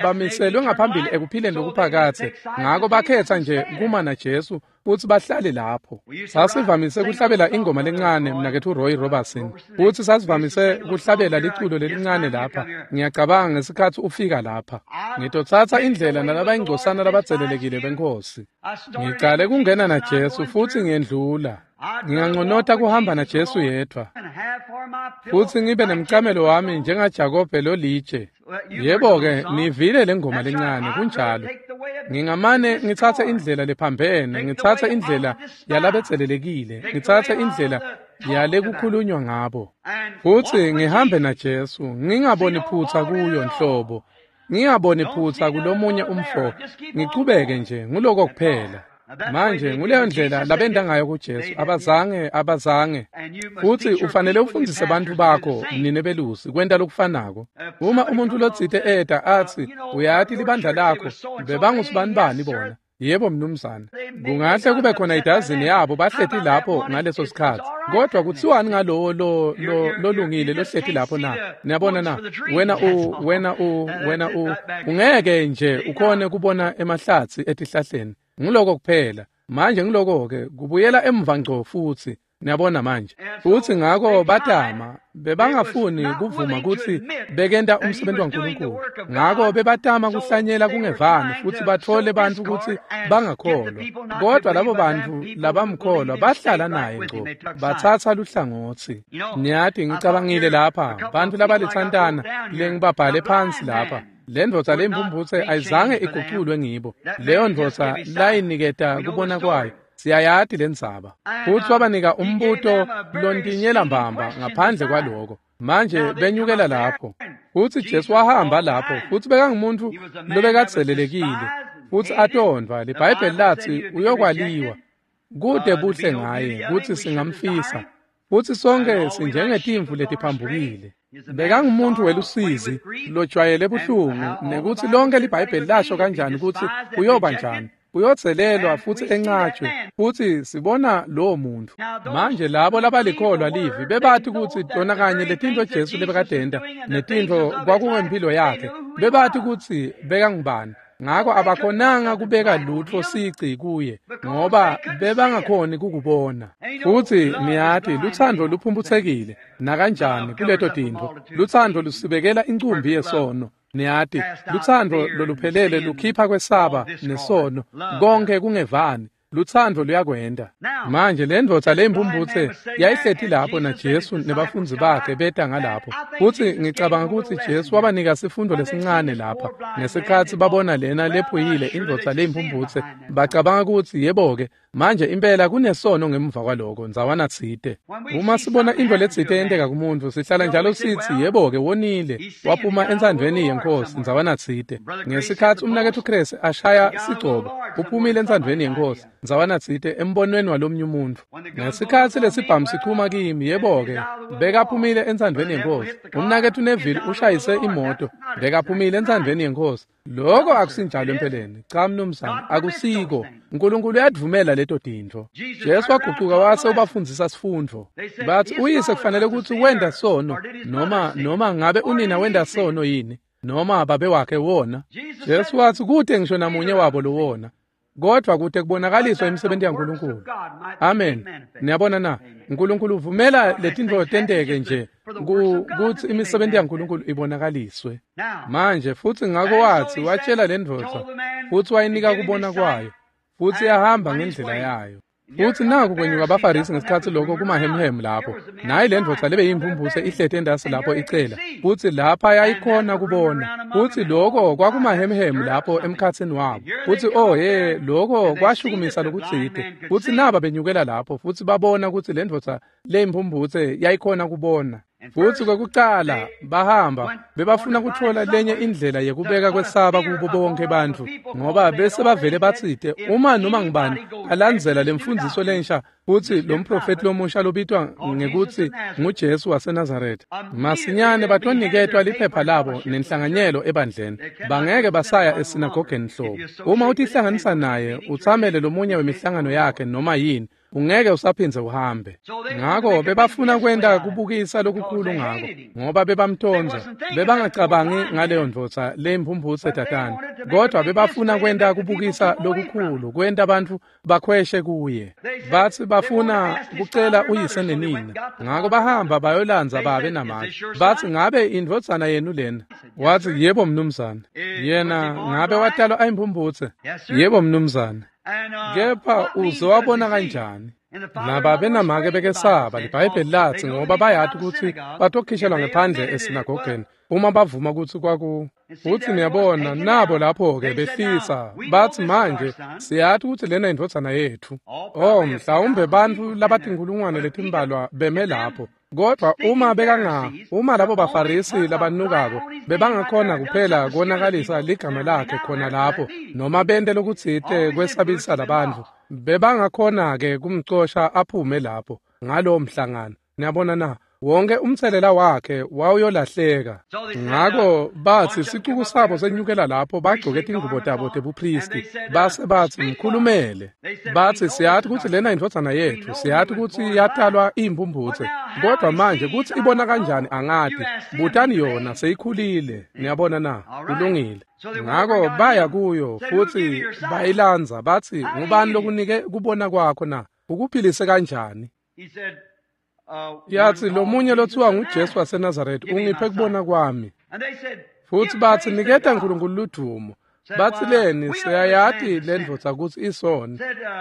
bamiselwe ngaphambili ekuphileni lokuphakathe, ngako bakhetha nje kuma naJesu futhi bahlale lapho. Sasivamise kuhlabela ingoma lencane, mnakethu Roy Robertson, futhi sasivamise kuhlabela liculo lelincane lapha. Ngiyacabanga ngesikhathi ufika lapha, ngitotsatsa indlela nalabayingcosana labadzelelekile benkosi. Ngicale kungena naJesu futhi ngiyendlula. Nginganconota kuhamba naJesu yedwa futhi ngibe nemcamelo wami njengaJakobe lolitshe. Yebo-ke, nivile le ngoma lencane, kunjalo. Ngingamane ngitsatse indlela lephambene, ngitsatse indlela yalabedzelelekile, ngitsatse indlela yalekukhulunywa ngabo. Futhi ngihambe naJesu, ngingaboni phutha kuyo nhlobo. Ngingaboni phutha kulomunye umfo, ngichubeke nje, nguloko kuphela. Manje nguleyo ndlela labenda ngayo kuJesu, abazange. Futhi ufanele ufundise abantu bakho nine belusi kwenta lokufanako. Uma umuntu lotsite eta athi, "Uyati libandla lakho bebangusibanibani bona?" Yebo mnumzane. Kungahle kube khona idazini yabo bahleti lapho ngaleso sikhathi. Kodwa kuthiwani ngalowo lo lolungile lohleti lapho na? Niyabona na? Wena ungeke nje ukhone kubona emahlathi etihlahleni. Ngiloko kuphela. Manje ngiloko ke kubuyela emva ngco futhi. Niyabona manje. Futhi ngako batama bebangafuni kuvuma ukuthi bekenta umsebenzi waNkulunkulu. Ngako bebatama kuhlanyela kungevani futhi bathole bantu ukuthi bangakholwa. Kodwa labo bantu labamkholwa bahlala naye ngco, batsatsa luhlangotsi. Niyati ngicabangile lapha, bantu labalithantana lengibabhale phansi lapha. Le ndvodza leyimphumphutse ayizange iguculwe ngibo. Leyo ndvodza layiniketa kubona kwayo. Siyayati lendzaba. Futhi wabanika umbuto lontinyela mbamba ngaphandle kwaloko. Manje benyukela lapho. Futhi Jesu wahamba lapho, futhi bekangumuntu lobekadzelelekile, futhi atondwa. LiBhayibheli lathi uyokwaliwa. Kude buhle ngaye kutsi singamfisa. Futhi sonke sinjengetimvu letiphambukile. Bekangumuntu welusizi lojwayele buhlungu, nekuthi lonke liBhayibheli lasho kanjani ukuthi uyoba njani. Uyodzelelwa futhi encatshwe, futhi sibona lowo muntu. Manje labo labalikholwa livi bebathi ukuthi tona kanye letinto Jesu lebekadenta netintfo kwakungempilo yakhe, bebathi ukuthi bekangubani. Ngako abakhonanga kubeka lutho sici kuye ngoba bebangakhoni kukubona. Futhi niyati luthando luphumphutsekile nakanjani kuleto tintfo. Luthando lusibekela incumbi yesono. Niyati luthando loluphelele lukhipha kwesaba nesono, konke kungevani. Luthando luyakwenda. Manje le ndvodza leyimphumphutse yayihleti lapho naJesu nebafundzi bakhe beta ngalapho. Futhi ngicabanga ukuthi Jesu wabanika sifundo lesincane lapha. Ngesikhathi babona lena lephuyile indvodza leyimphumphutse, bacabanga ukuthi yebo-ke, manje impela kunesono ngemuva kwaloko ndzawana tsite. Uma sibona intfo letsite yenteka kumuntu, sihlala njalo sithi yebo-ke wonile, waphuma entsandvweni yenkosi ndzawana tsite. Ngesikhathi umnaketfu Chris ashaya sigcobo, uphumile entsandvweni yenkosi. ndzawanatsite embonweni walomnye umuntfu. Ngesikhatsi lesibhamu sichuma kimi, yebo-ke, bekaphumile entsandvweni yeNkhosi. Umnaketfu Neville ushayise imoto, bekaphumile entsandvweni yeNkhosi. Lokho akusinjalo empeleni. Cha mnumzane, akusiko. Nkulunkulu uyadvumela leto tintfo. Jesu wagucuka wase ubafundzisa sifundvo. Bathi uyise kufanele kutsi wenda sono noma ngabe unina wenda sono yini, noma babe wakhe wona. Jesu wathi kute ngisho namunye wabo lowona, kodwa kute kubonakaliswa imisebenti yaNkulunkulu. Amen. Niyabona na? Nkulunkulu uvumela letintfo tenteke nje kutsi imisebenti yaNkulunkulu ibonakaliswe. Manje futsi ngako wathi watshela lendvodza futsi wayinika kubona kwayo, futsi yahamba ngendlela yayo. Futsi naku kwenyuka abaFarisi ngesikhatsi lokho kumahemhemu lapho. Nayi lendvodza lebe yimphumphutse ihleti endasi lapho icela, futsi lapha yayikhona kubona. Futsi lokho kwakumahemhemu lapho emkhatsini wabo. Futsi oh ye, lokho kwashukumisa lokutsite. Futsi naba benyukela lapho futsi babona kutsi lendvodza leyimphumphutse yayikhona kubona. Futsi kwekucala bahamba bebafuna kutfola lenye indlela yekubeka kwesaba kubo bonke bantfu, ngoba bese bavele batsite uma noma ngubani alandzela lemfundziso lensha futsi lo mprofeti lomusha lobitwa ngekutsi nguJesu waseNazaretha, masinyane batoniketwa liphepha labo nenhlanganyelo ebandleni. Bangeke basaya esinagogeni hlobo. Uma utihlanganisa naye utsamele lomunye wemihlangano yakhe noma yini, ungeke usaphindze uhambe. Ngako bebafuna kwenta kubukisa lokukhulu ngako, ngoba bebamtondza. Bebangacabangi ngaleyo ndvodza leyimphumphutse tatane, kodwa bebafuna kwenta kubukisa lokukhulu, kwenta bantfu bakhweshe kuye. Bathi bafuna kucela uyise nenina, ngako bahamba bayolandza babe namake. Bathi ngabe indvodzana yenu lena? Wathi yebo mnumzane. Yena ngabe watalwa ayimphumphutse? Yebo mnumzane. Kepha uze wabona kanjani? Nababe namake bekesaba. LiBhayibheli lathi ngoba bayati kutsi batokhishelwa ngephandle esinagogeni uma bavuma kutsi kwaku. Futsi niyabona nabo lapho-ke behlisa bathi manje siyati kutsi lena indvodzana yetfu. Oh, mhlawumbe bantfu labatinkhulungwane letimbalwa beme lapho. Kodwa uma uma labo baFarisi labanukako bebangakhona kuphela konakalisa ligama lakhe khona lapho, noma bente lokutsite kwesabisa labantfu, bebangakhona-ke kumcosha aphume lapho ngalowo mhlangano. Niyabona na? Wonke umtselela wakhe wawuyolahleka. Ngako bathi sicuku sabo senyukela lapho bagcoke tingubo tabo tebuphristi, base bathi mkhulumele. Bathi siyati kutsi lena indvodzana yetfu, siyati kutsi yatalwa iyimphumphutse, kodwa manje kutsi ibona kanjani angati. Butani yona, seyikhulile. Niyabona na? Kulungile. Ngako baya kuyo futsi bayilandza, bathi ngubani lokunike kubona kwakho na? Ukuphilise kanjani? Yathi lomunye lothiwa nguJesu waseNazaretha ungiphe kubona kwami. Futsi bathi niketa Nkulunkulu ludumo. Bathi leni siyayati lendvodza kutsi isoni.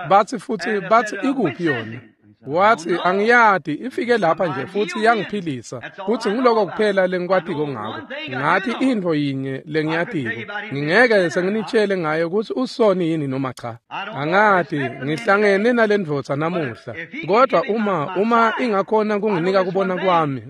Bathi futsi bathi ikuphi yona? Wathi angiyati, ifike lapha nje futsi yangiphilisa. Futsi ngiloko kuphela lengikwatiko ngako. Ngathi intfo yinye lengiyatiko, ngingeke senginitshele ngayo kutsi usoni yini noma cha. Angati, ngihlangene nalendvodza namuhla. Kodwa uma ingakhona kunginika kubona kwami,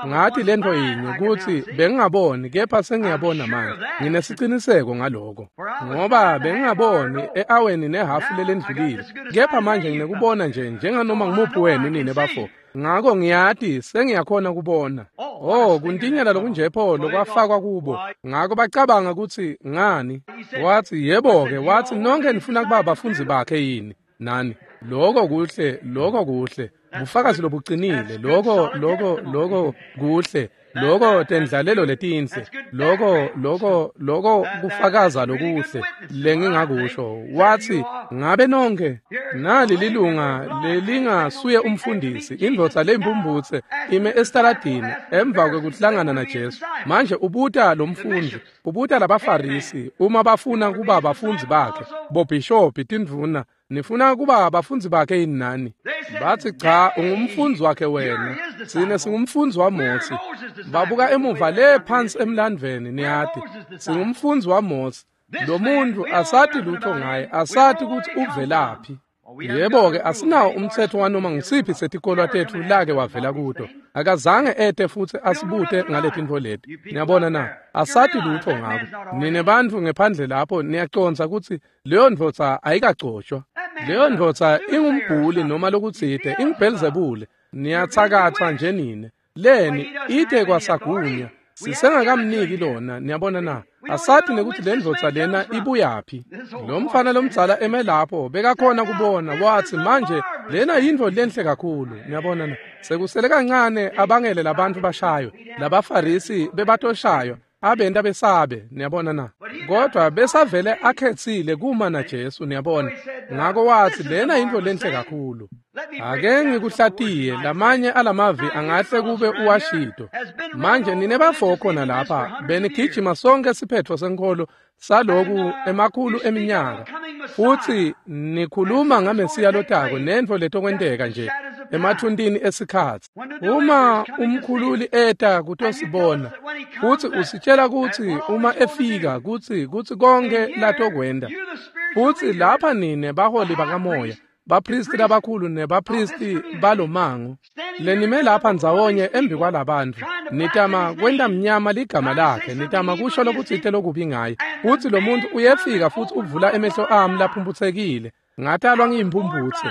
ngathi lentfo yinye kutsi bengingaboni kepha sengiyabona manje. Nginesiciniseko ngaloko. Ngoba bengingaboni e-aweni nehafu lelendlulile. Kepha manje nginekubona nje njenganoma ngimuphi wenu nine bafo. Ngako ngiyati sengiyakhona kubona. Oh, kuntinyela lokunjepho lokwafakwa kubo. Ngako bacabanga kutsi ngani? Wathi yebo-ke, wathi nonke nifuna kuba bafundzi bakhe yini? Nani? Lokho kuhle, lokho kuhle. Bufakazi lobuqinile, lokho lokho lokho kuhle. Lokho tendlalelo letinhle, lokho lokho lokho kufakaza lokuhle lengingakusho. Wathi ngabe nonke nali lilunga lelingasuye umfundisi, indvodza leyimphumphutse ime esitaladini emva kwekuhlangana naJesu. Manje ubuta lo mfundi, ubuta labaFarisi uma bafuna kuba bafundzi bakhe, bobhishobhi, tindvuna, nifuna kuba bafundzi bakhe yini nani? Bathi cha, ungumfundzi wakhe wena, sine singumfundzi waMosi. Babuka emuva le phansi emlandvweni, niyati singumfundzi waMosi. Lo muntu asati lutho ngaye, asati kutsi uvelaphi. Yebo-ke, asinawo umtsetfo wanoma ngisiphi setikolwa tetfu lake wavela kuto. Akazange ete futsi asibute ngaletintfo leti. Niyabona na? Asati lutho ngako. Nine bantfu ngephandle lapho niyacondza kutsi leyo ndvodza ayikagcotshwa. Leyo ndvodza ingumbhuli noma lokutsite, inguBhelzebule. Niyatsakatsa nje nine. Leni ite kwasagunya. Sisengakamniki lona, niyabona na? Asathi nekuthi le ndvodza lena ibuyaphi. Lo mfana lomdzala eme lapho bekakhona kubona, wathi manje lena yintfo lenhle kakhulu, niyabona na? Sekusele kancane abangele labantu bashaywe, labaFarisi bebatoshaywa, abenta besabe, niyabona na? Kodwa besavele akhetsile kuma naJesu, niyabona. Ngako wathi lena yintfo lenhle kakhulu. Ake ngikuhlatiye lamanye alamavi angahle kube uwashito. Manje nine bafo khona lapha benigijima sonke siphetfo senkholo saloku emakhulu eminyaka, futhi nikhuluma ngaMesiya lotako nentfo letokwenteka nje emathuntini esikhatsi. Uma umkhululi eta kutosibona, futhi usitshela kutsi uma efika kutsi konke latokwenta, futhi lapha nine baholi bakamoya, bapristi labakhulu nebapristi balomango lenime lapha ndzawonye embi kwalabantfu, nitama kwenta mnyama ligama lakhe, nitama kusho lokutsite lokubi ngaye, futsi lo muntu uyefika futhi uvula emehlo ami laphumphutsekile. Ngatalwa ngiyimphumphutse.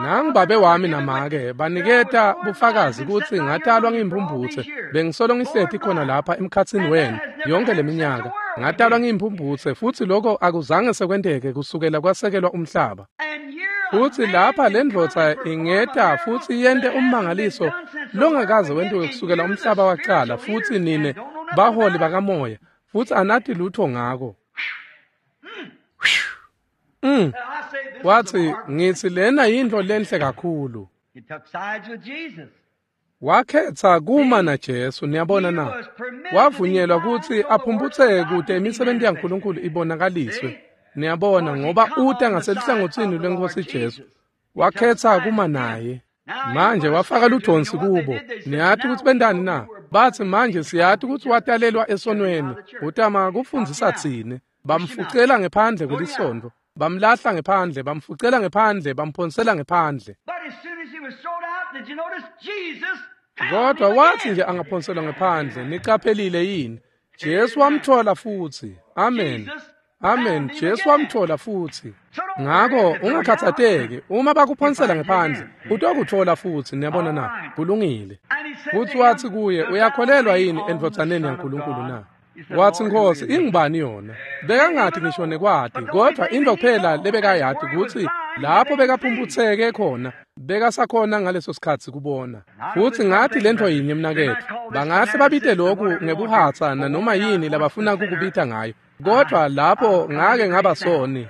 Nangibabe wami namake baniketa bufakazi kutsi ngatalwa ngiyimphumphutse. Bengisolo ngihleti khona lapha emkhatsini wenu yonke leminyaka. Ngatalwa ngiyimphumphutse futsi lokho akuzange sekwenteke kusukela kwasekelwa umhlaba. Futsi lapha le ndvodza ingeta futsi yente ummangaliso longakaze wentiwe kusukela umhlaba wacala, futsi nine baholi bakamoya futsi anati lutho ngako. Wathi ngithi lena yintfo lenhle kakhulu. Wakhetha kuma naJesu, niyabona na? Wavunyelwa kutsi aphumputseke kute imisebenti yaNkulunkulu ibonakaliswe. Niyabona, ngoba uta ngaseluhlangotsini lweNkosi Jesu. Wakhetha kuma naye. Manje wafaka ludonsi kubo. Niyati kutsi bentani na? Bathi manje siyati kutsi watalelwa esonweni. Utama kufundzisa tsine. Bamfucela ngephandle kwelisontfo. Bamlahla ngephandle, bamfucela ngephandle, bamphonsela ngephandle. Kodwa wathi nje angaphonselwa ngephandle, niqaphelile yini? Jesu wamthola futsi. Amen. Amen. Jesu wamthola futsi. Ngako ungakhathazeki, uma bakuphonsela ngephandle, utokuthola futsi, niyabona na? Kulungile. Futsi wathi kuye, uyakholelwa yini endvodzaneni yaNkulunkulu na? Wathi Nkosi, ingubani yona? Bekangathi ngisho nekwati, kodwa into kuphela lebekayati kutsi lapho bekaphumputseke khona, bekasakhona ngaleso sikhatsi kubona. Futsi ngathi lentfo yinye mnaketfu, bangahle babite lokhu ngebuhatsa nanoma yini labafuna kukubita ngayo. Kodwa lapho ngake ngaba soni,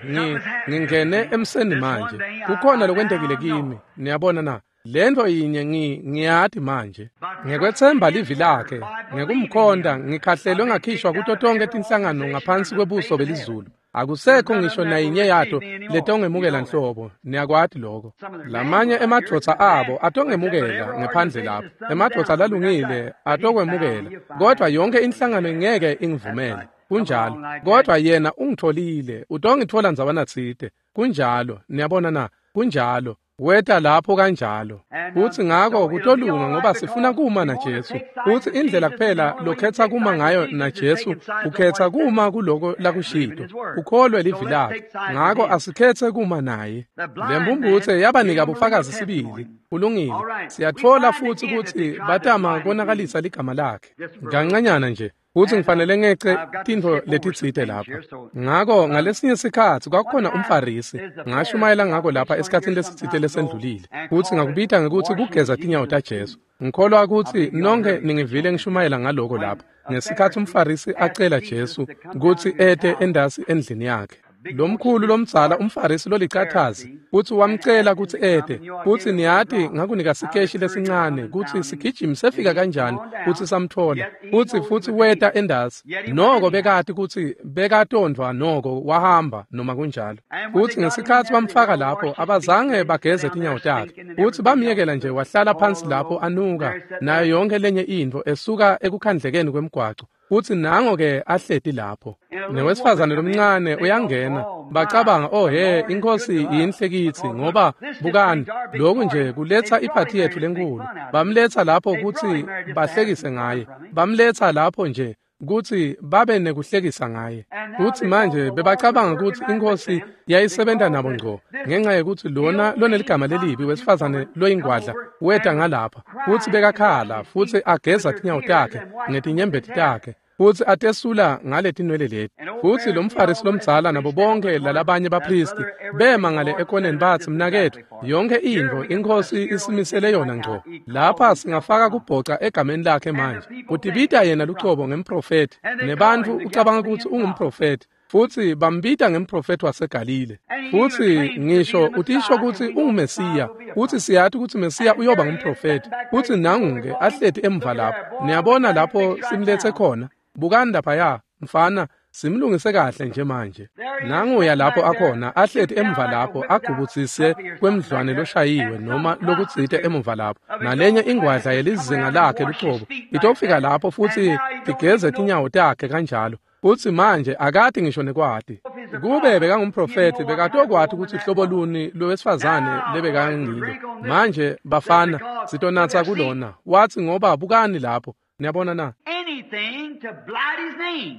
ngingene emseni manje. Kukhona lokwentekile kimi, niyabona na? Lento yinye ngiyati manje. Ngekwetsemba livi lakhe, ngekumkhonda ngikhahlelwe ngakhishwa kuto tonke tinhlangano ngaphansi kwebuso belizulu. Akusekho ngisho nayinye yato letongemukela nhlobo, niyakwati lokho. Lamanye emadvodza abo atongemukela ngephandle lapho. Emadvodza lalungile atokwemukela, kodwa yonke inhlangano ingeke ingivumele. Kunjalo. Kodwa yena ungitholile, utongithola ndzawana tsite. Kunjalo, niyabona na? Kunjalo. Weta lapho kanjalo. Futsi ngako kutolunga ngoba sifuna kuma naJesu. Futsi indlela kuphela lokhetha kuma ngayo naJesu, ukhetha kuma kuloko lakushito. Ukholwe livi lakhe. Ngako asikhethe kuma naye. Lemphumphutse yabanika bufakazi sibili. Kulungile. Siyatfola futsi kutsi batama konakalisa ligama lakhe. Kancanyana nje. Futsi ngifanele ngece tintfo letitsite lapha. Ngako ngalesinye sikhatsi kwakukhona umFarisi, ngashumayela ngako lapha esikhatsini lesitsite lesendlulile. Futsi ngakubita ngekutsi kugeza tinyawo taJesu. Ngikholwa kutsi nonke ningivile ngishumayela ngaloko lapha. Ngesikhatsi umFarisi acela Jesu kutsi ete endasi endlini yakhe. Lomkhulu lomdzala umFarisi lolicathazi kutsi wamcela kutsi ete, kutsi niyati ngakunika sikeshi lesincane kutsi sigijimi sefika kanjani kutsi samthola, kutsi futsi weta endasi. Noko bekati kutsi bekatondvwa noko wahamba noma kunjalo. Kutsi ngesikhatsi bamfaka lapho abazange bageze tinyawo takhe, kutsi bamyekela nje wahlala phansi lapho anuka nayo yonke lenye intfo esuka ekukhandlekeni kwemgwaco. Futsi nango ke ahleti lapho. Newesifazane lomncane uyangena. Bacabanga, oh he, inkosi yinhle kitsi ngoba bukani, lokhu nje kuletsa iphathi yethu lenkulu. Bamletsa lapho kutsi bahlekise ngaye. Bamletsa lapho nje kutsi babe nekuhlekisa ngaye. Futsi manje bebacabanga kutsi iNkhosi yayisebenta nabo ngco ngenxa yekutsi lona loneligama lelibi wesifazane loyingwadla weta ngalapha, futsi bekakhala futsi ageza tinyawo takhe ngetinyembeti takhe, futsi atesula ngaletinwele leti. Futsi lo mFarisi lomdzala nabo bonke lalabanye baphristi bema ngale ekoneni batsi, mnaketfu, yonke intfo iNkhosi isimisele yona ngco. Lapha singafaka kubhoca egameni lakhe manje. Utibita yena lucobo ngemprofethi, nebantfu ucabanga kutsi ungumprofethi, futsi bambita ngemprofethi waseGalile. Futsi ngisho utisho kutsi unguMesiya, futsi siyati kutsi Mesiya uyoba ngumprofethi. Futsi nangu-ke ahleti emva lapho. Niyabona lapho simlethe khona? Bukani laphaya, mfana, simlungise kahle nje manje. Nanguya lapho akhona, ahleti emva lapho, agubutsise kwemdlwane loshayiwe noma lokutsite emuva lapho. Nalenye ingwadla yelizinga lakhe lucobo itofika lapho futsi tigeze tinyawo takhe kanjalo. Futsi manje akati ngisho nekwati. Kube bekangumprofethi bekatokwati kutsi hlobo luni lowesifazane lebekangilo. Manje bafana sitonatsa kulona. Watsi ngoba bukani lapho. Niyabona na? Anything to blight his name.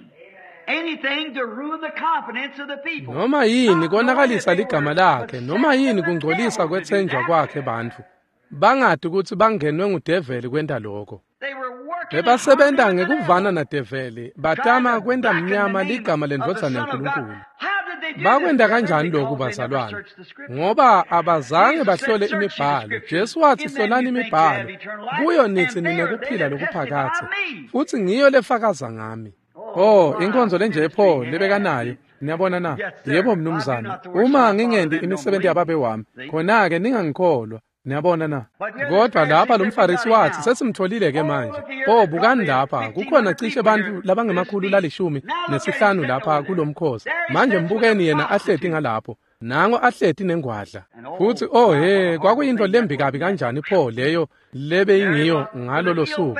Anything to ruin the confidence of the people. Noma yini konakalisa ligama lakhe, noma yini kungcolisa kwetsenjwa kwakhe bantfu. Bangati kutsi bangenwe ngudeveli kwenta lokho. Bebasebenta ngekuvana nadeveli, batama kwenta mnyama ligama lendvodzana yaNkulunkulu. Bakwenta kanjani lokhu bazalwane? Ngoba abazange bahlole imibhalo. Jesu watsi hlolani imibhalo, kuyo nitsi ninekuphila lokuphakadze, futsi ngiyo lefakaza ngami. Oh, inkonzo lenje pho lebekanayo. Niyabona na? Yebo mnumzane, uma ngingenti imisebenzi yababe wami, khona-ke ningangikholwa. Niyabona na? Kodwa lapha lo mFarisi watsi sesimtholile ke manje. Oh, bukani lapha, kukhona cishe bantfu labangemakhulu 15 lapha kulomkhosi. Manje mbukeni yena ahleti ngalapho. Nango ahleti nengwadla. Futsi oh he, kwakuyintfo lembi kabi kanjani pho leyo lebeyingiyo ngalolo suku.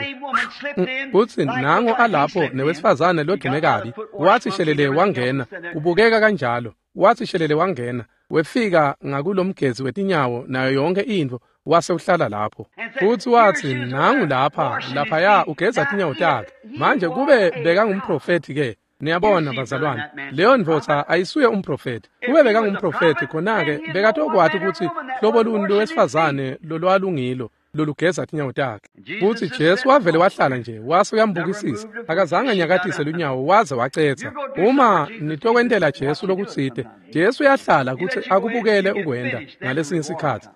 Futsi nango alapho newesifazane lodume kabi, watsi shelele wangena, kubukeka kanjalo. Watsi shelele wangena, wefika ngakulomgezi wetinyawo nayo yonke intfo, wase uhlala lapho. Futsi watsi nangu lapha, laphaya ugeza tinyawo takhe. Manje kube bekangumprofethi ke. Niyabona bazalwane, leyo ndvodza ayisuye umprofethi. Kube bekangumprofethi khona-ke bekatokwati kutsi hlobo luni lowesifazane lolwalungilo lolugeza tinyawo takhe. Futsi Jesu wavele wahlala nje, wase uyambukisisa. Akazange anyakatise lunyawo waze wacetsa. Uma nitokwentela Jesu lokutsite, Jesu uyahlala kutsi akubukele ukwenta ngalesinye sikhatsi.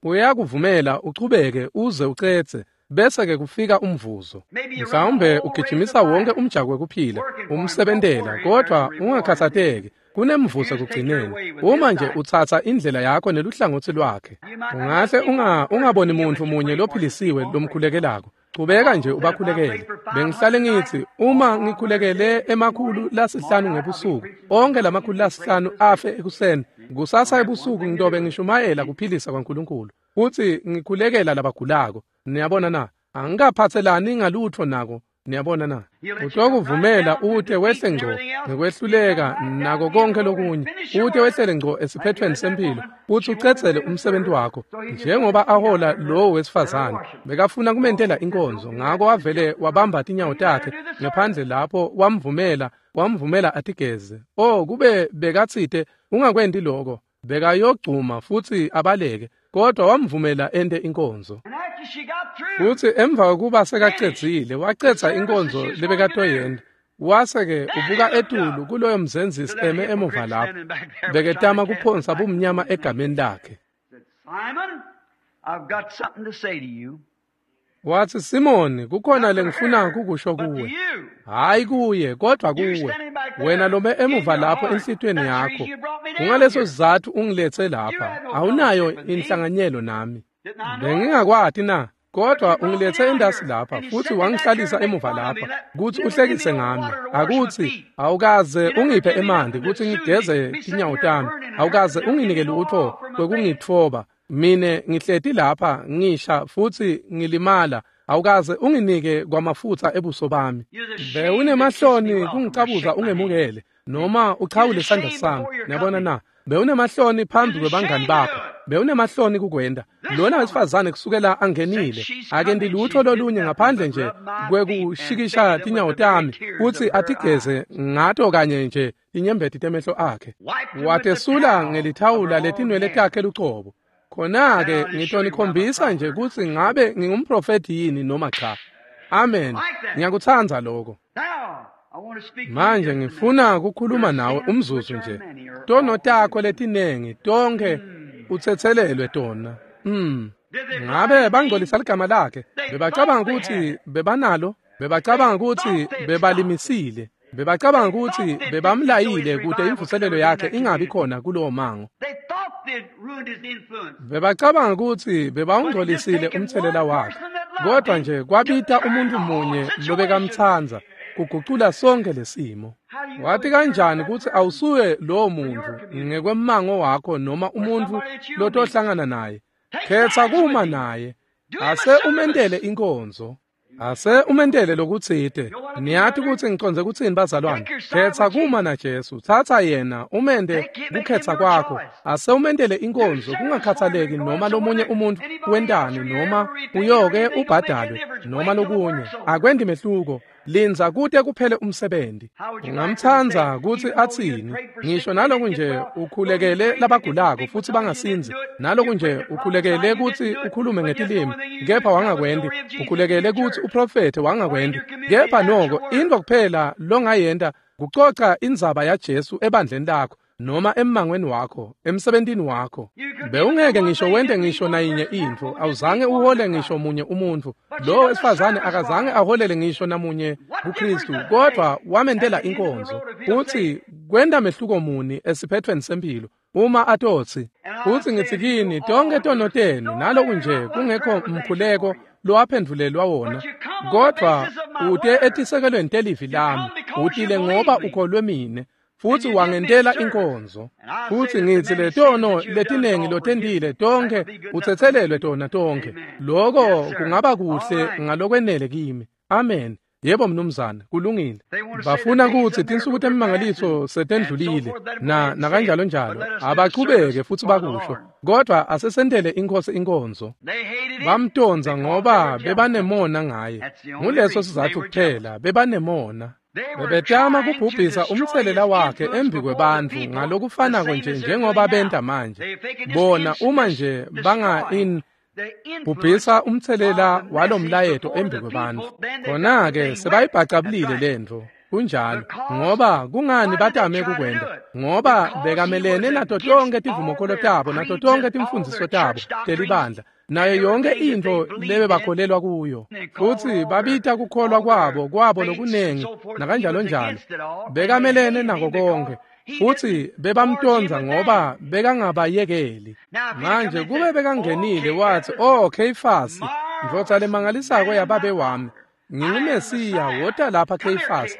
Uyakuvumela uchubeke uze ucetse, bese-ke kufika umvuzo. Mhlawumbe ugijimisa wonke umjako wekuphila, umsebentela, kodwa ungakhatsateki. Kunemvuzo ekugcineni. Uma nje utsatsa indlela yakho neluhlangotsi lwakhe, ungahle ungaboni muntfu munye lophilisiwe lomkhulekelako. Chubeka nje ubakhulekele. Bengihlale ngitsi uma ngikhulekele 500 ngebusuku, onke la 500 afe ekuseni. Kusasa ebusuku ngitobe ngishumayela kuphilisa kwaNkulunkulu, futsi ngikhulekela labagulako. Niyabona na? Angikaphatselani ngalutfo nako. Niyabona na? Utokuvumela ute wehle ngco ngekwehluleka nako konke lokunye, ute wehlele ngco esiphethweni sempilo, futsi ucedzele umsebenzi wakho. Njengoba ahola lowo wesifazane, bekafuna kumentela inkonzo, ngako wavele wabamba tinyawo takhe ngephandle lapho, wamvumela atigeze. Oh, kube bekatsite ungakwenti lokho, bekayogcuma futsi abaleke, kodwa wamvumela ente inkonzo. Futsi emva kokuba sekacedzile, wacedza inkonzo lebekatoyenta, wase-ke ubuka etulu kuloyo mzenzisi eme emuva lapho, beketama kuphonsa bumnyama egameni lakhe. Watsi, Simoni, kukhona lengifuna kukusho kuwe. Hayi kuye, kodwa kuwe. Wena lome emuva lapho enhlitiyweni yakho. Kungaleso sizatfu ungiletse lapha. Awunayo inhlanganyelo nami. Bengingakwati na? Kodwa ungiletse endasi lapha futsi wangihlalisa emuva lapha kutsi uhlekise ngami. Akutsi awukaze ungiphe emanti kutsi ngigeze tinyawo tami. Awukaze unginike lutfo kwekungitfoba. Mine ngihleti lapha ngisha futsi ngilimala. Awukaze unginike kwamafutsa ebuso bami. Bewunemahloni kungicabuza ungemukele noma uchawule isandla sami. Niyabona na? Bewunemahloni phambi kwebangani bakho. Bewunemahloni kukwenta. Lona wesifazane kusukela angenile akendi lutho lolunye ngaphandle nje kwekushikisha tinyawo tami kutsi atigeze ngato kanye nje tinyembeti temehlo akhe. Watesula ngelithawula letinwele takhe lucobo. Khona-ke ngitonikhombisa nje kutsi ngabe ngingumprofethi yini noma cha. Amen. Ngiyakutsandza lokho. Manje ngifuna kukhuluma nawe umzuzu nje. Tono takho letinengi tonke utsetselelwe tona. Ngabe bangcolisa ligama lakhe. Bebacabanga kutsi bebanalo, bebacabanga kutsi bebalimisile, bebacabanga kutsi bebamlayile kute imvuselelo yakhe ingabi khona kulowo mango. Bebacabanga kutsi bebawungcolisile umthelela wakhe. Kodwa nje kwabita umuntu munye lobekamtsandza kugucula sonke lesimo. Wathi kanjani kutsi awusuye lowo muntu ngekwemmango wakho noma umuntu lotohlangana naye? Khetsa kuma naye. Ase umentele inkonzo. Ase umentele lokutsite. Niyati kutsi ngicondze kutsini bazalwane? Khetsa kuma na Jesu. Thatha yena umente kukhetsa kwakho. Ase umentele inkonzo kungakhathaleki noma lomunye umuntu wentani noma uyoke ubhadalwe noma lokunye. Akwendi mehluko. Linza kute kuphele umsebenzi. Ungamtsandza kutsi atsini? Ngisho naloku nje ukhulekele labagulako futsi bangasindzi. Naloku nje ukhulekele kutsi ukhulume ngetilimi kepha wangakwendi. Ukhulekele kutsi uprofethe wangakwendi. Kepha noko intfo kuphela longayenta kucoca indzaba yaJesu ebandleni lakho noma emmangweni wakho, emsebentini wakho. Bewungeke ngisho wente ngisho nayinye intfo, awuzange uhole ngisho munye umuntfu. Lo wesifazane akazange aholele ngisho namunye kuKristu, kodwa wamentela inkonzo. Utsi kwenta mehluko muni esiphethweni sempilo uma atotsi, utsi ngitsi kini tonke tono tenu naloku nje kungekho mkhuleko lowaphendvulelwa wona, kodwa ute etisekelweni telivi lami, utile ngoba ukholwe mine futsi wangentela inkonzo. Futsi ngitsi letono letinengi lotentile tonke utsetselelwe tona tonke. Lokho kungaba kuhle ngalokwenele kimi. Amen. Yebo mnumzane, kulungile. Bafuna kutsi tinsuku temimangaliso setendlulile na nakanjalo njalo. Abachubeke futsi bakusho. Kodwa asesentele inkosi inkonzo. Bamtonza ngoba bebanemona ngaye. Nguleso sizatfu kuphela, bebanemona. Bebetama kubhubhisa umthelela wakhe embi kwebantfu ngalokufanako nje njengoba benta manje. Bona uma nje banga bhubhisa umthelela walomlayeto embi kwebantfu. Khona-ke sebayibhacabulile lentfo. Kunjalo, ngoba kungani batame kukwenta? Ngoba bekamelene nato tonke tivumokholo tabo nato tonke timfundziso tabo telibandla nayo yonke intfo lebebakholelwa kuyo. Futsi babita kukholwa kwabo lokunengi nakanjalo njalo. Bekamelene nako konke. Futsi bebamtonza ngoba bekangabayekeli. Manje kube bekangenile wathi, "Oh Kheyifasi, ndvodza lemangalisako yababe wami, nginguMesiya, wota lapha Kheyifasi."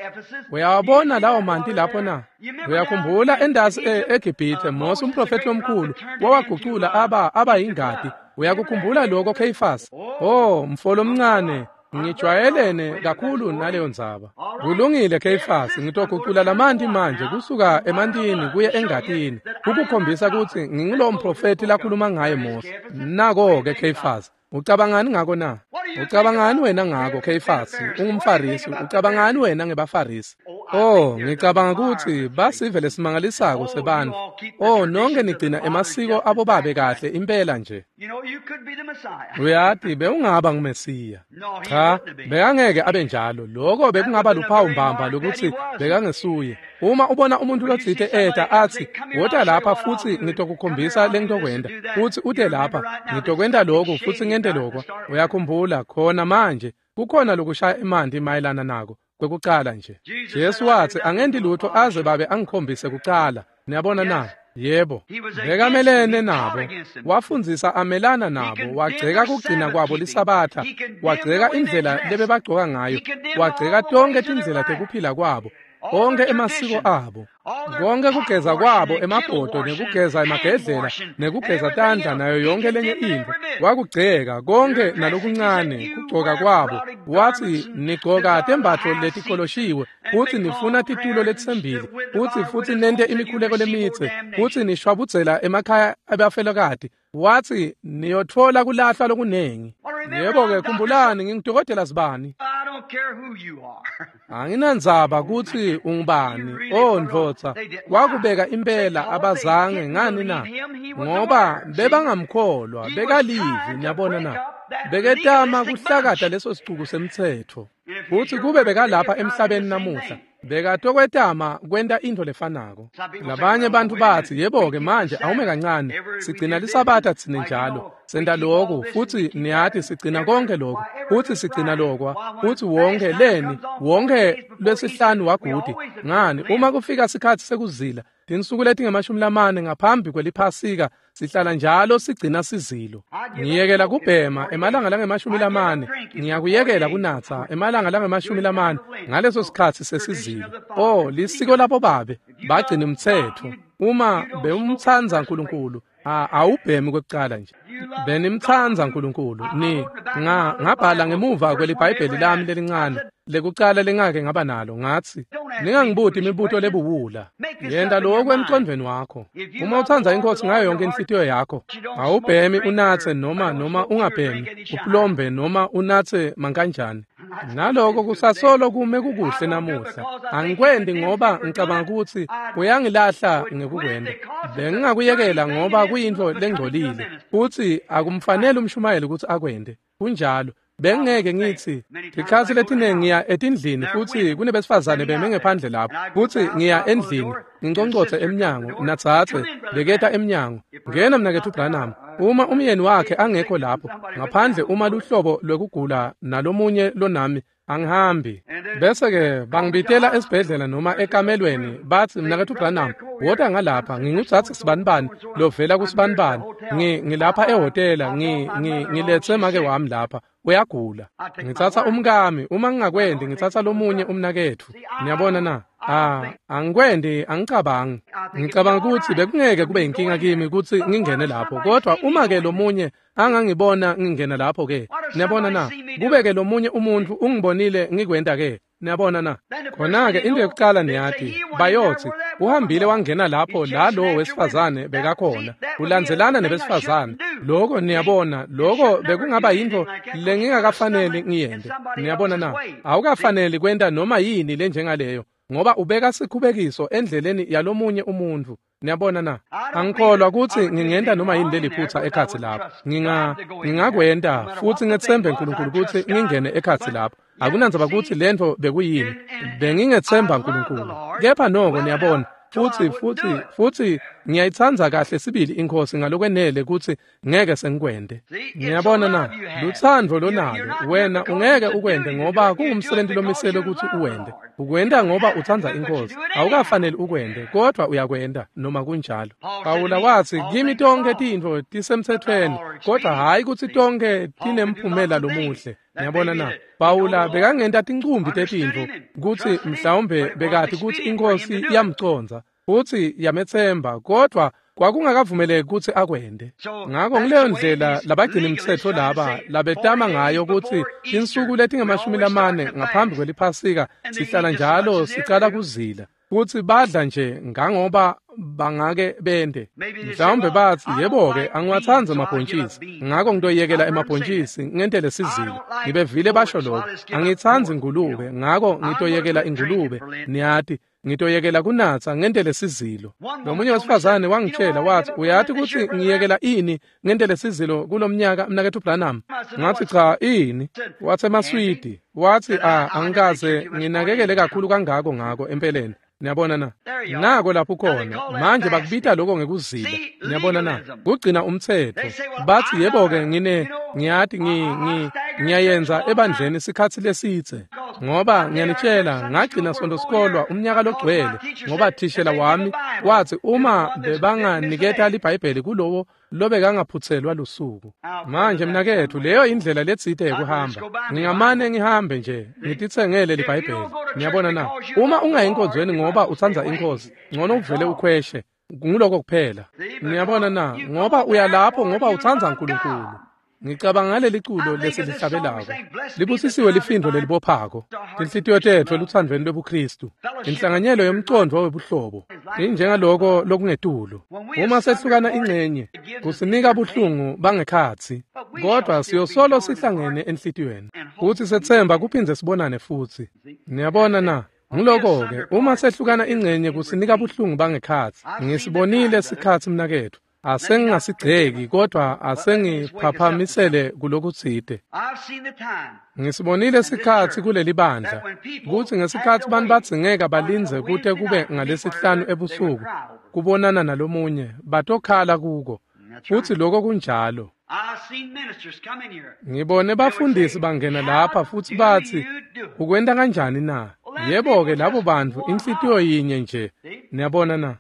Uyawabona lawo manti lapho na? Uyakhumbula endasi eGibhithe Mose umprofethi omkhulu wawagucula aba yingadi. Uyakukhumbula lokho Kheyifasi? Oh mfolo omncane, ngijwayelene kakhulu naleyo ndzaba. Kulungile Kheyifasi, ngitogucula lamanti manje kusuka emantini kuye engatini, ukukhombisa kutsi ngingulo mprofethi lakhuluma ngaye Mose. Nako-ke Kheyifasi, ucabangani ngako na? Ucabangani wena ngako Kheyifasi? Ungumfarisi, ucabangani wena ngebafarisi? Oh, ngicabanga kutsi basive lesimangalisako sebantfu. Oh, nonke nigcina emasiko abobabe kahle impela nje. Uyati bewungaba nguMesiya. Cha, bekangeke abe njalo. Lokho bekungaba luphawu mbamba lokuthi bekangesuye. Uma ubona umuntu lotsite eta athi, "Wota lapha futsi ngitokukhombisa lengitokwenta." Futsi ute lapha, ngitokwenta lokhu futsi ngente lokho. Uyakhumbula khona manje kukhona lokushaya emanti mayelana nako. Kwekucala nje Jesu wathi angendi lutho aze babe angikhombise kucala. Niyabona na? Yebo, bekamelene nabo, wafundzisa amelana nabo, wagceka kugcina kwabo lisabatha, wagceka indlela lebebagcoka ngayo, wagceka tonke tindlela tekuphila kwabo, onke emasiko abo. Konke kugeza kwabo emabhodo nekugeza emagedlela nekugeza tandla nayo yonke lenye intfo wakugceka konke nalokuncane kugcoka kwabo. Wathi nigcoka tembatfo letikoloshiwe futsi nifuna titulo letisembili futsi nente imikhuleko lemitse futsi nishwabudzela emakhaya abafelokati. Wathi niyotfola kulahlwa lokunengi. Yebo-ke khumbulani ngingudokotela sibani. Anginandzaba kutsi ungubani. Oh ndvodza, wakubeka impela abazange ngani na? Ngoba bebangamkholwa, bekalivi, niyabona na? Beketama kuhlakata leso sicuku semtsetfo. Futsi kube bekalapha emhlabeni namuhla, bekatokwetama kwenta intfo lefanako. Labanye bantfu batsi, yebo-ke manje awume kancane, sigcina lisabatha tsine njalo, senta loku, futsi niyati sigcina konke loku, futsi sigcina lokwa, futsi wonke leni, wonke lwesihlanu wagudi. Ngani, uma kufika sikhatsi sekuzila, tinsuku letinge-40 ngaphambi kweliphasika, sihlala njalo sigcina sizilo. Ngiyekela kubhema emalanga lange-40, ngiyakuyekela kunatsa emalanga lange-40 ngaleso sikhatsi sesizilo. Oh, lisiko labo babe bagcina umtsetfo. Uma bewumtsandza uNkulunkulu, awubhemi kwekucala nje. Benimtsandza uNkulunkulu. Ni ngabhala ngemuva kweliBhayibheli lami lelincane lekucala lengake ngaba nalo, ngathi ningangibuti imibuto lebuwula. Yenta lokho emqondweni wakho. Uma utsandza inkosi ngayo yonke inhlitiyo yakho, awubhemi unatse noma ungabhemi, uplombe noma unatse mankanjani. Naloko kusasolo kume kukuhle namuhla. Angikwendi ngoba ngicabanga ukuthi kuyangilahla ngekukwenda. Bengingakuyekela ngoba kuyintfo lengcolile futsi akumfanele umshumayeli ukuthi akwende. Kunjalo. Bengeke ngithi tikhatsi letinengi ngiya etindlini futsi kunebesifazane beme ngephandle lapho, futsi ngiya endlini nginconcotse emnyango, natsatse beketa emnyango, ngena mnaketfu Branham. Uma umyeni wakhe angekho lapho ngaphandle uma luhlobo lwekugula nalomunye lonami, angihambi. Bese-ke bangibitela esibhedlela noma ekamelweni, batsi mnaketfu Branham, wota ngalapha, ngingutsatse sibanibani lovela kusibanibani, ngilapha ehhotela, ngiletse make wami lapha, uyagula. Ngitsatsa umkami, uma ngingakwendi ngitsatsa lomunye umnaketfu. Niyabona na? Angikwendi, angicabangi. Ngicabanga kutsi bekungeke kube inkinga kimi kutsi ngingene lapho, kodwa uma ke lomunye angangibona ngingena lapho ke, niyabona na? Kube ke lomunye umuntu ungibonile ngikwenta ke, niyabona na? Khona ke into yokucala niyati, bayotsi uhambile wangena lapho la lo wesifazane bekakhona, ulandzelana nebesifazane. Lokho niyabona, lokho bekungaba yintfo lengingakafaneli ngiyente. Niyabona na? Awukafaneli kwenta noma yini lenjengaleyo, ngoba ubeka sikhubekiso endleleni yalomunye umuntu. Niyabona na? Angikholwa kutsi ngingenta noma yini leliphutsa ekhatsi lapho. Ngingakwenta futsi ngetsembe uNkulunkulu kutsi ngingene ekhatsi lapho. Akunandzaba kutsi lentfo bekuyini, bengingetsemba uNkulunkulu. Kepha noko niyabona, futsi ngiyayitsandza kahle sibili inkosi ngalokwenele kutsi ngeke sengikwente. Niyabona na? Lutsandvo lonalo wena ungeke ukwente ngoba kungumsebenzi lomiselwe kutsi uwente. Ukwenta ngoba utsandza inkosi. Awukafaneli ukwente, kodwa uyakwenta noma kunjalo. Pawula watsi kimi tonkhe tintfo tisemtsetfweni, kodwa hhayi kutsi tonkhe tinemphumela lomuhle. Niyabona na? Pawula bekangenta tincumbi tetintfo kutsi mhlawumbe bekati kutsi inkosi iyamcondza futsi yametsemba, kodwa kwakungakavumeleki kutsi akwente. Ngako ngileyo ndlela labagcina imitsetfo laba labetama ngayo kutsi tinsuku letinge-40 ngaphambi kweliphasika sihlala njalo sicala kuzila, futsi badla nje ngangoba bangake bende. Mhlawumbe batsi, yebo-ke angiwatsandzi emabhontjisi, ngako ngitoyekela emabhontjisi ngentele sizilo. Ngibevile basho lokho. Angitsandzi ingulube, ngako ngitoyekela ingulube. Niyati, ngitoyekela kunatsa ngentele sizilo. Lomunye wesifazane wangitshela wathi, uyati kutsi ngiyekela ini ngentele sizilo kulomnyaka mnaketfu Branham? Ngathi cha, ini? Watsi emaswidi. Watsi angikaze nginakekele kakhulu kangako ngako empeleni. Niyabona na? Nako lapho khona. Manje bakubita lokho ngekuzila. Niyabona na? Kugcina umtsetfo. Batsi yebo-ke ngiyati Ngiyayenza ebandleni sikhatsi lesidze. Ngoba ngiyanitshela ngagcina Sonto sikolwa umnyaka logcwele ngoba thishela wami wathi uma bebanganiketa liBhayibheli kulowo lobekangaphutselwa lusuku. Manje mnaketfu leyo indlela letsite yekuhamba. Ngingamane ngihambe nje ngititsengele liBhayibheli. Niyabona na? Uma ungayi enkonzweni ngoba utsandza inkosi, ngcono uvele ukhweshe. Nguloko kuphela. Niyabona na? Ngoba uyalapho ngoba utsandza uNkulunkulu. Ngicabanga ngaleli culo lesilihlabelako. Libusisiwe lifindo lelibophako. Tinhlitiyo tetfu eluthandweni lwebuKristu. Inhlanganyelo yomcondvo webuhlobo. Injengaloko lokungetulu. Uma sehlukana ingcenye, kusinika buhlungu bangekhatsi. Kodwa siyosolo sihlangene enhlitiyweni. Kuthi sethemba kuphindze sibonane futsi. Niyabona na? Nguloko-ke uma sehlukana ingcenye kusinika buhlungu bangekhatsi. Ngisibonile sikhatsi mnaketfu. Asengingasigceki kodwa asengiphaphamisele kulokutsite. Ngisibonile sikhatsi kuleli bandla kutsi ngesikhatsi bantu badzingeka balindze kute kube ngalesihlanu ebusuku kubonana nalomunye batokhala kuko futsi loko kunjalo. Ngibone bafundisi bangena lapha futsi batsi ukwenta kanjani na? Yebo-ke labo bantfu inhlitiyo yinye nje. Niyabona na?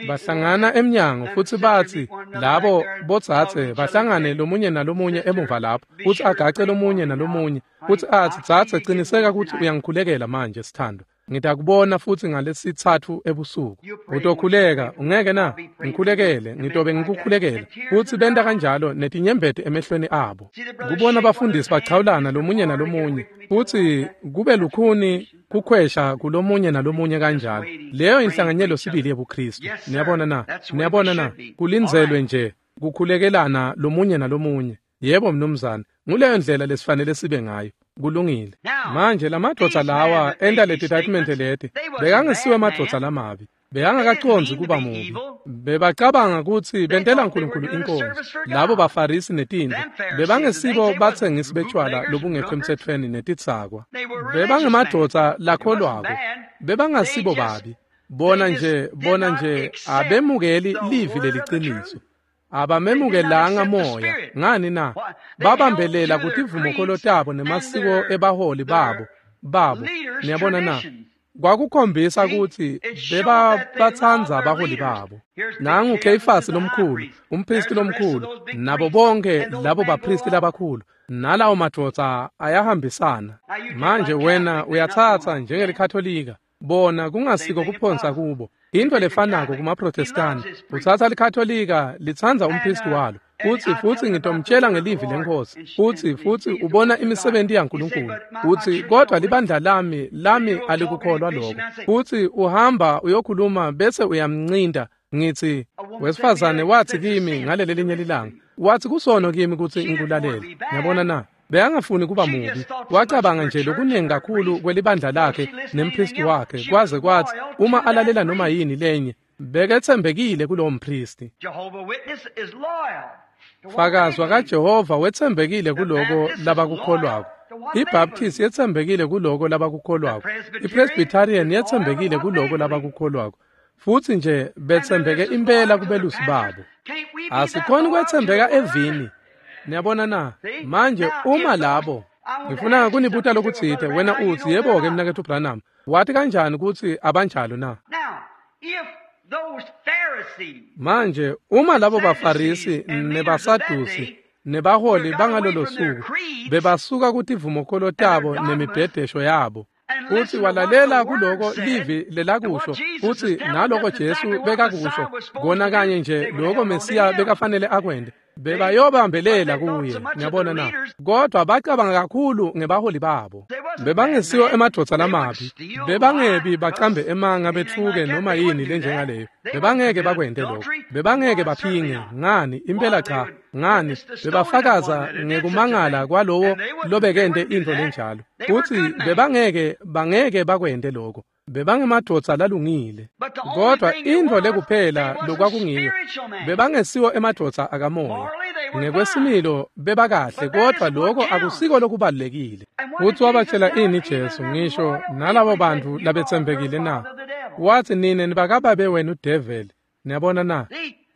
Bahlangana emnyango futsi batsi labo bodzadze bahlangane lomunye nalomunye emuva lapho futsi agace lomunye nalomunye futsi atsi dzadze ciniseka kutsi uyangikhulekela manje sithando. Ngitakubona futsi ngalesitsatfu ebusuku. Utokhuleka, ungeke na? Ngikhulekele, ngitobe ngikukhulekela. Futsi benta kanjalo netinyembeti emehlweni abo. Kubona bafundisi bachawulana lomunye nalomunye. Futsi kube lukhuni kukhwesha kulomunye nalomunye kanjalo. Leyo inhlanganyelo sibili yebuKristu. Niyabona na? Niyabona na? Kulindzelwe nje kukhulekelana lomunye nalomunye. Yebo mnumzane, nguleyo ndlela lesifanele sibe ngayo. Kulungile. Manje lamadvodza lawa enta leti statement leti bekangesiwe amadvodza lamabi. Bekangakacondzi kuba mubi. Bebacabanga kutsi bentela uNkulunkulu inkonzo. Labo baFarisi netintfo bebangesibo batsengisi betshwala lobungekho emtsetfweni netitsakwa. Bebangemadvodza lakholwako. Bebangasibo babi. Bona nje abemukeli livi leliciniso. Abamemukelanga moya ngani na? Babambelela kutivumokolo tabo nemasiko ebaholi babo. Niyabona na? Kwakukhombisa kutsi bebabatsandza abaholi babo. Nangu Kheyifasi lomkhulu, umphristi lomkhulu, nabo bonke labo baphristi labakhulu, nalawo madvodza ayahambisana. Manje wena uyatsatsa njengelikatholika. Bona kungasiko kuphonsa kubo. Into lefanako kumaProtestani. Utsatsa likatholika litsandza umphristi walo. Futsi ngitomtshela ngelivi lenkosi. Futsi ubona imisebenzi yaNkulunkulu. Utsi kodwa libandla lami alikukholwa lokho. Futsi uhamba uyokhuluma bese uyamncinda. Ngithi wesifazane wathi kimi ngaleli linye lilanga. Wathi kusono kimi kutsi ngikulalele. Ngiyabona na? Bekangafuni kuba mubi. Wacabanga nje lokuningi kakhulu kwelibandla lakhe nemphristi wakhe kwaze kwathi uma alalela noma yini lenye beketsembekile kulowo mphristi. Fakazi kaJehova wetsembekile kuloko labakukholwako. IBaptist yetsembekile kuloko labakukholwako. IPresbyterian yetsembekile kuloko labakukholwako. Futsi nje betsembeke impela kubelusi babo. Asikhoni kwetsembeka evini. Niyabona na? Manje uma labo ngifuna kunibuta lokutsite wena utsi yebo-ke mnaketfu Branham wathi kanjani kutsi abanjalo na? Manje uma labo baFarisi nebaSadusi nebaholi bangalolo suku bebasuka kutivumokolo tabo nemibhedesho yabo futsi walalela kuloko livi lelakusho futsi naloko Jesu bekakusho kona kanye nje loko Mesiya bekafanele akwente bebayobambelela kuye. Niyabona na? Kodwa bacabanga kakhulu ngebaholi babo. Bebangesiwo emadvodza lamabi. Bebangebi bacambe emanga betfuke noma yini lenjengaleyo. Bebangeke bakwente lokho. Bebangeke baphinge. Ngani? Impela cha. Ngani? Bebafakaza ngekumangala kwalowo lobekente intfo lenjalo. Futsi bebangeke bangeke bakwente lokho. Bebangemadvodza lalungile. Kodwa intfo lekuphela lokwakungiyo bebangesiwo emadvodza akamoya. Ngekwesimilo bebakahle kodwa lokho akusiko lokubalulekile. Futsi wabatshela ini Jesu ngisho nalabo bantfu labetsembekile na? Wathi nine nibakababe wenu devil. Niyabona na?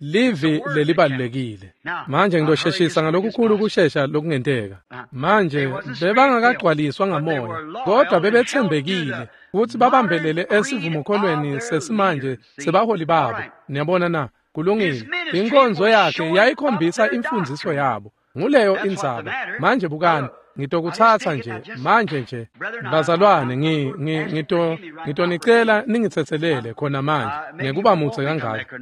Livi lelibalulekile. Manje ngidosheshisa ngalokukhulu kushesha lokungenteka. Manje bebangakagcwaliswa ngamoya, kodwa bebethembekile futhi babambelele esivumokholweni sesimanje sebaholi babo. Niyabona na? Kulungile. Inkonzo yakhe yayikhombisa imfundiso yabo. Nguleyo indzaba. Manje bukani, ngitokuthatha nje manje nje bazalwane, ngitonicela ningithethelele khona manje ngekuba mutse kangaka.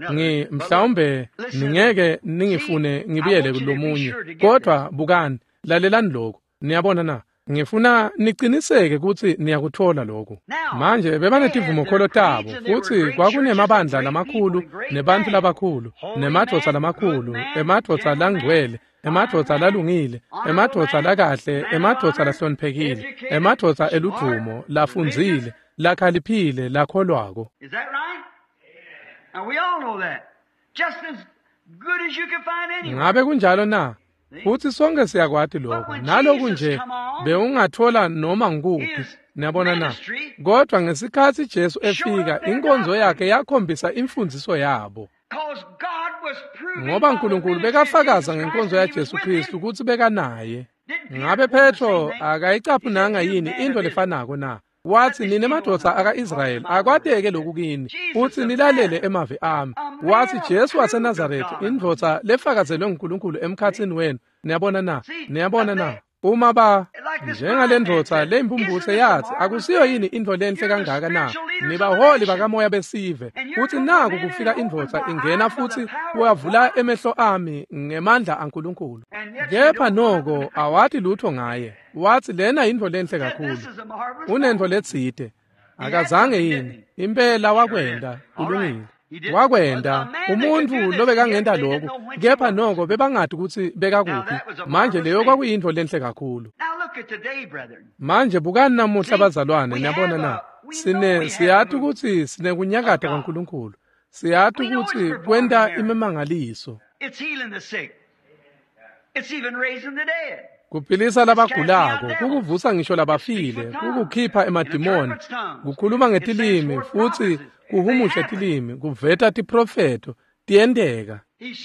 Mhlawumbe ningeke ningifune ngibuyele kulomunye, kodwa bukani, lalelani lokhu. Niyabona na? Ngifuna niciniseke kutsi niyakuthola lokhu. Manje bebanetivumokholo tabo, futsi kwakunemabandla lamakhulu nebantfu labakhulu, nemadvodza lamakhulu, emadvodza langcwele, emadvodza lalungile, emadvodza lakahle, emadvodza lahloniphekile, emadvodza eludvumo, lafundzile, lakhaliphile, lakholwako. Is that right? And we all know that. Just as good as you can find anywhere. Ngabe kunjalo na? Futhi sonke siyakwati lokho. Naloku nje bewungathola noma ngikuphi. Niyabona na? Kodwa ngesikhathi Jesu efika, inkonzo yakhe yakhombisa imfundiso yabo. Because God was proving Ngoba by the uNkulunkulu ministry of bekafakaza Jesus ngenkonzo Christ that he yaJesu was with Kristu him. kutsi bekanaye. Didn't Peter Ngabe quote the same Petro thing? akayicaphunanga He said, "You yini men into of Israel." lefanako na? Wathi nine madvodza aka-Israyeli akwateke lokhu kini futsi nilalele emavi ami. Wathi Jesu waseNazaretha, indvodza lefakazelwe nguNkulunkulu emkhatsini wenu. Niyabona na? Niyabona na? Uma ba njengalendvodza leyimpumputse yathi akusiyo yini intfo lenhle kangaka na? Nibaholi bakamoya besive. Futsi naku kufika indvodza ingena futsi wavula emehlo ami ngemandla aNkulunkulu. Kepha noko awati lutho ngaye. Wathi lena yintfo lenhle kakhulu. This is a marvelous Unentfo letsite. Akazange yini? Impela wakwenta, kulungile. Wakwenta umuntfu lobekangenta lokhu, kepha noko bebangati kutsi bekakuphi. Manje leyo kwakuyintfo lenhle kakhulu. Now look at today, brethren. Manje bukani namuhla bazalwane, niyabona na? Sine siyati kutsi sinekunyakata kwaNkulunkulu. Siyati kutsi kwenta imimangaliso. It's healing the sick. It's even raising the dead. Kuphilisa labagulako, kukuvusa ngisho labafile, kukukhipha emadimoni, kukhuluma ngetilimi futsi kuhumushe tilimi, kuveta tiprofetho, tiyenteka.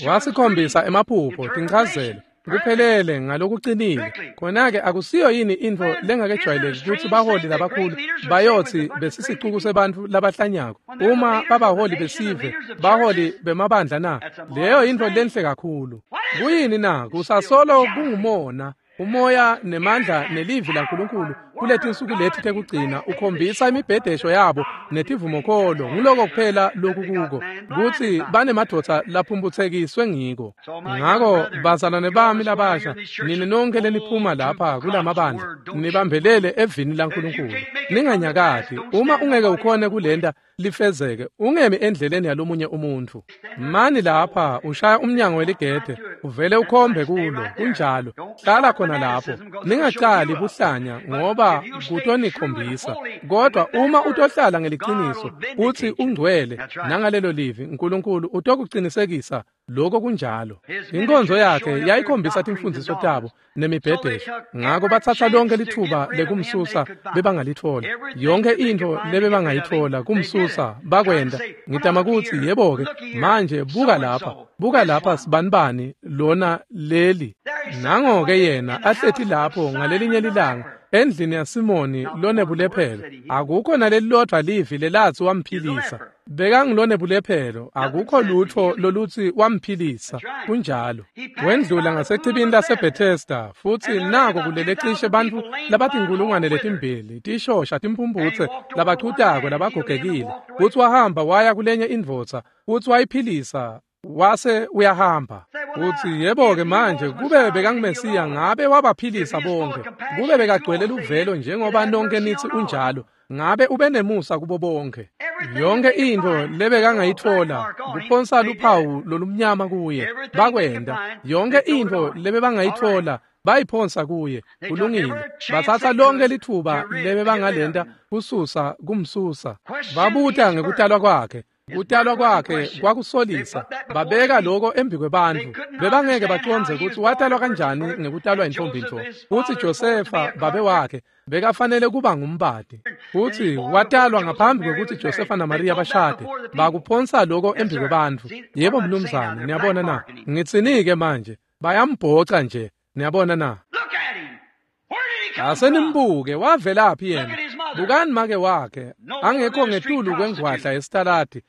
Wasikhombisa emaphupho, tinchazelo, kuphelele ngalokucinile. Khona-ke akusiyo yini intfo lengakejwayeleki kutsi baholi labakhulu bayotsi besisicuku sebantfu labahlanyako uma babaholi besive, baholi bemabandla na? Leyo yintfo lenhle kakhulu. Kuyini na? Kusasolo kungumona. Umoya nemandla nelivi laNkulunkulu kuletinsuku leti tekugcina ukhombisa imibhedesho yabo netivumokholo. Nguloko kuphela lokukuko kutsi banemadvodza laphumphutsekiswe ngiko. Ngako bazalwane bami labasha, nini nonke leniphuma lapha kulamabandla, nibambelele evini laNkulunkulu. Ninganyakati. Uma ungeke ukhone kulenta lifezeke, ungemi endleleni yalomunye umuntfu. Mani lapha ushaya umnyango weligede, uvele ukhombe kulo. Kunjalo. Hlala khona lapho. Ningacali buhlanya ngoba kutonikhombisa. Kodwa uma utohlala ngeliciniso utsi ungcwele nangalelo livi, uNkulunkulu utokucinisekisa lokho kunjalo. Inkonzo yakhe yayikhombisa timfundiso tabo nemibhedesho. Ngako batsatsa lonke litfuba lekumsusa bebangalitfola. Yonke intfo lebebangayitfola kumsusa bakwenta. Ngitama kutsi yebo-ke manje buka lapha, buka lapha sibanibani lona leli. Nango-ke yena ahleti lapho ngalelinye lilanga endlini yaSimoni lonebulephelo. Akukho nalelilodvwa livi lelatsi wamphilisa. Bekangulonebulephelo, akukho lutfo lolutsi wamphilisa. Kunjalo. Wendlula ngasechibini laseBethesda futsi nako kulele cishe bantfu labatinkulungwane letimbili, tishosha, timphumphutse, labachutako, labagogekile. Futsi wahamba waya kulenye indvodza futsi wayiphilisa. Wase uyahamba. Utsi yebo-ke manje kube bekanguMesiya ngabe wabaphilisa bonke. Kube bekagcwele luvelo njengoba nonke nitsi unjalo, ngabe ube nemusa kubo bonke. Yonke intfo lebekangayitfola kuphonsa luphawu lolumnyama kuye, bakwenta. Yonke intfo lebebangayitfola bayiphonsa kuye. Kulungile. Batsatsa lonke litfuba lebebangalenta kususa kumsusa. Babuta ngekutalwa kwakhe. Kutalwa kwakhe kwakusolisa. Babeka lokho embi kwebantfu. Bebangeke bacondze kutsi watalwa kanjani ngekutalwa intombi-ntfo. Kutsi Josefa babe wakhe bekafanele kuba ngumbati. Futsi watalwa ngaphambi kwekutsi Josefa naMariya bashade. Bakuphonsa lokho embi kwebantfu. Yebo mnumzane, niyabona na? Ngitsini-ke manje? Bayambhoca nje. Niyabona na? Asenimbuke, wavelaphi yena? Bukani make wakhe, angekho ngetulu kwengwadla yesitaladi.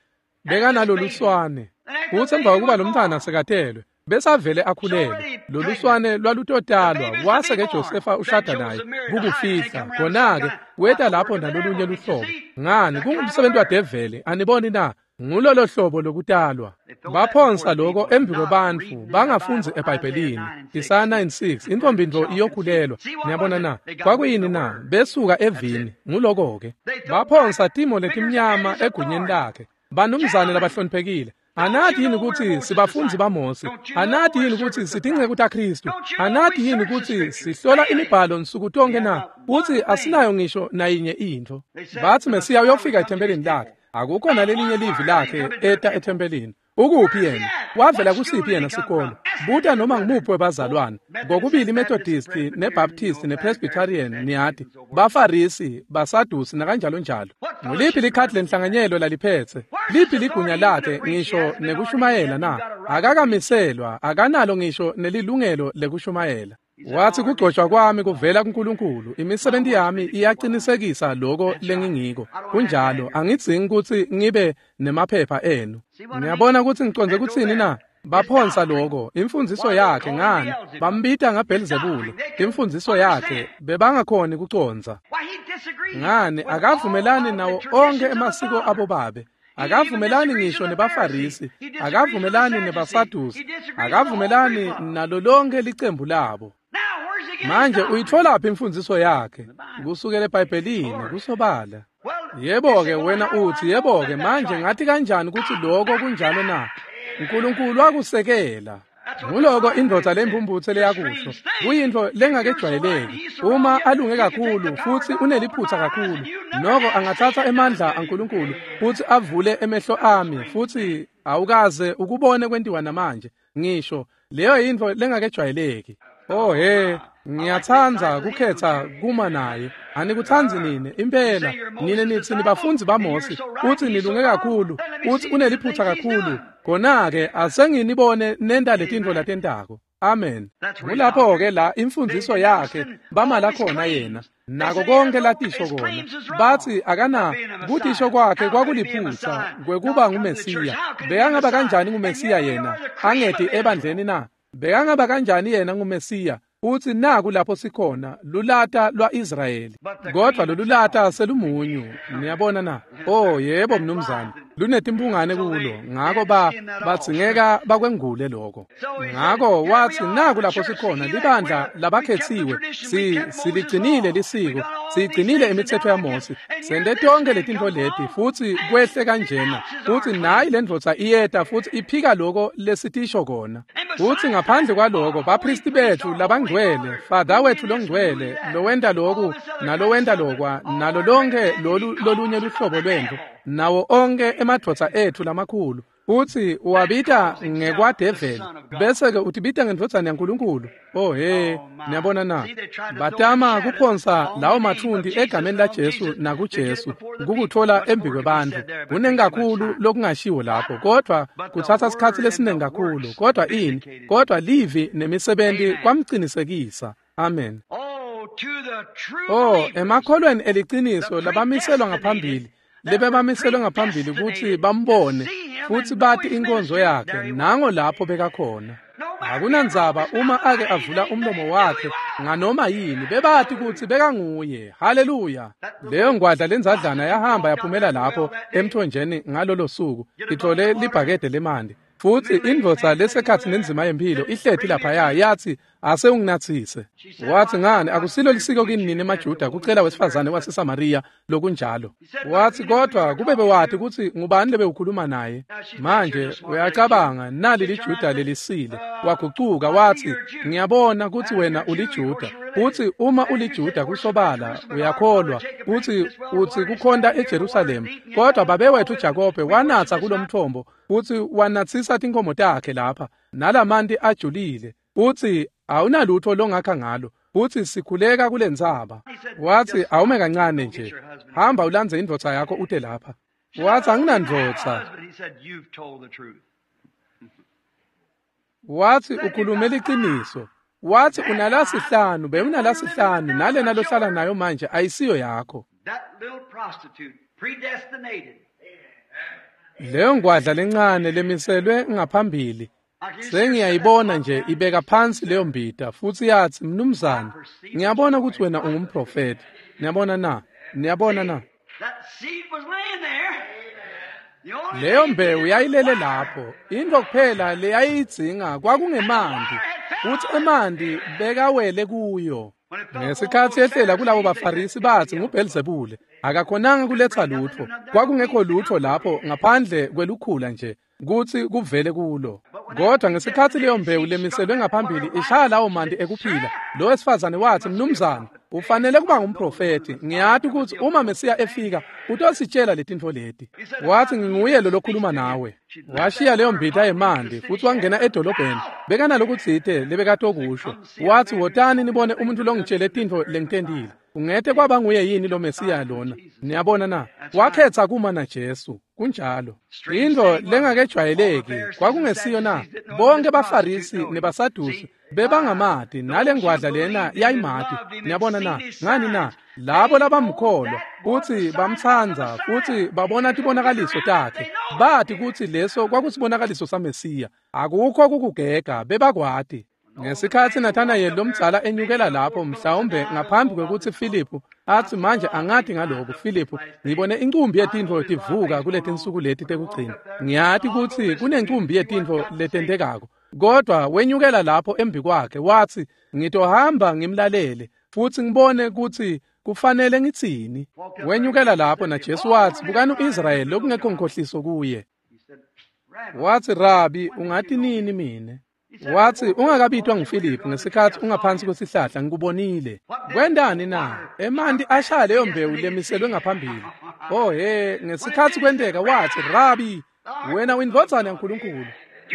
Bekanaloluswane. Kutsi emva kokuba lo mntfwana sekatelwe, besavele akhulelwe. Loluswane lwalutotalwa, wase-ke Josefa ushada naye kukufihla. Khona-ke weta lapho nalolunye luhlobo. Ngani, kungumsebenzi wadeveli, aniboni na? Ngulolo hlobo lokutalwa. Baphonsa lokho embi kwebantfu bangafundzi eBhayibhelini. Isaya 9:6 intombi-ntfo iyokhulelwa. Niyabona na? Kwakuyini na? Besuka evini. Nguloko-ke. Baphonsa timo letimnyama egunyeni lakhe. Banumzane labahloniphekile. Anati yini kutsi sibafundzi baMose? Anati yini kutsi sitinceku taKhristu? Anati yini kutsi sihlola imibhalo nsuku tonke na? Utsi asinayo ngisho nayinye intfo. Batsi Mesiya uyofika ethempelini lakhe. Akukho nalelinye livi lakhe eta ethempelini. Ukuphi yena? Wavela kusiphi yena sikolo? Buta noma ngumuphi webazalwane. Ngokubili iMethodist neBaptist nePresbyterian niyati. Bafarisi, baSadusi nakanjalo njalo. Nguliphi likhadi lenhlanganyelo laliphetse? Liphi ligunya lakhe ngisho nekushumayela na? Akakamiselwa, akanalo ngisho nelilungelo lekushumayela. Wathi kugcotshwa kwami kuvela kuNkulunkulu, imisebenti yami iyaqinisekisa lokho lengingiko. Kunjalo, angidzingi kutsi ngibe nemaphepha enu. Niyabona kutsi ngicondze kutsini na? Baphonsa lokho, imfundziso yakhe ngani? Bambita ngaBhelzebule, imfundziso yakhe bebangakhoni kucondza. Ngani, akavumelani nawo onke emasiko abobabe. Akavumelani ngisho nebaFarisi, akavumelani nebaSadusi, akavumelani nalo lonke licembu labo. Manje uyitfolaphi imfundziso yakhe? Kusukela eBhayibhelini, kusobala. Yebo-ke wena uthi, yebo-ke manje ngathi kanjani kutsi lokho kunjalo na? uNkulunkulu wakusekela. Nguloko indvodza lempumputse leyakusho. Kuyintfo lengakejwayeleki. Uma alunge kakhulu futsi uneliphutsa kakhulu, noko angatsatsa emandla aNkulunkulu futsi avule emehlo ami futsi awukaze ukubone kwentiwa namanje. Ngisho leyo yintfo lengakejwayeleki. Oh he, ngiyatsandza kukhetha kuma naye. Anikutsandzi nine impela. Nine nitsi nibafundzi baMose, utsi nilunge kakhulu, utsi uneliphutsa kakhulu. Khona-ke asenginibone nenta letintfo latentako. Amen. Ngulapho-ke la imfundziso yakhe bamala khona yena. Nako konke latisho kona. Batsi akana kutisho kwakhe kwakuliphutsa kwekuba nguMesiya. Bekangaba kanjani nguMesiya yena? Angeti ebandleni na? Bekangaba kanjani yena nguMesiya? Utsi naku lapho sikhona lulata lwa-Israyeli. Kodvwa lolulata selumunyu. Niyabona na? Oh yebo mnumzane, lunetimphungane kulo. Ngako badzingeka bakwengule lokho. Ngako watsi naku lapho sikhona libandla labakhetsiwe. Siligcinile lisiko, siyigcinile imitsetfo yaMose. Sente tonke letintfo leti futsi kwehle kanjena. Futsi nayi lendvodza iyeta futsi iphika lokho lesitisho kona. Futsi ngaphandle kwaloko baphristi bethu labangcwele, Father wethu longcwele, lowenta loku nalowenta lokwa, nalo lonke lolu lolunye luhlobo lwentfo, nawo onke emadvodza ethu lamakhulu. Utsi uwabita ngekwadeveli, bese-ke utibita ngendvodzana yaNkulunkulu. Oh he, niyabona na? Batama kuphonsa lawo mathundi egameni laJesu nakuJesu kukutfola embi kwebantfu. Kuningi kakhulu lokungashiwo lapho, kodvwa kutsatsa sikhatsi lesiningi kakhulu. Kodvwa ini? Kodvwa livi nemisebenti kwamcinisekisa. Amen. Oh, emakholweni eliciniso labamiselwa ngaphambili, lebebamiselwe ngaphambili kutsi bambone futsi bati inkonzo yakhe, nango lapho bekakhona. Akunandzaba uma ake avula umlomo wakhe nganoma yini, bebati kutsi bekanguye. Haleluya. Leyo ngwadla lenzadlana yahamba yaphumela lapho emthonjeni ngalolo suku, ithole libhakede lemanti. Futsi indvodza lesekhatsi nenzima yemphilo ihleti laphaya yathi, Ase unginatsise. Wathi, ngani akusilo lisiko kini nini emaJuda kucela wesifazane waseSamariya lokunjalo. Wathi, kodwa kube bewati kutsi ngubani lebewukhuluma naye. Manje uyacabanga nali liJuda lelisile. Wagucuka wathi, ngiyabona kutsi wena uliJuda. Uthi uma uliJuda kusobala uyakholwa uthi uthi kukhonta eJerusalema, kodwa babe wethu Jakobe wanatsa kulomthombo uthi wanatsisa tinkomo takhe lapha nalamanti ajulile. Uthi awunalutho longakha ngalo, uthi sikhuleka kulentsaba. Wathi awume kancane nje, hamba ulandze indvodza yakho ute lapha. Wathi anginandvodza. Wathi ukhulume liciniso. Wathi unalasihlanu, bewunalasihlanu nalena lohlala nayo manje ayisiyo yakho. Leyo ngwadla lencane lemiselwe ngaphambili sengiyayibona nje ibeka phansi leyo mbita futhi yathi, mnumzane, ngiyabona ukuthi wena ungumprofeti. Niyabona na? Niyabona na? Leyo mbewu yayilele lapho. Into kuphela leyayidzinga kwakungemanti, futhi emanti bekawele kuyo. Ngesikhathi ehlela kulabo baFarisi bathi nguBhelzebule, akakhonanga kuletha lutho. Kwakungekho lutho lapho ngaphandle kwelukhula nje kuthi kuvele kulo. Kodwa ngesikhathi leyo mbewu lemiselwe ngaphambili ishaya lawo manti ekuphila, lo wesifazane wathi, mnumzane, ufanele kuba ngumprofeti. Ngiyati ukuthi uma Mesiya efika utositshela letintfo leti. Wathi nginguye lo lokhuluma nawe. Washiya leyo mbita yemanti futhi wangena edolobheni. Bekanalokutsite lebekatokusho. Wathi wotani nibone umuntu longitshele tintfo lengitentile. Ungete kwaba nguye yini lo Mesiya lona? Niyabona na? Wakhetha kuma na Jesu. Kunjalo. Into lengakejwayeleki kwakungesiyo na? Bonke baFarisi nebaSadusi bebangamati, nale ngwadla lena yayimati. Niyabona na? Ngani na? Labo labamkholwa futhi bamtsandza futhi babona tibonakaliso takhe, bathi kutsi leso kwakusibonakaliso saMesiya. Akukho kukugega, bebakwati. Ngesikhathi Nathanayeli lomdzala enyukela lapho, mhlawumbe ngaphambi kwekutsi Filiphu athi manje angati ngalokhu, Filiphu, ngibone incumbi yetintfo tivuka kuletinsuku leti tekugcina. Ngiyati kutsi kunencumbi yetintfo letentekako. Kodwa wenyukela lapho embi kwakhe wathi, ngitohamba ngimlalele futhi ngibone kutsi kufanele ngitsini. Wenyukela lapho na Jesu wathi, bukani uIsrayeli lokungekho nkhohliso kuye. Wathi, Rabi, ungati nini mine? Wathi ungakabitwa nguFiliphu ngesikhathi ungaphansi kwesihlahla ngikubonile. Kwendani na? Emanti ashaya leyo mbewu lemiselwe ngaphambili. Oh he, ngesikhathi kwenteka wathi, Rabi, wena uyindvodzana yaNkulunkulu,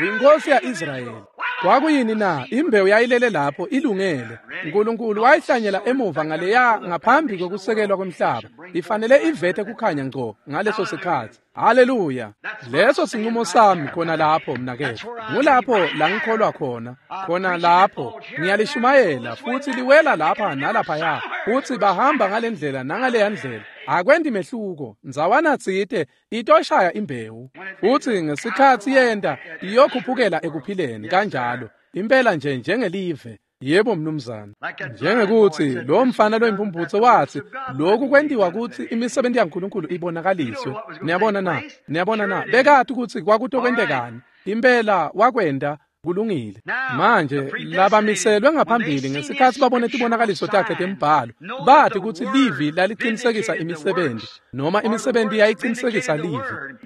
uyinkosi ya-Israyeli. Kwakuyini na? Imbewu yayilele lapho ilungele. uNkulunkulu wayihlanyela emuva ngaleya ngaphambi kokusekelwa kwemhlaba. Ifanele ivete kukhanya ngco ngaleso sikhathi. Haleluya. Leso sinqumo sami khona lapho mnaketfu. Ngulapho la ngikholwa khona. Khona lapho ngiyalishumayela futhi liwela lapha nalaphaya. Futhi bahamba ngalendlela nangaleya ndlela. Akwendi mehluko. Ndzawana tsite itoshaya imbewu. Futhi ngesikhathi yenta iyokhuphukela ekuphileni kanjalo. Impela nje njengelive. Yebo mnumzane. Njengekuthi lo mfana loyimpumputse wathi lokhu kwentiwa kutsi imisebenzi yaNkulunkulu ibonakaliswe. Niyabona na? Niyabona na? Bekati kutsi kwakutokwentekani. Impela wakwenta kulungile. Manje labamiselwe ngaphambili ngesikhathi babone tibonakaliso takhe tembhalo, bathi kutsi livi laliqinisekisa imisebenzi, noma imisebenzi yayiqinisekisa livi,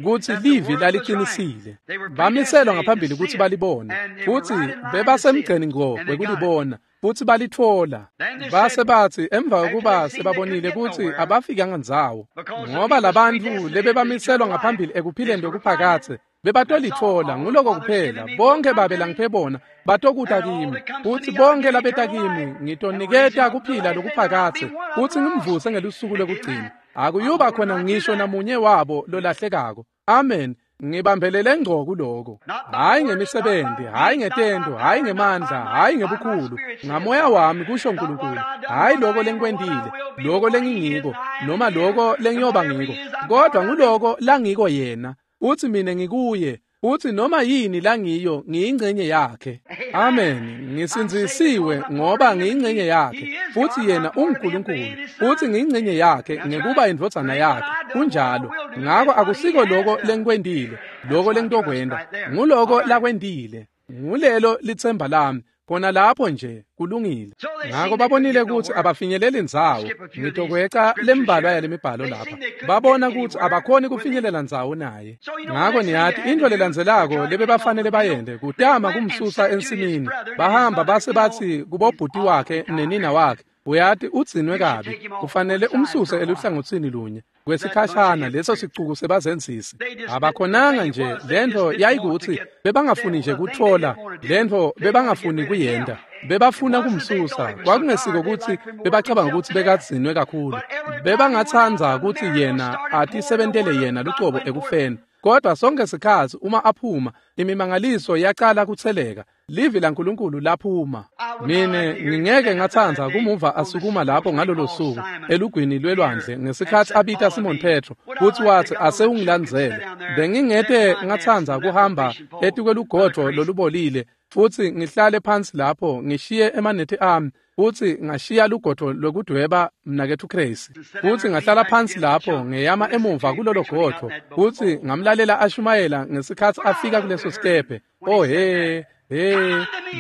kutsi livi laliqinisile. Bamiselwa ngaphambili kutsi balibone, futsi bebasemgceni ngco wekulibona, futhi balitfola. Base bathi emva kokuba sebabonile kutsi abafikanga ndzawo, ngoba labantfu lebebamiselwa ngaphambili ekuphileni lokuphakadze bebatolitfola. Nguloko kuphela. Bonke babe langiphe bona batokuta kimi, futhi bonke labeta kimi ngitoniketa kuphila lokuphakadze, futhi ngimvuse ngelusuku lokugcina. Akuyuba khona ngisho namunye wabo lolahlekako. Amen. Ngibambelele ngco kuloko. Hayi ngemisebenzi, hayi ngetento, hayi ngemandla, hayi ngebukhulu. Ngamoya wami kusho uNkulunkulu. Hayi lokho lengikwentile, lokho lengingiko, noma lokho lengiyoba ngiko, kodwa nguloko langiko yena. Uthi mina ngikuye, uthi noma yini langiyo ngiyingcenye yakhe. Amen. Ngisindzisiwe ngoba ngiyingcenye yakhe, futhi yena unguNkulunkulu, futhi ngiyingcenye yakhe ngekuba indvodzana yakhe. Kunjalo. Ngako akusiko lokho lengikwentile, lokho lengitokwenta, nguloko lakwentile. Ngulelo litsemba lami. Khona lapho nje kulungile. Ngako babonile kutsi abafinyeleli ndzawo. Ngitokweca lembalwa yalemibhalo lapha. Babona kutsi abakhoni kufinyelela ndzawo naye. Ngako niyati intfo lelandzelako lebebafanele bayente kutama kumsusa ensimini. Bahamba base batsi kubobhuti wakhe nenina wakhe, uyati udzinwe kabi, kufanele umsuse eluhlangotsini lunye kwesikhashana leso sicuku sebazenzisi. Abakhonanga nje lentfo yayikutsi bebangafuni nje kutfola lentfo, bebangafuni kuyenta, bebafuna kumsusa. Kwakungesiko kutsi bebacabanga kutsi bekadzinwe kakhulu, bebangatsandza kutsi yena atisebentele yena lucobo ekufeni. Kodwa sonke sikhatsi uma aphuma, imimangaliso yacala kutseleka. Livi laNkulunkulu laphuma. Mine ngingeke ngatsandza kumuva asukuma lapho ngalolo suku elugwini lwelwandle ngesikhatsi abita Simon Petro kutsi watsi asewungilandzele. Bengingete ngatsandza kuhamba etikwelugodvo lolubolile futsi ngihlale phansi lapho ngishiye emanethi ami futsi ngashiya lugodvo lwekudweba mnaketfu Crazy futsi ngahlala phansi lapho ngeyama emuva kulolo godvo futsi ngamlalela ashumayela ngesikhatsi afika kuleso sikebhe. Oh he he,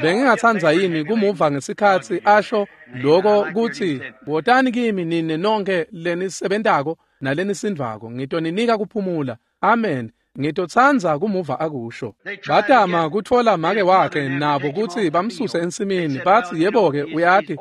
bengingatsandza yini kumuva ngesikhatsi asho lokho kutsi wotani kimi nine nonke lenisebentako nalenisindvako, ngitoninika kuphumula. Amen. Ngitotsandza kumuva akusho. Batama kutfola make wakhe nabo kutsi bamsuse ensimini. Batsi yebo-ke uyati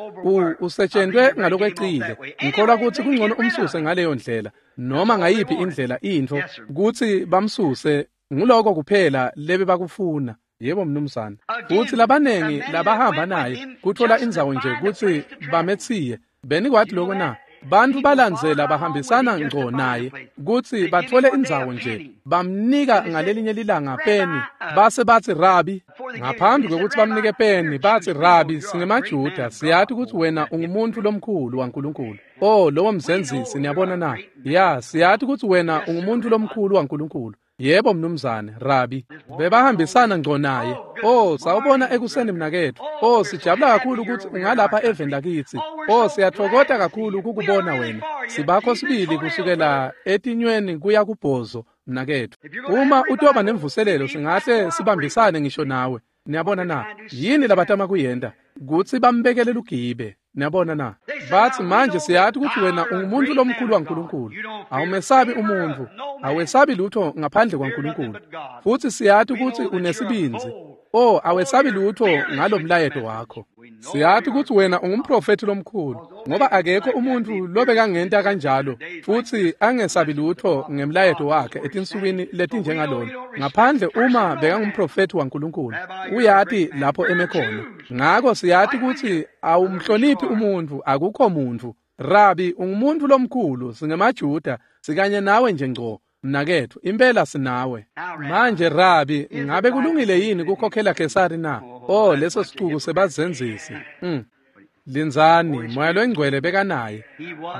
usetshentwe ngalokwecile, ngikholwa kutsi kungcono umsuse ngaleyo ndlela noma ngayiphi indlela intfo kutsi bamsuse. Nguloko kuphela lebebakufuna. Yebo mnumzane. Futsi labanengi labahamba naye kutfola indzawo nje kutsi bametsiye. Benikwati lokho na? Bantfu balandzela bahambisana ngco naye kutsi batfole indzawo nje. Bamnika ngalelinye lilanga peni, base batsi Rabi. Ngaphambi kwekutsi bamnike peni, batsi Rabi, singemaJuda, siyati kutsi wena ungumuntfu lomkhulu waNkulunkulu. Oh, lowo mzenzisi, niyabona na? Ya, siyati kutsi wena ungumuntfu lomkhulu waNkulunkulu. Yebo mnumzane, Rabi. Bebahambisana ngco naye. Oh, sawubona ekuseni mnaketfu. Oh, sijabula kakhulu kutsi ungalapha eveni lakitsi. Oh, siyatfokota kakhulu kukubona wena. Sibakho sibili kusukela etinyweni kuya kubhozo mnaketfu. Uma utoba nemvuselelo singahle sibambisane ngisho nawe. Niyabona na? Yini labatama kuyenta? Kutsi bambekele lugibe. Niyabona na? Batsi manje siyati kutsi wena ungumuntu lomkhulu waNkulunkulu. Awumesabi umuntfu, awesabi lutho ngaphandle kwaNkulunkulu. Futsi siyati kutsi unesibindzi. Oh, awesabi lutho ngalomlayeto wakho. Siyati kutsi wena ungumprofethi lomkhulu, ngoba akekho umuntfu lobekangenta kanjalo futsi angesabi lutho ngemlayeto wakhe etinsukwini letinjengalona, ngaphandle uma bekangumprofethi waNkulunkulu. Uyati lapho eme khona. Ngako siyati kutsi awumhloniphi umuntfu, akukho muntfu. Rabi, ungumuntfu lomkhulu, singemaJuda, sikanye nawe nje ngco. Mnaketfu, impela sinawe. Manje Rabi, ngabe kulungile yini kukhokhela Kesari na? Oh, leso sicuku sebazenzisi. Lindzani, Moya loyingcwele bekanaye.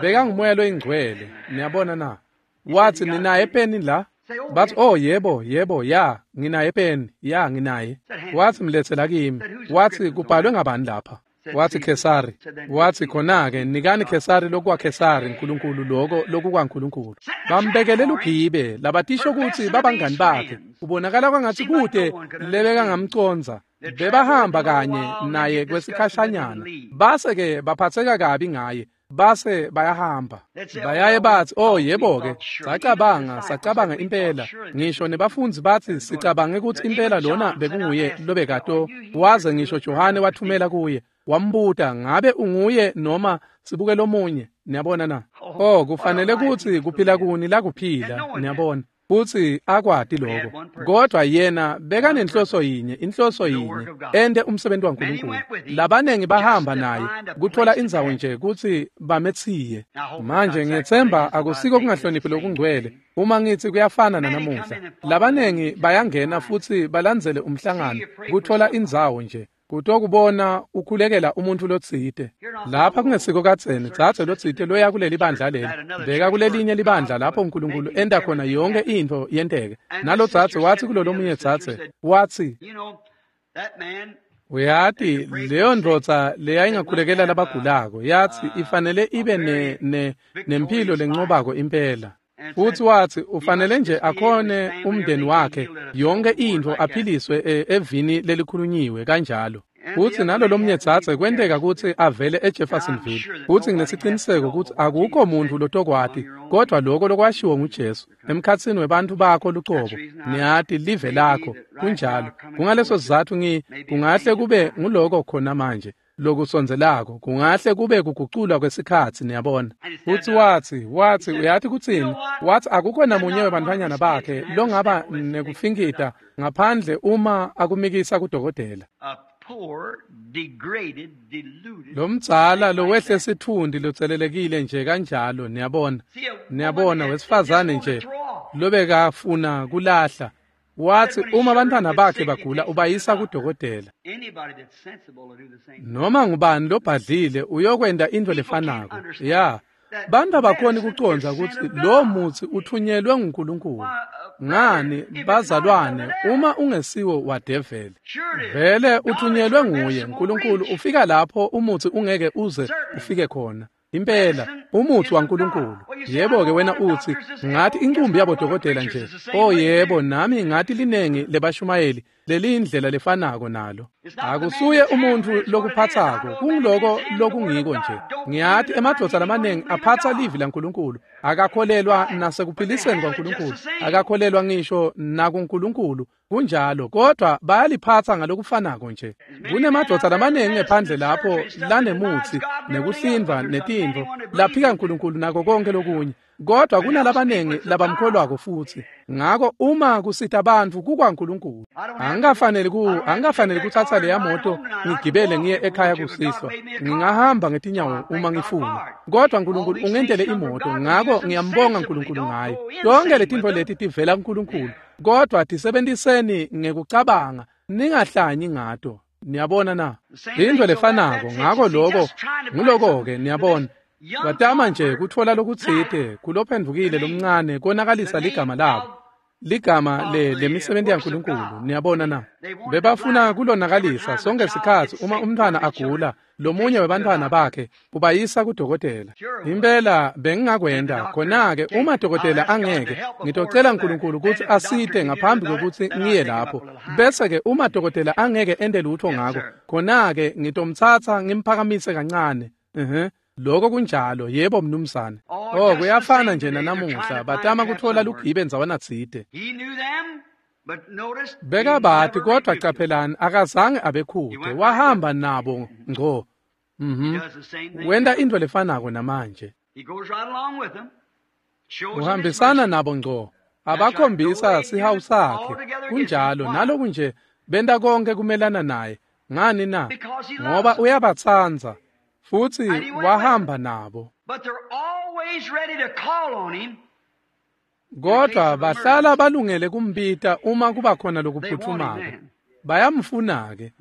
Bekangumoya loyingcwele, niyabona na? Watsi ninaye peni la? Bathi oh yebo, yebo, ya, nginaye peni, ya nginaye. Watsi mletsela kimi. Watsi kubhalwe ngabani lapha? Watsi Kesari. Watsi khona-ke nikani Kesari lokwaKesari, Nkulunkulu loko lokukwaNkulunkulu. Bambekele lugibe labatisho kutsi babangani bakhe. Kubonakala kwangatsi kute lebekangamcondza. Bebahamba kanye naye kwesikhashanyana. Base-ke baphatseka kabi ngaye. Base bayahamba. Bayaye batsi oh yebo-ke, sacabanga impela. Ngisho nebafundzi batsi sicabange kutsi impela lona bekunguye lobekato. Waze ngisho Johane wathumela kuye. Wambuta ngabe unguye noma sibuke lomunye. Niyabona na? Oh, kufanele kutsi kuphila kuni lakuphila, niyabona. Futsi akwati lokho. Kodwa yena bekanenhloso yinye, inhloso yinye, ente umsebenzi waNkulunkulu. Labanengi bahamba naye kuthola indzawo nje kutsi bametsiye. Manje ngiyetsemba akusiko kungahloniphi lokungcwele uma ngitsi kuyafana nanamuhla. Labanengi bayangena futsi balandzele umhlangano kuthola indzawo nje kutokubona ukhulekela umuntu lotsite. Lapha kungesiko kadzeni, dzadze lotsite loya kuleli bandla leli, beka kulelinye libandla lapho uNkulunkulu enta khona yonke intfo yenteke. Nalo dzadze watsi kulolomunye dzadze, watsi uyati leyo ndvodza leyayingakhulekela labagulako, yatsi ifanele ibe nemphilo lencobako impela. Futsi watsi ufanele nje akhone umndeni wakhe yonke intfo aphiliswe evini lelikhulunyiwe kanjalo. Futsi nalolomnye dzadze kwenteka kutsi avele eJeffersonville. Futsi nginesiciniseko kutsi akukho muntfu lotokwati kodwa lokho lokwashiwo nguJesu emkhatsini webantfu bakho lucobo. Niyati live lakho kunjalo. Kungaleso sizatfu kungahle kube nguloko khona manje lokusondzelako, kungahle kube kuguculwa kwesikhatsi, niyabona. Futsi watsi uyati kutsini? Watsi akukho namunye webantfwanyana bakhe longaba nekufinkita ngaphandle uma akumikisa kudokotela. Lomdzala lowehle sitfundi lotselelekile nje kanjalo, niyabona. Niyabona, wesifazane nje lobekafuna kulahla. Watsi uma abantwana bakhe bagula ubayisa kudokotela. Noma ngubani lobhadlile uyokwenta intfo lefanako. Ya, bantu abakhoni kucondza kutsi lo mutsi uthunyelwe nguNkulunkulu. Ngani bazalwane, uma ungesiwo wadeveli, vele uthunyelwe nguye. uNkulunkulu ufika lapho umutsi ungeke uze ufike khona. Impela umutsi waNkulunkulu. Yebo ke wena utsi ngathi inqumbi yabodokotela nje. Oh yebo, nami ngathi linengi lebashumayeli lelindlela lefanako nalo. Akusuye umuntfu lokuphatsako, kungiloko lokungiko nje. Ngiyathi emadvodza lamanengi aphatsa livi laNkulunkulu, akakholelwa nasekuphiliseni kwaNkulunkulu, akakholelwa ngisho nakuNkulunkulu. Kunjalo, kodwa bayaliphatsa ngalokufanako nje. Kunemadvodza lamanengi ngephandle lapho lanemutsi nekuhlindva netintfo laphika uNkulunkulu nako konke lokunye, kodwa kunalabanengi labamkholwako futsi. Ngako uma kusita bantfu kukwaNkulunkulu. Angikafaneli kutsatsa leya moto ngigibele ngiye ekhaya kusihlwa. Ngingahamba ngetinyawo uma ngifuna, kodwa uNkulunkulu ungentele imoto, ngako ngiyambonga uNkulunkulu ngayo. Tonke letintfo leti tivela kuNkulunkulu, kodwa tisebentiseni ngekucabanga, ningahlanyi ngato. Niyabona na? Intfo lefanako. Ngako lokho nguloko-ke, niyabona. Batama nje kutfola lokutsite kulophendvukile lomncane konakalisa ligama labo, ligama lemisebenti yaNkulunkulu. Niyabona na? Bebafuna kulonakalisa sonke sikhatsi uma umntfwana agula, lomunye webantfwana bakhe ubayisa kudokotela. Impela bengingakwenta khona-ke uma dokotela angeke, ngitocela uNkulunkulu kutsi asite ngaphambi kwekutsi ngiye lapho. Bese-ke uma dokotela angeke ente lutfo ngako, khona-ke ngitomtsatsa ngimphakamise kancane. Lokho kunjalo, yebo mnumzane. Oh, kuyafana nje nanamuhla, batama kutfola lugibe ndzawana tsite. Bekabati, kodwa caphelani, akazange abekhude, wahamba nabo ngco. Wenta intfo lefanako namanje. Uhambisana nabo ngco, abakhombisa sihawu sakhe. Kunjalo, naloku nje benta konke kumelana naye. Ngani na? Ngoba uyabatsandza. Futsi wahamba nabo. Kodwa bahlala balungele kumbita uma kuba khona lokuphuthumako. Bayamfuna-ke.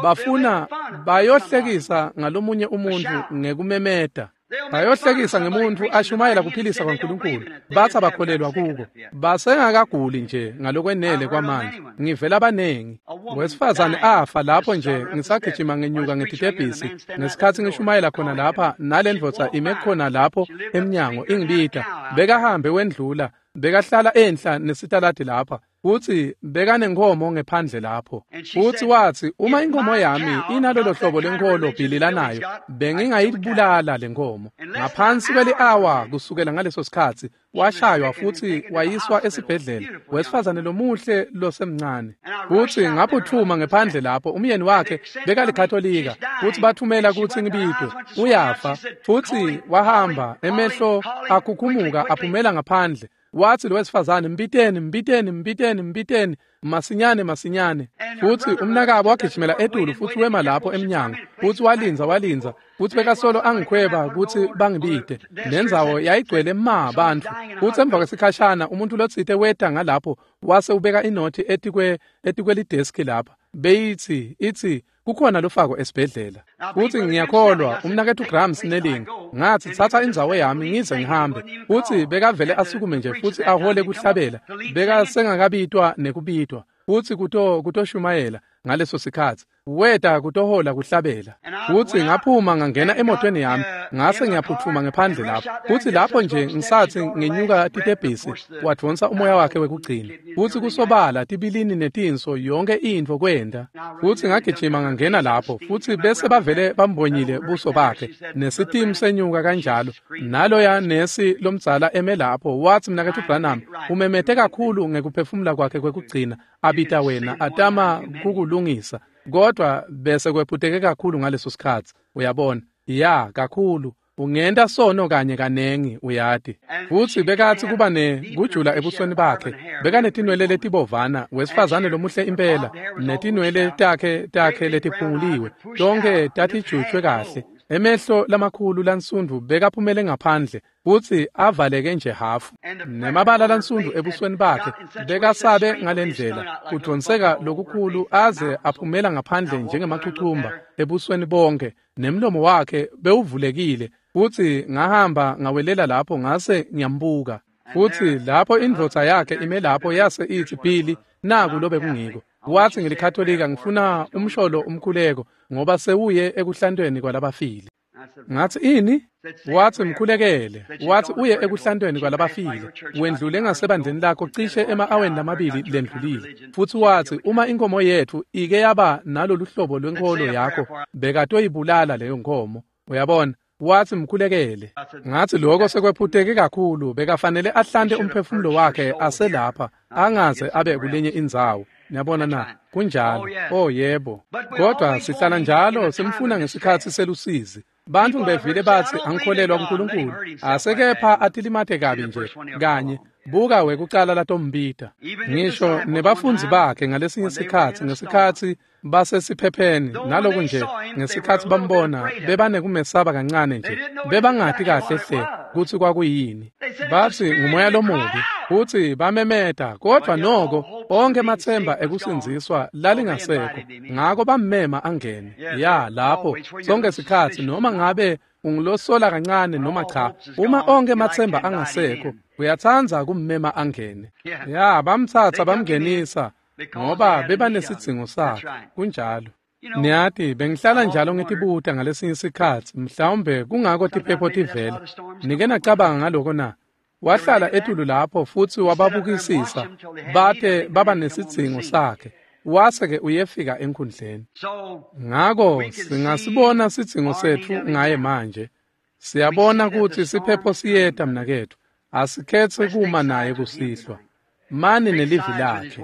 Bafuna bayohlekisa ngalomunye umuntfu ngekumemeta. Bayohlekisa ngemuntfu ashumayela kuphilisa kwaNkulunkulu, batsi abakholelwa kuko. Basengakaguli nje ngalokwenele kwamanje. Ngivela banengi. Wesifazane afa lapho nje ngisagijima ngenyuka ngetitebhisi ngesikhatsi ngishumayela khona lapha, nalendvodza ime khona lapho emnyango ingibita. Bekahambe wendlula, bekahlala enhla nesitaladi lapha. Futsi bekanenkomo ngephandle lapho. Futsi watsi uma inkomo yami inalolo hlobo lenkholo Billy lanayo, bengingayibulala lenkomo. Ngaphansi kweli-awa kusukela ngaleso sikhatsi washaywa futsi wayiswa esibhedlela, wesifazane lomuhle losemncane. Futsi ngaphuthuma ngephandle lapho, umyeni wakhe bekalikatolika, futsi bathumela kutsi ngibitwe. Uyafa. Futsi wahamba, emehlo akhukhumuka aphumela ngaphandle. Watsi lo wesifazane, mbiteni, mbiteni, mbiteni, mbiteni, masinyane, masinyane. Futsi umnakabo wagijimela etulu futsi wema lapho emnyango. Futsi walindza, futsi bekasolo angikhweba kutsi bangibite. Lendzawo yayigcwele ma bantfu. Futsi emva kwesikhashana umuntu lotsite weta ngalapho wase ubeka inothi etikwelideski lapha. Beyitsi itsi kukhona lofako esibhedlela. Futsi ngiyakholwa umnaketfu Graham Snelling, ngathi thatha indzawo yami ngize ngihambe. Futsi bekavele asukume nje futsi ahole kuhlabela. Bekasengakabitwa nekubitwa. Futsi kutoshumayela. ngaleso sikhatsi. Weta kutohola kuhlabela. Futsi ngaphuma ngangena emotweni yami, ngase ngiyaphutfuma ngephandle lapho. Futsi lapho nje ngisatsi ngenyuka titebhisi, wadvonsa umoya wakhe wekugcina. Futsi kusobala tibilini netinso yonke intfo kwenta. Futsi ngagijima ngangena lapho, futsi bese bavele bambonyile buso bakhe, nesitimu senyuka kanjalo. Naloya nesi lomdzala eme lapho, watsi Mnaketfu Branham, umemete kakhulu ngekuphefumula kwakhe kwekugcina, abita wena, atama kukulungisa. Kodwa bese kwephuteke kakhulu ngaleso sikhatsi, uyabona. Ya, kakhulu. Ungenta sono kanye kanengi, uyati. Futsi bekatsi kuba nekujula ebusweni bakhe. Bekanetinwele letibovana, wesifazane lomuhle impela, netinwele takhe letiphunguliwe. Tonke tatijutjwe kahle. Emehlo lamakhulu lansundvu bekaphumele ngaphandle, futsi avaleke nje hafu. Nemabala lansundvu ebusweni bakhe bekasabe ngalendlela, kudvonseka lokukhulu aze aphumela ngaphandle njengemachuchumba ebusweni bonke, nemlomo wakhe bewuvulekile. Futsi ngahamba ngawelela lapho ngase ngiyambuka. Futsi lapho indvodza yakhe ime lapho yase itsi, Billy, naku lobe kungiko. Watsi ngilikatolika, ngifuna umsholo umkhuleko ngoba sewuye ekuhlantweni kwalabafile. Ngatsi ini? Watsi mkhulekele. Watsi uye ekuhlantweni kwalabafile. Wendlule ngasebandleni lakho cishe ema-aweni lamabili lendlulile. Futsi watsi uma inkomo yetfu ike yaba nalolu hlobo lwenkholo yakho, bekatoyibulala leyo nkomo. Uyabona? Watsi mkhulekele. Ngatsi lokho sekwephuteke kakhulu, bekafanele ahlante umphefumulo wakhe aselapha, angaze abe kulenye indzawo. Niyabona na? Kunjalo. Oh yebo. Kodwa sihlala njalo simfuna ngesikhatsi selusizi. Bantfu bevile batsi angikholelwa kuNkulunkulu, asekepha atilimate kabi nje kanye. Buka wekucala latombita. Ngisho nebafundzi bakhe ngalesinye sikhatsi, ngesikhatsi basesiphepheni, naloku nje ngesikhatsi bambona bebanekumesaba kancane nje, bebangati kahle hle kutsi kwakuyini. Batsi ngumoya lomubi, futsi bamemeta, kodwa noko onke matsemba ekusindziswa lalingasekho. Ngako bammema angene. Ya, lapho sonke sikhatsi noma ngabe ungulosola kancane noma cha, uma onke matsemba angasekho, uyatsandza kummema angene. Ya, bamtsatsa bamngenisa ngoba bebanesidzingo sakhe. Kunjalo. Niyati, bengihlala njalo ngitibuta ngalesinye sikhatsi, mhlawumbe kungako tiphepho tivela. Nike nacabanga ngaloko na? Wahlala etulu lapho futsi wababukisisa bate baba nesidzingo sakhe. Wase-ke uyefika enkhundleni. Ngako singasibona sidzingo setfu ngaye manje. Siyabona kutsi siphepho siyeta mnaketfu. Asikhetse kuma naye kusihlwa. Mani nelivi lakhe.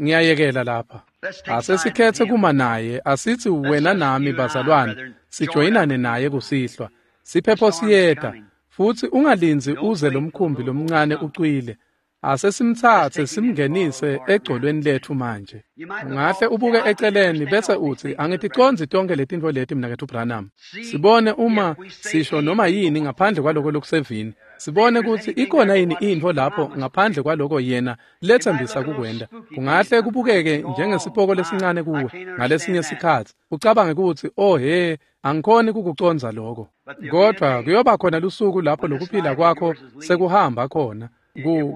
Ngiyayekela lapha. Asesikhetse kuma naye, asitsi wena nami bazalwane, sijoyinane naye kusihlwa. Siphepho siyeta, futsi ungalindzi uze lomkhumbi lomncane ucwile. Asesimtsatse simngenise egcolweni letfu manje. Ungahle ubuke eceleni bese utsi angiticondzi tonke letintfo leti mnaketfu Branham. Sibone uma sisho noma yini ngaphandle kwaloko lokusevini. Sibone kutsi ikhona yini intfo lapho ngaphandle kwaloko yena letsembisa kukwenta. Kungahle kubukeke njengesipoko lesincane kuwe ngalesinye sikhatsi. Ucabange kutsi oh he, angikhoni kukucondza lokho. Kodwa kuyoba khona lusuku lapho lokuphila kwakho sekuhamba khona.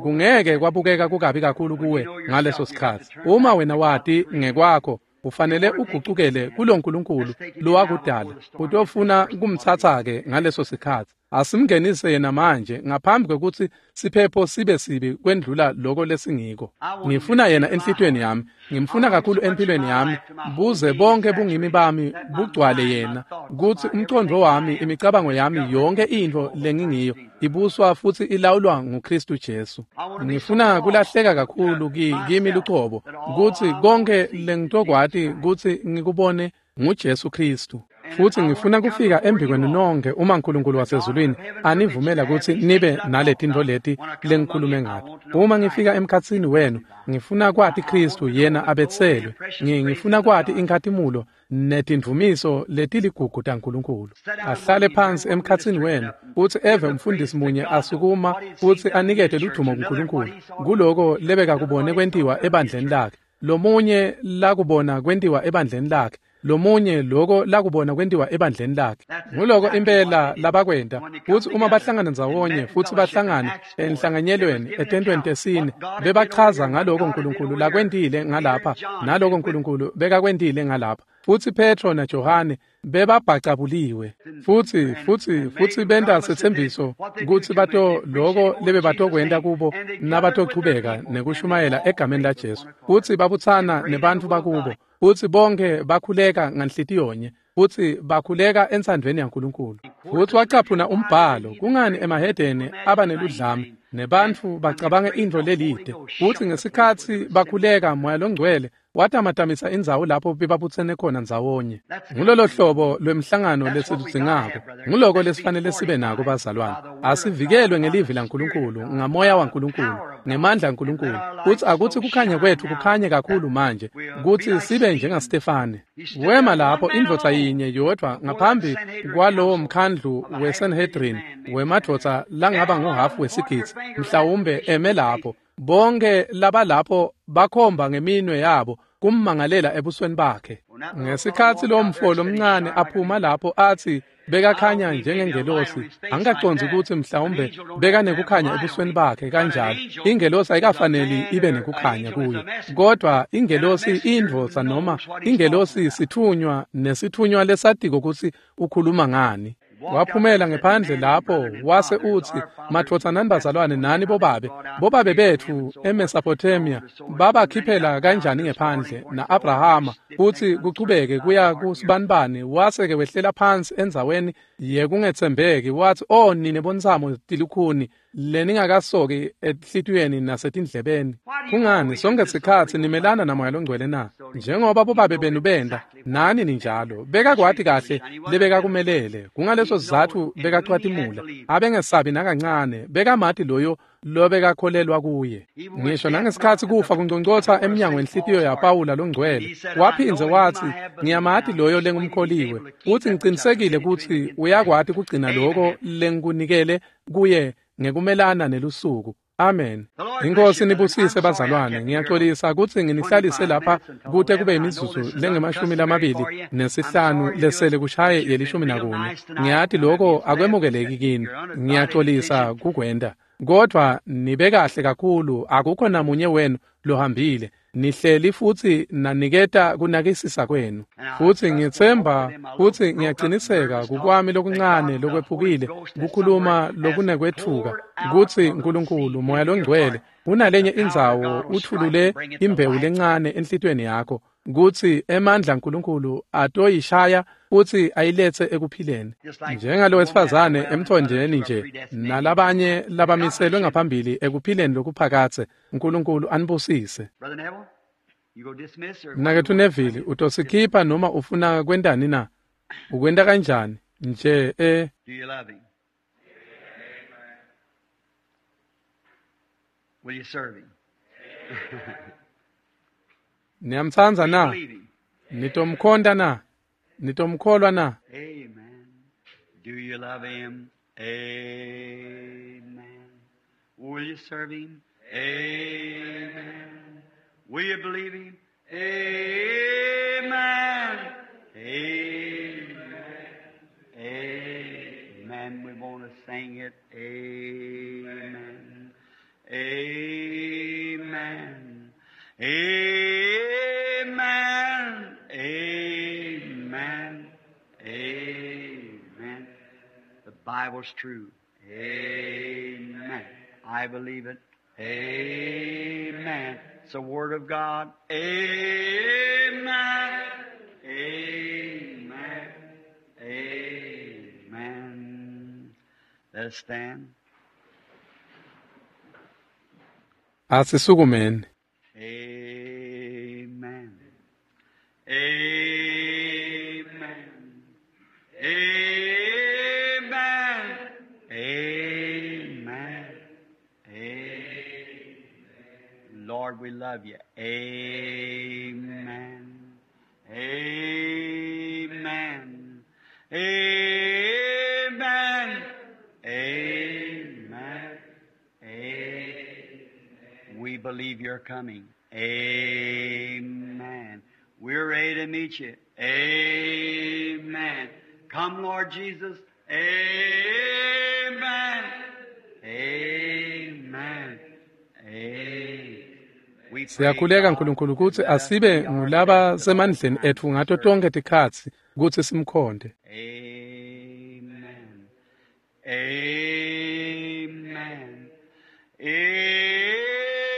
Kungeke kwabukeka kukabi kakhulu kuwe ngaleso sikhatsi. Uma wena wati ngekwakho, ufanele ugucukele kuloNkulunkulu lowakudala. Utofuna kumtsatsa-ke ngaleso sikhatsi. Asimngenise yena manje ngaphambi kwekutsi siphepho sibe sibi kwendlula loko lesingiko. Ngifuna yena enhlitiyweni yami, ngimfuna kakhulu empilweni yami, buze bonke bungimi bami bugcwale yena, kutsi umcondvo wami, imicabango yami, yonke intfo lengingiyo ibuswa futsi ilawulwa nguKristu Jesu. Ngifuna kulahleka kakhulu kimi lucobo, kutsi konke lengitokwati kutsi ngikubone nguJesu Kristu. Futsi ngifuna kufika embikwenu nonke uma uNkulunkulu wasezulwini anivumela kutsi nibe naletintfo leti lengikhulume ngato. Uma ngifika emkhatsini wenu, ngifuna kwati Kristu yena abetselwe. Ngifuna kwati inkhatimulo netindvumiso letiligugu taNkulunkulu. Ahlale phansi emkhatsini wenu, futsi eve umfundisi munye asukuma futsi anikete ludvumo kuNkulunkulu kuloko lebekakubone kwentiwa ebandleni lakhe. Lomunye lakubona kwentiwa ebandleni lakhe. lomunye loko lakubona kwentiwa ebandleni lakhe. Nguloko impela labakwenta kutsi uma bahlangana ndzawonye futsi bahlangana enhlanganyelweni etentweni tesine bebachaza ngaloko uNkulunkulu lakwentile ngalapha naloko uNkulunkulu bekakwentile ngalapha. Futsi Petro naJohane bebabhacabuliwe futsi benta setsembiso kutsi bato loko lebebatokwenta kubo nabatochubeka nekushumayela egameni laJesu. Futsi babutsana nebantfu bakubo futsi bonke bakhuleka nganhlitiyonye futsi bakhuleka entsandvweni yaNkulunkulu. Futsi wacaphuna umbhalo kungani emahedeni aba neludlame nebantfu bacabanga intfo lelide. Futsi ngesikhatsi bakhuleka Moya Longcwele watamatamisa indzawo lapho bebabutsene khona ndzawonye. Ngulolo hlobo lwemhlangano lesiludzingako. Nguloko lesifanele sibe nako bazalwane. Asivikelwe ngelivi laNkulunkulu, ngamoya waNkulunkulu, ngemandla aNkulunkulu. Kutsi akutsi kukhanya kwethu kukhanye kakhulu manje, kutsi sibe njengaStefane. Wema lapho indvodza yinye yodvwa ngaphambi kwalowo mkhandlu weSanhedrin wemadvodza langaba nguhafu wesigidzi, mhlawumbe eme lapho. Bonke labalapho bakhomba ngeminwe yabo kummangalela ebusweni bakhe. Ngesikhatsi lomfo lomncane aphuma lapho athi bekakhanya njengengelosi, angikacondzi ukuthi mhlawumbe bekanekukhanya ebusweni bakhe kanjalo. Ingelosi ayikafaneli ibe nekukhanya kuyo, kodwa ingelosi indvodza noma ingelosi sithunywa nesithunywa lesatiko kutsi ukhuluma ngani. Waphumela ngephandle lapho wase utsi, madvodza nani bazalwane nani bobabe, bobabe bethu eMesopotamia babakhiphela kanjani ngephandle na-Abrahama, kutsi kuchubeke kuya kusibanibani. Wase-ke wehlela phansi endzaweni yekungetsembeki wathi, o nine bontsamo tilukhuni leningakasoki enhlitiyweni nasetindlebeni. Kungani sonke sikhatsi nimelana naMoya Longcwele na? Njengoba bobabe benu benda, nani ninjalo. Bekakwati kahle lebekakumelele. Kungaleso sizatfu bekacwatimula. Abengesabi nakancane, bekamati loyo lobekakholelwa kuye. Ngisho nangesikhatsi kufa kungcongcotsa emnyango wenhlitiyo yaPawula longcwele, waphindze wathi, ngiyamati loyo lengumkholiwe, utsi ngicinisekile kutsi uyakwati kugcina loko lengikunikele kuye ngekumelana nelusuku. Amen. Inkosi nibusise bazalwane. Ngiyaxolisa kutsi nginihlalise lapha kute kube imizuzu lengama-25 lesele kushaye ye-11. Ngiyati lokho akwemukeleki kini. Ngiyaxolisa kukwenta. Kodwa nibe kahle kakhulu, akukho namunye wenu lohambile. Nihleli futsi naniketa kunakisisa kwenu. Futsi ngitsemba kutsi ngiyaqiniseka kukwami lokuncane lokwephukile kukhuluma lokunekwethuka kutsi uNkulunkulu Moya Longcwele unalenye indzawo uthulule imbewu lencane enhlitiyweni yakho kutsi emandla aNkulunkulu atoyishaya futsi ayiletse ekuphileni. Njengalo wesifazane emthonjeni nje nalabanye labamiselwe ngaphambili ekuphileni lokuphakatse. uNkulunkulu anibusise. Mnaketfu Neville, utosikhipha noma ufuna kwentani na? Ukwenta kanjani? Nje Niyamtsandza na? Nitomkhonta na? Nitomkholwa na? Amen. Do you love him? Amen. Will you serve him? Amen. Will you believe him? Amen. Amen. Amen. We want to sing it. Amen. Amen. Amen. Amen. Amen. The Bible's true. Amen. I believe it. Amen. It's the Word of God. Amen. Amen. Amen. Let us stand. Asisukumeni. Amen. Amen. Amen. Amen. Amen. Lord, we love you. Amen. Amen. Amen. Amen. Amen. We believe you're coming. Amen. We're ready to meet you. Amen. Come, Lord Jesus. Amen. Amen. Amen. Siyakhuleka Nkulunkulu kutsi asibe ngulaba semandleni etfu ngato tonkhe tikhatsi kutsi simkhonte. Amen. Amen.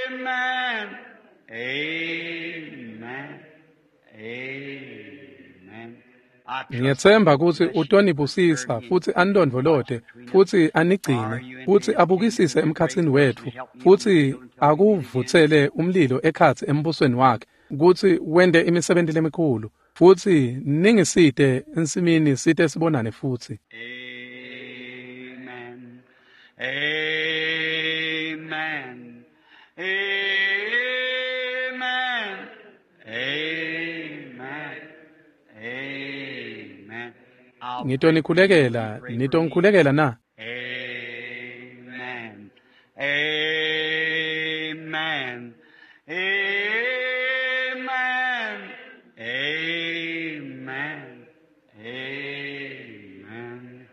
Amen. Amen. Amen. Ngiyetsemba kutsi utonibusisa futsi anilondvolote futsi anigcine futsi abukisise emkhatsini wetfu futsi akuvutsele umlilo ekhatsi embusweni wakhe kutsi wente imisebenti lemikhulu futsi ningisite ensimini site sibonane futsi. Amen. Amen. Amen. Amen. Amen. I'll Ngitonikhulekela, pray for me. nitongikhulekela na? Amen. Amen. Amen. Amen. Amen.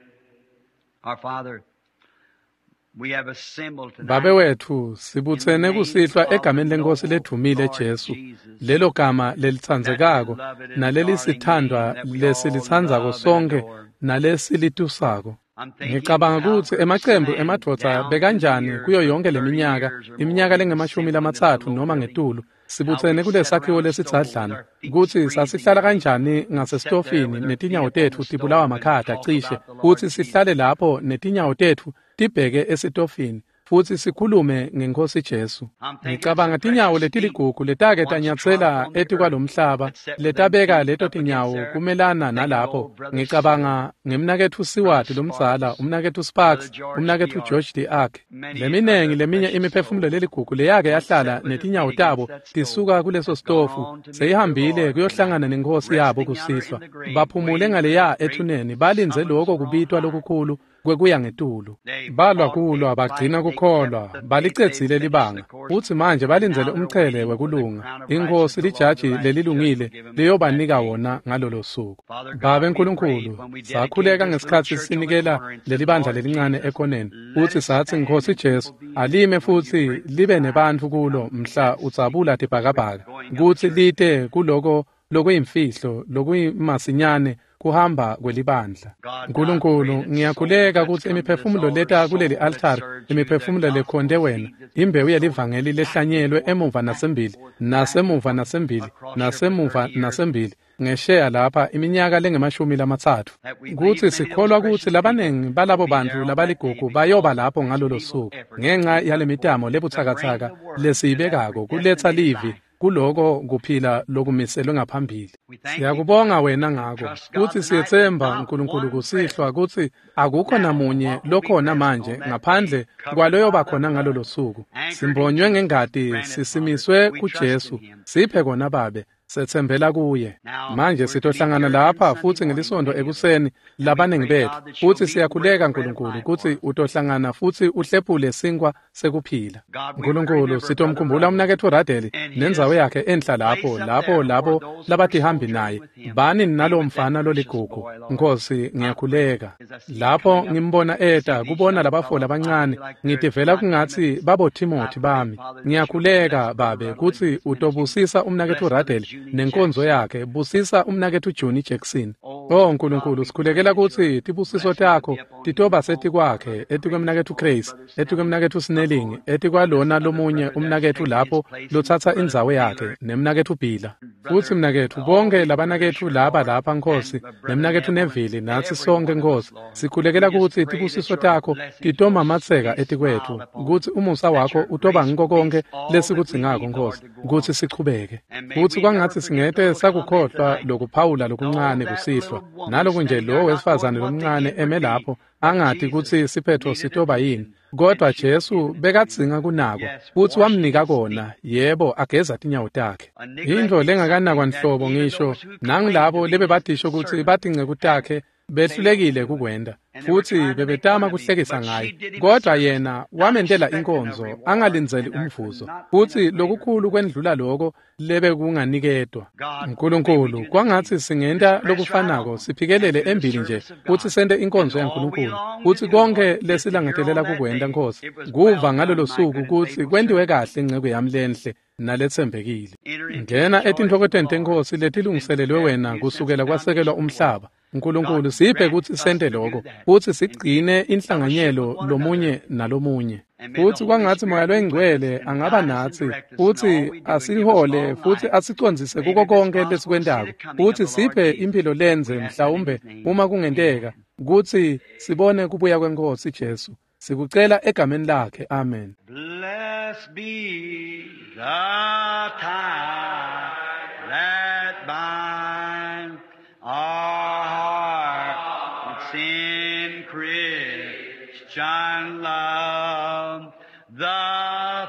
Our Father, we have assembled Babe tonight wethu, sibutsene kusihlwa egameni leNkosi ledvumile Jesu, lelo gama lelitsandzekako nalelisithandwa lesilitsandzako sonkhe nalesilitusako. I'm thinking Ngicabanga kutsi Albert emacembu Sand emadvodza down bekanjani through the kuyo years, yonke 30 leminyaka, years or more, iminyaka we've lengemashumi assembled in this lamatsatfu little noma building. ngetulu, How sibutsene we kule sat sakhiwo around the stove with lesidzadlana our feet kutsi freezing sasihlala and kanjani sit there ngasesitofini with our feet netinyawo up on the tetfu tibulawa stove and makhata talk cishe about the Lord kutsi Jesus. sihlale lapho netinyawo tetfu tibheke esitofini futsi sikhulume ngeNkosi Jesu. I'm thinking of Ngicabanga some tinyawo precious feet letiligugu letake once trod tanyatsela upon the earth etikwalomhlaba that set with them letabeka feet leto up against tinyawo there. kumelana Thinking of nalapho. old Brother Seward, Ngicabanga ngemnaketfu Seward Brother lomdzala, Sparks, umnaketfu Brother Sparks, George umnaketfu D.R., George d'Arc. many Leminengi other leminye precious imiphefumulo souls leligugu leyake once set yahlala with their netinyawo feet against tabo that stove tisuka kuleso have gone sitofu on to meet their seyihambile Lord tonight, kuyohlangana nenkosi yabo resting yonder in kusihlwa. the grave, Baphumule waiting for ngaleya that great ethuneni balindze summons loko from on kubitwa high. lokukhulu kwekuya ngetulu. They Balwa fought a kulwa fight, bagcina they kept kukholwa the faith, they balicedzile finished the libanga course, futsi manje and balindzele now they're umchele waiting for the wekulunga. crown of Inkosi righteousness the Lord the lijaji righteous judge will lelilungile give them that liyobanika day. wona ngalolo suku. Father Babe God, we prayed Nkulunkulu, when we dedicated sakhuleka this little ngesikhatsi church on the sinikela corner and said, lelibandla Lord lelincane Jesus, ekoneni let futsi it satsi stand Nkhosi and Jesu people be in it alime when you futsi break the libe skies nebantfu and kulo come to mhla that secret udzabula quick tibhakabhaka going of the kutsi church. lite kuloko lokuyimfihlo lokuyimasinyane kuhamba kwelibandla. God, I pray Nkulunkulu, that souls ngiyakhuleka that's kutsi come to this imiphefumulo altar, leta kuleli souls that altari, served you, the imiphefumulo gospel lekhonte wena, seed that's been imbewu sown yelivangeli back and lehlanyelwe forth, emuva back and nasembili, forth, back and nasemuva forth nasembili, across here for nasemuva 30 years, nasembili, ngesheya lapha iminyaka lengemashumi lamatsatfu. that we believe Kutsi many of those sikholwa kutsi precious people labaningi balabo will be there bantfu on that day labaligugu bayoba because lapho of this ngalolo feeble suku effort ngenxa we put forth yalemitamo to bring lebutsakatsaka the word to that lesiyibekako kuletsa predestinated livi life. kuloko kuphila lokumiselwe ngaphambili. We thank thee for Siyakubonga it. wena ngako Trust God kutsi tonight that siyetsemba not Nkulunkulu one kusihlwa present kutsi akukho now namunye what will be lokhona present on manje that day, ngaphandle covered kwaloyoba by the khona blood, ngalolo suku. anchored in Simbonywe Jesus. ngengati, Grant it, Father. sisimiswe We trust in kuJesu. him. Siphe kona Babe, setsembela kuye. Now Manje we're to be sitohlangana here again lapha Sunday futsi morning, ngelisonto many of us. ekuseni And we labaningi pray, bethu. God, that you'll Futsi meet and break siyakhuleka the bread of Nkulunkulu life kutsi for us. utohlangana futsi uhlephule sinkwa sekuphila. God, we will Nkulunkulu remember Brother sitomkhumbula Ruddell umnaketfu Radeli and nendzawo his yakhe enhla lapho place up lapho there for labo those who were labatihambi sojourning naye with him. bani Be nalowo with that mfana precious loligugu boy, Lord. Nkosi I pray ngiyakhuleka as I see him lapho coming up ngimbona to see eta these kubona young labafo fellows, I labancane feel like they're ngitivela my kungatsi Timothys. babo I Timothy pray, bami Father, that you'll ngiyakhuleka bless Brother babe Ruddell and kutsi his ministry. utobusisa umnaketfu Bless Brother Radeli Junie nenkonzo Jackson. yakhe busisa umnaketfu Johnny Jackson. Oh, Oh God, Nkulunkulu we pray sikhulekela that your kutsi tibusiso blessing would takho be upon him titoba and on setikwakhe Brother Grace, etikwemnaketfu on Grace Brother Snelling, etikwemnaketfu Snelling upon this etikwalona other lomunye brother that's umnaketfu taken his lapho place, and lotsatsa Brother indzawo yakhe Taylor, nemnaketfu Bila futhi Brother, mnaketfu all bonke these brothers labanaketfu here, laba Lord, lapha and Nkosi Brother nemnaketfu Neville, and Neville natsi every sonke one of us, Nkosi Lord. We sikhulekela just kutsi pray that tibusiso your takho blessings will titomamatseka be etikwetfu smiled upon us, kutsi umusa that wakho your utoba grace ngiko will be konke all that we lesikudzingako need, Lord, Nkosi to go kutsi on. sichubeke And may futsi we never kwangatsi forget the singete little comment sakukhohlwa tonight. lokuphawula Though lokuncane that kusihlwa little woman naloku nje standing lo there not wesifazane knowing what the lomncane end eme would be, lapho but angati Jesus kutsi siphetfo needed sitoba yini attention, and kodwa she was Jesu given it to him. bekadzinga kunakwa Yes, futsi washing wamnika his feet, kona yebo ageza tinyawo takhe a intfo neglecting lengakanakwa something that nhlobo even ngisho those who claimed to nangilabo be his lebebadisho kutsi servants batinceku had takhe Behlulekile kukwenta, futsi bebetama kuhlekisa ngaye, kodwa yena wamentela inkonzo angalindzeli umvuzo, futsi lokukhulu kwendlula loko lebekunganikedwa. Nkulunkulu, kwangatsi singenta lokufanako, siphikelele embili nje futsi sente inkonzo yaNkulunkulu, futsi konkhe lesilangadelela kukwenta, Nkosi, kuva ngalolo suku kutsi kwentiwe kahle inceku yami lenhle naletsembekile. Ngena etintfokotweni teNkhosi letilungiselelwe wena kusukela kwasekelwa umhlaba. Nkulunkulu, siphe kutsi sente loko, futsi sigcine inhlanganyelo lomunye nalomunye. Futsi kwangatsi Moya loyiNgcwele angaba natsi, futsi asihole futsi asicondzise kuko konkhe lesikwentako, futsi siphe imphilo lendze mhlawumbe uma kungenteka, kutsi sibone kubuya kweNkhosi Jesu. Sikucela egameni lakhe. Amen. Blessed be the tie that binds our hearts in Christian love, the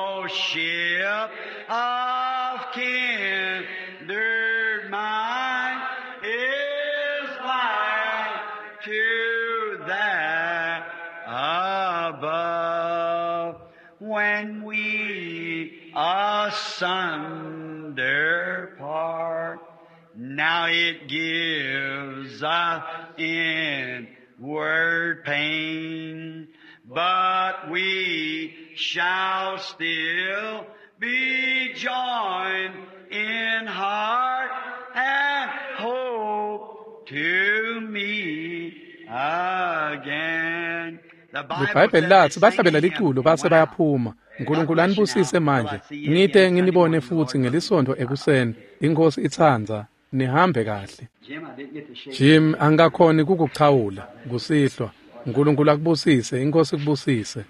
fellowship of kindred mind is like to that above. When we asunder part, now it gives us inward pain, but we shall still be joined in heart and hope to meet again. The Bible LiBhayibheli said they latsi sang bahlabela a hymn liculo and base went out. bayaphuma. God Nkulunkulu bless you anibusise now till I manje. see you Ngite again Sunday nginibone morning, the futsi Lord willing. ngelisontfo ekuseni. Inkosi itsandza. Nihambe kahle. Jim, I didn't get to shake your Jim, hand. angakhoni kukuchawula kusihlwa. Nkulunkulu akubusise, inkosi ikubusise.